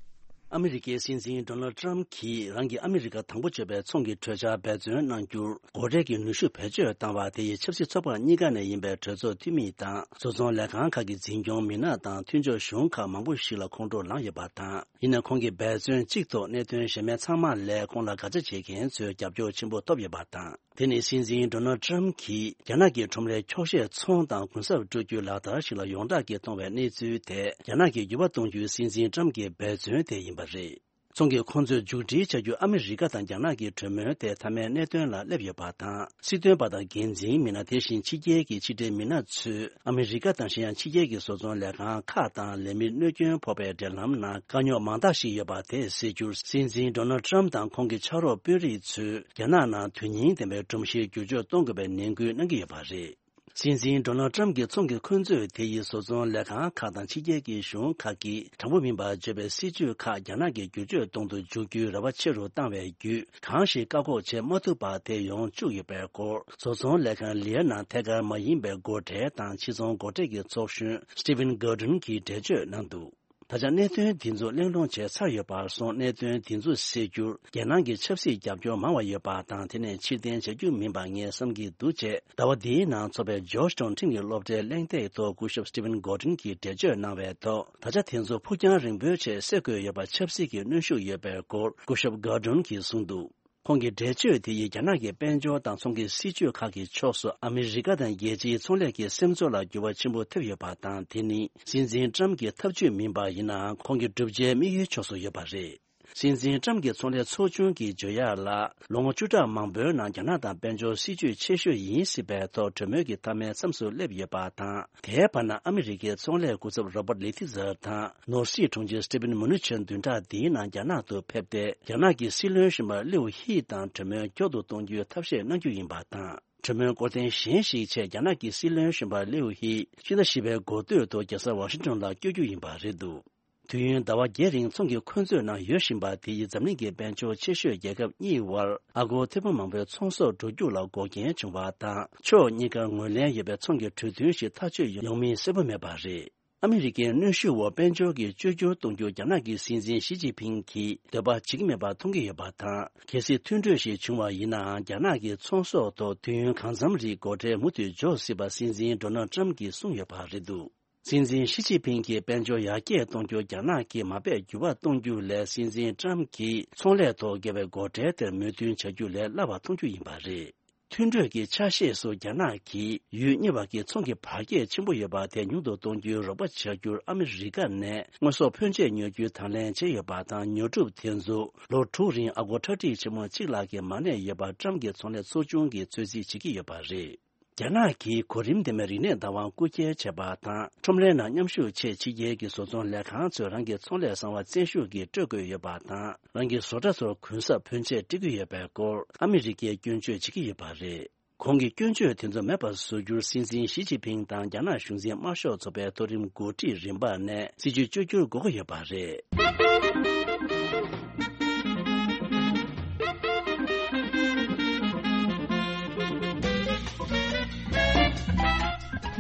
ཨ་མི་རི་ཀའི་སྲིད་འཛིན་ཌོ་ནལ་ཊམ་གྱིས་རང་གི་ཨ་མི་རི་ཀ་དང་པོ་བརྗོད་པའི་ཚོང་གི་གྲོས་འཆར་འབད་བརྩོན་གནང་རྒྱུར་སྒོ་ཁྲལ་གྱི་ནུས་ཤུགས་བེད་སྤྱོད་བཏང་བ་དེ་ཡིས་ཆབ་སྲིད་ཚོགས་པ་གཉིས་ཀ་ནས་ཡིན་པའི་གྲོས་ཚོགས་འཐུས་མི་དང་བཟོ་ཚོང་ལས་ཁང་ཁག་གི་འཛིན་སྐྱོང་མི་སྣ་དང་མཐུན་ཕྱོགས་གཞུང་ཁག་མང་པོ་ཞིག་ལ་ཁོང་ཁྲོ་ལངས་ཡོད་པ་དང་། ཡིན་ནའང་ཁོང་གིས་འབད་བརྩོན་གཅིག་ཐོག་གནད་དོན་གཞན་མི་ཚང་མ་ལས་ཁོང་ལ་དགག་བྱ་བྱེད་མཁན་ཚོའི་རྒྱབ་སྐྱོར་ཆེན་པོ་ཐོབ་ཡོད་པ་དང་། དེ་ནི་སྲིད་འཛིན་ཌོ་ནལ་ཊམ་གྱིས་རྒྱ་ནག་གི་ཁྲོམ་རའི་འཁྱོག་བཤད་ཚོང་དང་གུན་གསབ་སྤྲོད་རྒྱུའི་ལག་བསྟར་ཞིག་ལ་ཡོངས་གྲགས་ཀྱིས་མཐོང་བའི་གནས་ཚུལ་དེ་རྒྱ་ནག་གི་འགྱུར་བ་གཏོང་རྒྱུའི་སྲིད་འཛིན་ཊམ་གྱི་འབད་བརྩོན་དེ་ཡིན་པ་རེད། ཚོང་གིས་ཁོང་ཚོས་མཇུག་སྒྲིལ་བྱ་རྒྱུ་ཨ་མི་རི་ཀ་དང་རྒྱ་ནག་གི་གྲོས་མོལ་དེ་མཐའ་མའི་གནད་དོན་ལ་སླེབས་ཡོད་པ་དང་། སྲིད་དོན་པ་དང་འགན་འཛིན་མི་སྣ་དེ་བཞིན་ཕྱི་རྒྱལ་གྱི་ཕྱི་འབྲེལ་མི་སྣ་ཚོས་ཨ་མི་རི་ཀ་དང་གཞན་ཡང་ཕྱི་རྒྱལ་གྱི་བཟོ་ཚོང་ལས་ཁང་ཁག་དང་ལས་མི་གནོད་སྐྱོན་ཕོག་པའི་འབྲེལ་ལམ་ནང་དཀའ་རྙོག་མང་དག་ཞིག་ཡོད་པ་དེ་སེལ་རྒྱུར་སྲིད་འཛིན་ཌོ་ནལ་ཊམ་དང་ཁོང་གི་ཕྱག་རོགས་དཔོན་རིགས་ཚོས་རྒྱ་ནག་ནང་དོན་སྙིང་ལྡན་པའི་སྒྲོམ་གཞིའི་བསྒྱུར་བཅོས་གཏོང་དགོས་པའི་ནན་སྐུལ་གནང་གི་ཡོད་པ་རེད། སྲིད་འཛིན་ཌོ་ནལ་ཊམ་གྱི་ཚོང་གི་འཁོན་རྩོད་དེ་ཡིས་བཟོ་ཚོང་ལས་ཁང་ཁག་དང་ཕྱི་རྒྱལ་གྱི་གཞུང་ཁག་གིས་དྲང་པོ་མིན་པར་བརྗོད་པའི་སྲིད་ཇུས་ཁག་རྒྱ་ནག་གིས་བསྒྱུར་བཅོས་གཏོང་དུ་འཇུག་རྒྱུའི་རེ་བ་ཆེ་རུ་བཏང་བའི་བརྒྱུད། གང་ཞིག་བཀག་འགོག་བྱེད་མ་ཐུབ་པ་དེ་ཡོང་བཅུག་ཡོད་པའི་སྐོར། བཟོ་ཚོང་ལས་ཁང་ལིའུ་ནང་ཐད་ཀར་མ་ཡིན་པའི་སྒོ་ཁྲལ་དང་ཕྱི་ཚོང་སྒོ་ཁྲལ་གྱི་ཚོགས་གཞོན་Stephen Gordon་གྱིས་འགྲེལ་བརྗོད་གནང་འདུག་ད་ཆ་གནད་དོན་འདི་ཚོ་གླེང་སློང་བྱས་ཚར་ཡོད་པར་སོང་། གནད་དོན་འདི་ཚོ་སེལ་རྒྱུར་རྒྱལ་ནང་གི་ཆབ་སྲིད་རྒྱབ་སྐྱོར་མང་བ་ཡོད་པ་དང་། དེ་ནས་ཕྱིར་འཐེན་བྱ་རྒྱུ་མིན་པ་ངས་བསམ་གྱི་འདུག་ཅེས་ཟླ་བ་འདིའི་ནང་འཚོགས་པའི་ཇོརྗ་ཊའུན་ཁྲིམས་ཀྱི་སློབ་གྲྭའི་གླེང་སྟེགས་ཐོག་སྐུ་ཞབས་སི་ཊི་ཝན་གོར་ཌོན་གྱིས་འགྲེལ་བརྗོད་གནང་བའི་ཐོག་ད་ཆ་དེ་ཚོ་ཕུགས་རྒྱང་རིང་པོའི་ཆེད་སེལ་དགོས་ཡོད་པ་ཆབ་སྲིད་ཀྱི་གནོན་ཤུགས་ཡོད་པའི་སྐོར་སྐུ་ཞབས་གོར་ཌོན་གྱིས་གསུངས་འདུག་ཁོང་གི་འགྲེལ་བརྗོད་དེ་ཡིས་རྒྱ་ནག་གི་དཔལ་འབྱོར་དང་ཚོང་གི་སྲིད་ཇུས་ཁག་གི་ཕྱོགས་སུ་ཨ་མི་རི་ཀ་དང་རྒྱལ་སྤྱིའི་ཚོང་ལས་ཀྱི་སེམས་ཚོར་ལ་འགྱུར་བ་ཆེན་པོ་ཐེབས་ཡོད་པ་དང་། དེ་ནི་སྲིད་འཛིན་ཊྲམ་གྱི་ཐབས་ཇུས་མིན་པ་ཡིན་ནའང་ཁོང་གི་བསྒྲུབ་བྱའི་དམིགས་ཡུལ་ཕྱོགས་སུ་ཡོད་པ་རེད། སྲིད་འཛིན་ཊྲམ་གྱི་ཚོང་ལས་ཚོགས་ཆུང་གིས་བརྗོད་ཡག་ལ། ལོ་ངོ་བཅུ་ཕྲག་མང་པོའི་ནང་རྒྱ་ནག་དང་དཔལ་འབྱོར་སྲིད་ཇུས་ཆེ་ཤོས་ཡིན་སྲིད་པའི་ཐོག་གྲོས་མོལ་གྱི་མཐའ་མའི་མཚམས་སུ་སླེབས་ཡོད་པ་དང་། དེའི་བར་ན་ཨ་མི་རི་ཀའི་ཚོང་ལས་སྐུ་ཚབ་རོ་པར་ལི་ཐི་ཛར་དང་ནོར་སྲིད་དྲུང་ཆེ་སི་ཊི་ཕིན་མུ་ནུ་ཆན་བདུན་ཕྲག་འདིའི་ནང་རྒྱ་ནག་ཏུ་ཕེབས་ཏེ། རྒྱ་ནག་གི་སྲིད་བློན་གཞོན་པ་ལིའུ་ཧི་དང་གྲོས་མོལ་མགྱོགས་སུ་གཏོང་རྒྱུའི་ཐབས་ཤེས་གནང་རྒྱུ་ཡིན་པ་དང་། གྲོས་མོལ་སྐོར་ཐེངས་གཞན་ཞིག་ཆེད་རྒྱ་ནག་གི་སྲིད་བློན་གཞོན་པ་ལིའུ་ཧི་ཕྱི་ཟླ་བཞི་པའི་འགོ་སྟོད་དུ་རྒྱལ་ས་ཝ་ཤིང་ཊོན་ལ་བསྐྱོད་རྒྱུ་ཡིན་པ་རེད་འདུག་དུས་ཡུན་ཟླ་བ་བརྒྱད་རིང་ཚོང་གི་འཁོན་རྩོད་ནང་ཡོད་བཞིན་པ་དེ་ཡིས་འཛམ་གླིང་གི་དཔལ་འབྱོར་ཆེ་ཤོས་རྒྱལ་ཁབ་གཉིས་བར་ཨ་སྒོར་ཐེར་འབུམ་མང་པོའི་ཚོང་ཟོག་འགྲོ་རྒྱུགས་ལ་འགོག་རྐྱེན་བྱུང་བ་དང་། ཕྱོགས་གཉིས་ཀར་ངོས་ལེན་ཡོད་པའི་ཚོང་གི་གྲོས་མཐུན་ཞིག་ཐག་གཅོད་ཡོང་མིན་གསལ་པོ་མེད་པ་རེད། ཨ་མི་རི་ཀའི་གནོན་ཤུགས་འོག་དཔལ་འབྱོར་གྱི་བཅོས་བསྒྱུར་གཏོང་རྒྱུ་རྒྱ་ནག་གི་སྲིད་འཛིན་ཞི་ཅིན་ཕིང་གིས་འདོད་པ་བྱེད་ཀྱི་མེད་པ་མཐོང་གི་ཡོད་པ་དང་། གལ་སྲིད་མཐུན་གྲོས་ཤིག་བྱུང་བ་ཡིན་ནའང་། རྒྱ་ནག་གི་ཚོང་ཟོག་ཐོག་དུས་ཡུན་གང་འཚམ་རིང་སྒོ་ཁྲལ་མུ་མཐུད་འཇོག་སྲིད་པ་སྲིད་འཛིན་ཌོ་ནལ་ཊྲམ་གྱིས་གསུངས་ཡོད་པ་རེད་འདུག་སྲིད་འཛིན་ཞི་ཅིན་ཕིང་གིས་དཔལ་འབྱོར་ཡར་རྒྱས་གཏོང་རྒྱུ་རྒྱ་ནག་གིས་མ་དཔེ་འགྱུར་བ་གཏོང་རྒྱུ་ལས། སྲིད་འཛིན་ཊྲམ་གྱིས་ཚོང་ལས་ཐོག་བཀལ་བའི་སྒོ་ཁྲལ་དེར་མོས་མཐུན་བྱ་རྒྱུ་ལས་སླ་བ་མཐོང་རྒྱུ་ཡིན་པ་རེད། མཐུན་གྲོས་ཀྱི་ཆ་ཤས་སུ་རྒྱ་ནག་གིས་ཡུལ་གཉིས་བར་གྱི་ཚོང་གི་བར་ཁྱད་ཆེན་པོ་ཡོད་པ་དེ་ཉུང་དུ་གཏོང་རྒྱུའི་རོགས་པ་བྱ་རྒྱུར་ཨ་མི་རི་ཀ་ནས་དངོས་ཟོག་ཕོན་ཆེ་ཉོ་རྒྱུའི་དང་ལེན་བྱས་ཡོད་པ་དང་། ཉོ་སྒྲུབ་དེ་ཚོ་ལོ་དྲུག་རིང་ཨ་སྒོར་ཁྲག་ཁྲིག་ཆེན་མོ་གཅིག་ལྷག་གི་མ་གནས་ཡོད་པར་ཊྲམ་གྱི་ཚོང་ལས་ཚོགས་ཆུང་གིས་ཚོད་རྩིས་བྱེད་ཀྱི་ཡོད་པ་རེད། རྒྱ་ནག་གིས་གོ་རིམ་ལྡན་པའི་རིག་གནས་བདག་དབང་རྐུ་འཁྱེར་བྱས་པ་དང་། ཁྲོམ་རའི་ནང་མཉམ་ཞུགས་ཆེད་ཕྱི་རྒྱལ་གྱི་བཟོ་ཚོང་ལས་ཁང་ཚོས་རང་གི་ཚོང་ལས་གསང་བ་བཙན་ཤུགས་ཀྱིས་སྤྲོད་དགོས་ཡོད་པ་དང་། རང་གི་བཟོ་གྲྭ་ཚོར་གུན་གསབ་ཕོན་ཆེ་སྤྲད་ཀྱི་ཡོད་པའི་སྐོར་ཨ་མི་རི་ཀས་སྐྱོན་བརྗོད་བྱེད་ཀྱི་ཡོད་པ་རེད། གོང་གི་སྐྱོན་བརྗོད་དེ་ཚོ་མེད་པར་བཟོ་རྒྱུར་སྲིད་འཛིན་ཞི་ཅིན་ཕིང་དང་རྒྱ་ནག་གཞུང་འཛིན་དམར་ཤོག་ཚོགས་པའི་མཐོ་རིམ་འགོ་ཁྲིད་རིམ་པ་ནས་སྲིད་ཇུས་བཅོས་བསྒྱུར་དགོས་ཀྱི་ཡོད་པ་རེད།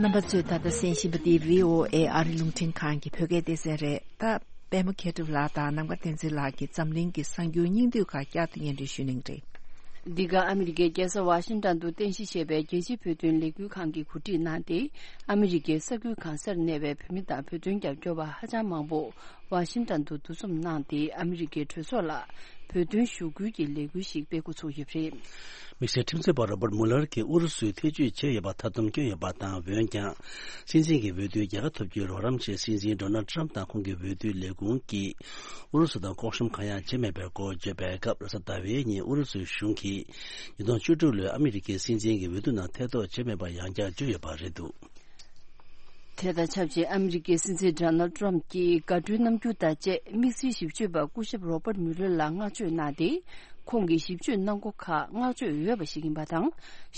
རྣམ་པ་ཚོས་ད་ལྟ་གསན་བཞིན་པ་འདི་བྷི་ཨོ་ཨེ་ཨ་རི་རླུང་འཕྲིན་ཁང་གི་བོད་སྐད་སྡེ་ཚན་རེད། ད་པད་མ་མཁས་གྲུབ་ལགས་དང་ནམ་མཁའ་བསྟན་འཛིན་ལགས་ཀྱིས་འཛམ་གླིང་གི་གསར་འགྱུར་སྙིང་བསྡུས་ཁག་བསྐྱར་དུ་སྙན་སྒྲོན་ཞུ་གནང་གི་རེད། འདི་ག་ཨ་མི་རི་ཀའི་རྒྱལ་ས་ཝ་ཤིང་ཊོན་དུ་རྟེན་གཞི་བྱས་པའི་རྒྱལ་སྤྱིའི་བོད་དོན་ལས་འགུལ་ཁང་གིས་གོ་སྒྲིག་གནང་སྟེ། ཨ་མི་རི་ཀའི་ས་ཁུལ་གང་སར་གནས་པའི་བོད་མི་དང་བོད་དོན་རྒྱབ་སྐྱོར་བ་ཧ་ཅང་མང་པོ་ཝ་ཤིང་ཊོན་དུ་འདུ་འཛོམས་གནང་སྟེ། ཨ་མི་རི་ཀའི་གྲོས་ཚོགས་ལ་བོད་དོན་ཞུ་སྐུལ་གྱི་ལས་འགུལ་ཞིག་སྤེལ་འགོ་ཚུགས་ཡོད་པ་རེད། དམིགས་བསལ་ཁྲིམས་རྩོད་པ་རོ་བར་མུ་ལར་གྱིས་ཨུ་རུ་སུས་ཐེ་བྱུས་བྱས་ཡོད་པར་མཐའ་སྡོམ་བསྐྱོན་ཡོད་པ་དང་། འོན་ཀྱང་། སྲིད་འཛིན་གྱི་འོས་བསྡུའི་རྒྱལ་ཁ་ཐོབ་རྒྱུའི་རོགས་རམ་ཆེད་སྲིད་འཛིན་ཌོ་ནལ་ཊྲམ་དང་ཁོང་གི་འོས་བསྡུའི་ལས་ཁུངས་ཀྱིས་ཨུ་རུ་སུ་དང་ལྐོག་ཤམ་གང་ཡང་བྱས་མེད་པའི་སྐོར་བརྗོད་པའི་སྐབས། རེས་གཟའ་ཟླ་བའི་ཉིན་ཨུ་རུ་སུའི་གཞུང་གིས་ཉིས་སྟོང་བཅུ་དྲུག་ལོའི་ཨ་མི་རི་ཀའི་སྲིད་འཛིན་གྱི་འོས་བསྡུ་ནང་ཐེ་གཏོགས་བྱས་མེད་པར་ཡང་བསྐྱར་བརྗོད་ཡོད་པ་རེད་འདུག་དེ་དང་ཆབས་ཅིག་ཨ་མི་རི་ཀའི་སྲིད་འཛིན་ཌོ་ནལ་ཊྲམ་གྱིས་དགའ་སྤྲོའི་རྣམ་འགྱུར་དང་བཅས་དམིགས་བསལ་ཞིབ་དཔྱོད་པ་སྐུ་ཞབས་རོ་པར་མུ་ལར་ལ་བསྔགས་བརྗོད་གནང་སྟེ། ཁོང་གིས་ཞིབ་དཔྱོད་གནང་སྒོ་ཁག་བསྔགས་བརྗོད་འོས་པ་ཞིག་ཡིན་པ་དང་།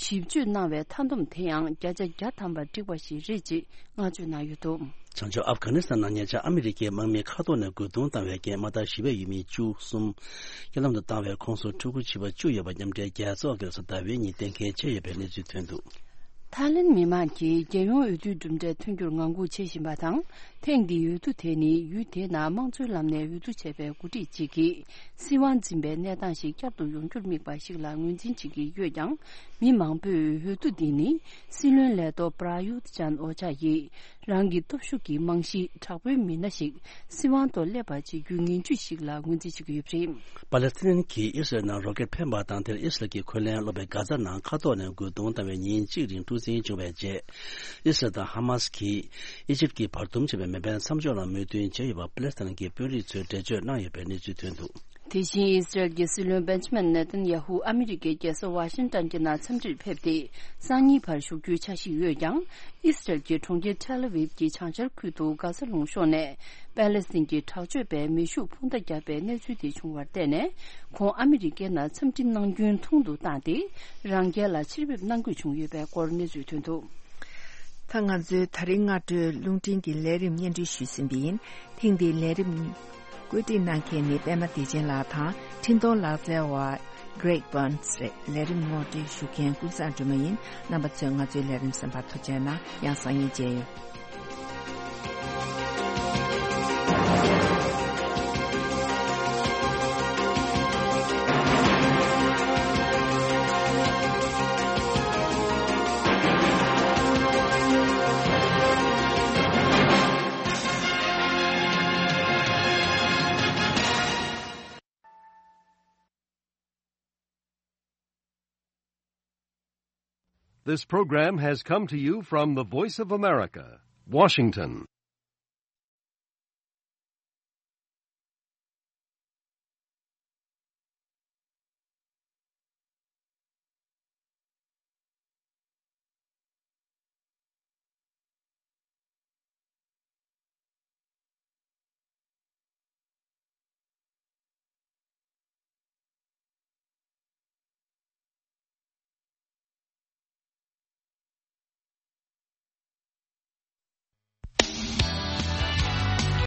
ཞིབ་དཔྱོད་གནང་བའི་མཐའ་སྡོམ་དེ་ཡང་བརྒྱ་ཆ་བརྒྱ་ཐམ་པར་འགྲིག་པ་ཞིག་རེད་ཅེས་བསྔགས་བརྗོད་གནང་ཡོད་འདུག་བྱང་ཕྱོགས་ཨབ་གྷ་ནི་སི་ཐན་ནང་ཉེ་ཆར་ཨ་མི་རི་ཀའི་དམག་མིས་མཁའ་ཐོག་ནས་རྒོལ་རྡུང་བཏང་བའི་རྐྱེན་དམག་སྡེ་བཞི་པའི་ཡུལ་མི་བཅུ་གསུམ་རྐྱེན་ལམ་དུ་བཏང་བའི་ཁོངས་སུ་ཕྲུ་གུ་བྱིས་པ་བཅུ་ཡོད་པ་མཉམ་འབྲེལ་རྒྱལ་ཚོགས་ཀྱིས་རེས་གཟའ་ཟླ་བའི་ཉིན་གཏན་འཁེལ་བྱས་ཡོད་པའི་གནས་ཚུལ་ཐོན་འདུག་ཐའི་ལེན་མི་མང་གིས་རྒྱལ་ཡོངས་འོས་བསྡུའི་གྲུབ་འབྲས་ཐོན་རྒྱུར་ངང་སྒུག་བྱེད་བཞིན་པ་དང་། ཐེངས་འདིའི་འོས་བསྡུ་དེ་ནི་ཡུལ་དེའི་ནང་དམངས་གཙོའི་ལམ་ནས་འོས་བསྡུ་བྱས་པའི་འགོ་ཁྲིད་ཅིག་གིས་སྲིད་དབང་འཛིན་པའི་གནས་སྟངས་ཤིག་བསྐྱར་དུ་ཡོང་རྒྱུར་དམིགས་པ་ཞིག་ལ་ངོས་འཛིན་བྱེད་ཀྱི་ཡོད་ཀྱང་། མི་མང་པོས་འོས་བསྡུ་འདི་ནི་སྲིད་བློན་ལས་ཐོག་པྲ་ཡུད་ཅན་ཨོ་ཅཱ་ཡིས་རང་གི་སྟོབས་ཤུགས་ཀྱི་རྨང་གཞི་དྲག་པོའི་མི་སྣ་ཞིག་སྲིད་དབང་ཐོག་སླེབས་པ་བྱེད་རྒྱུའི་ངན་ཇུས་ཤིག་ལ་ངོས་འཛིན་བྱེད་ཀྱི་ཡོད་པ་རེད། པ་ལེ་སི་ཐན་གྱིས་ཨི་སི་རལ་ནང་རོ་ཀེད་འཕེན་པ་དང་། དེར་ཨི་སི་རལ་གྱི་འཁོན་ལན་སློག་པའི་གྷ་ཛ་ནང་མཁའ་ཐོག་ནས་རྒོལ་རྡུང་བཏང་བའི་ཉིན་གཅིག་རིང་འཁྲུག་འཛིང་བྱུང་བའི་རྗེས། ཨི་སི་རལ་དང་ཧ་མ་སི་གིས་ཨི་ཇིབ་ཀྱིས་བར་འདུམ་བྱས་པའི་མེ་འཕེན་མཚམས་འཇོག་ལ་མོས་མཐུན་བྱས་ཡོད་པ་པ་ལེ་སི་ཐན་གྱི་དཔོན་རིགས་ཚོས་འགྲེལ་བརྗོད་གནང་ཡོད་པའི་གནས་ཚུལ་ཐོན་འདུག་དེ་བཞིན་ཨི་སི་རལ་གྱི་སྲིད་བློན་བེན་ཇ་མིན་ནེ་ཐན་ཡ་ཧུ་ཨ་མི་རི་ཀའི་རྒྱལ་ས་ཝ་ཤིང་ཏན་གྱི་ནང་འཚམས་འདྲིར་ཕེབས་ཏེ། སང་ཉིན་བར་བཞུགས་རྒྱུའི་འཆར་གཞི་ཡོད་ཀྱང་། ཨི་སི་རལ་གྱི་གྲོང་ཁྱེར་ཐེལ་ཨ་ཝིབ་ཀྱི་བྱང་ཤར་ཁུལ་དུ་གྷ་ས་ལུང་གཤོང་ནས་པ་ལེ་སི་ཐན་གྱི་དྲག་སྤྱོད་པས་མེ་ཤུགས་འཕུར་མདའ་བརྒྱབ་པའི་གནས་ཚུལ་དེ་བྱུང་བར་བརྟེན་ནས། ཁོང་ཨ་མི་རི་ཀའི་ནང་འཚམས་འདྲི་གནང་རྒྱུན་ཐུང་དུ་བཏང་སྟེ། རང་རྒྱལ་ལ་ཕྱིར་ཕེབས་གནང་དགོས་བྱུང་ཡོད་པའི་སྐོར་གནས་ཚུལ་ཐོན་འདུག་ད་ང་ཚོའི་ད་རིང་སྔ་དྲོའི་རླུང་འཕྲིན་གྱི་ལས་རིམ་སྙན་སྒྲོན་ཞུས་ཟིན་པ་ཡིན། ཐེངས་འདིའི་ལས་རིམ་བཀོད་སྒྲིག་གནང་མཁན་ནི་པད་མ་བདེ་ཆེན་ལགས་དང་། འཕྲིན་གཏོང་ལག་རྩལ་བ་Greg Burns་རེད། ལས་རིམ་ངོ་སྤྲོད་ཞུ་མཁན་ཀུན་བཟང་སྒྲོལ་མ་ཡིན། རྣམ་པ་ཚོས་ང་ཚོའི་ལས་རིམ་གསན་པར་ཐུགས་རྗེ་གནང་། ཡང་སང་ཉིན་མཇལ་ཡོང་། This program has come to you from the Voice of America, Washington.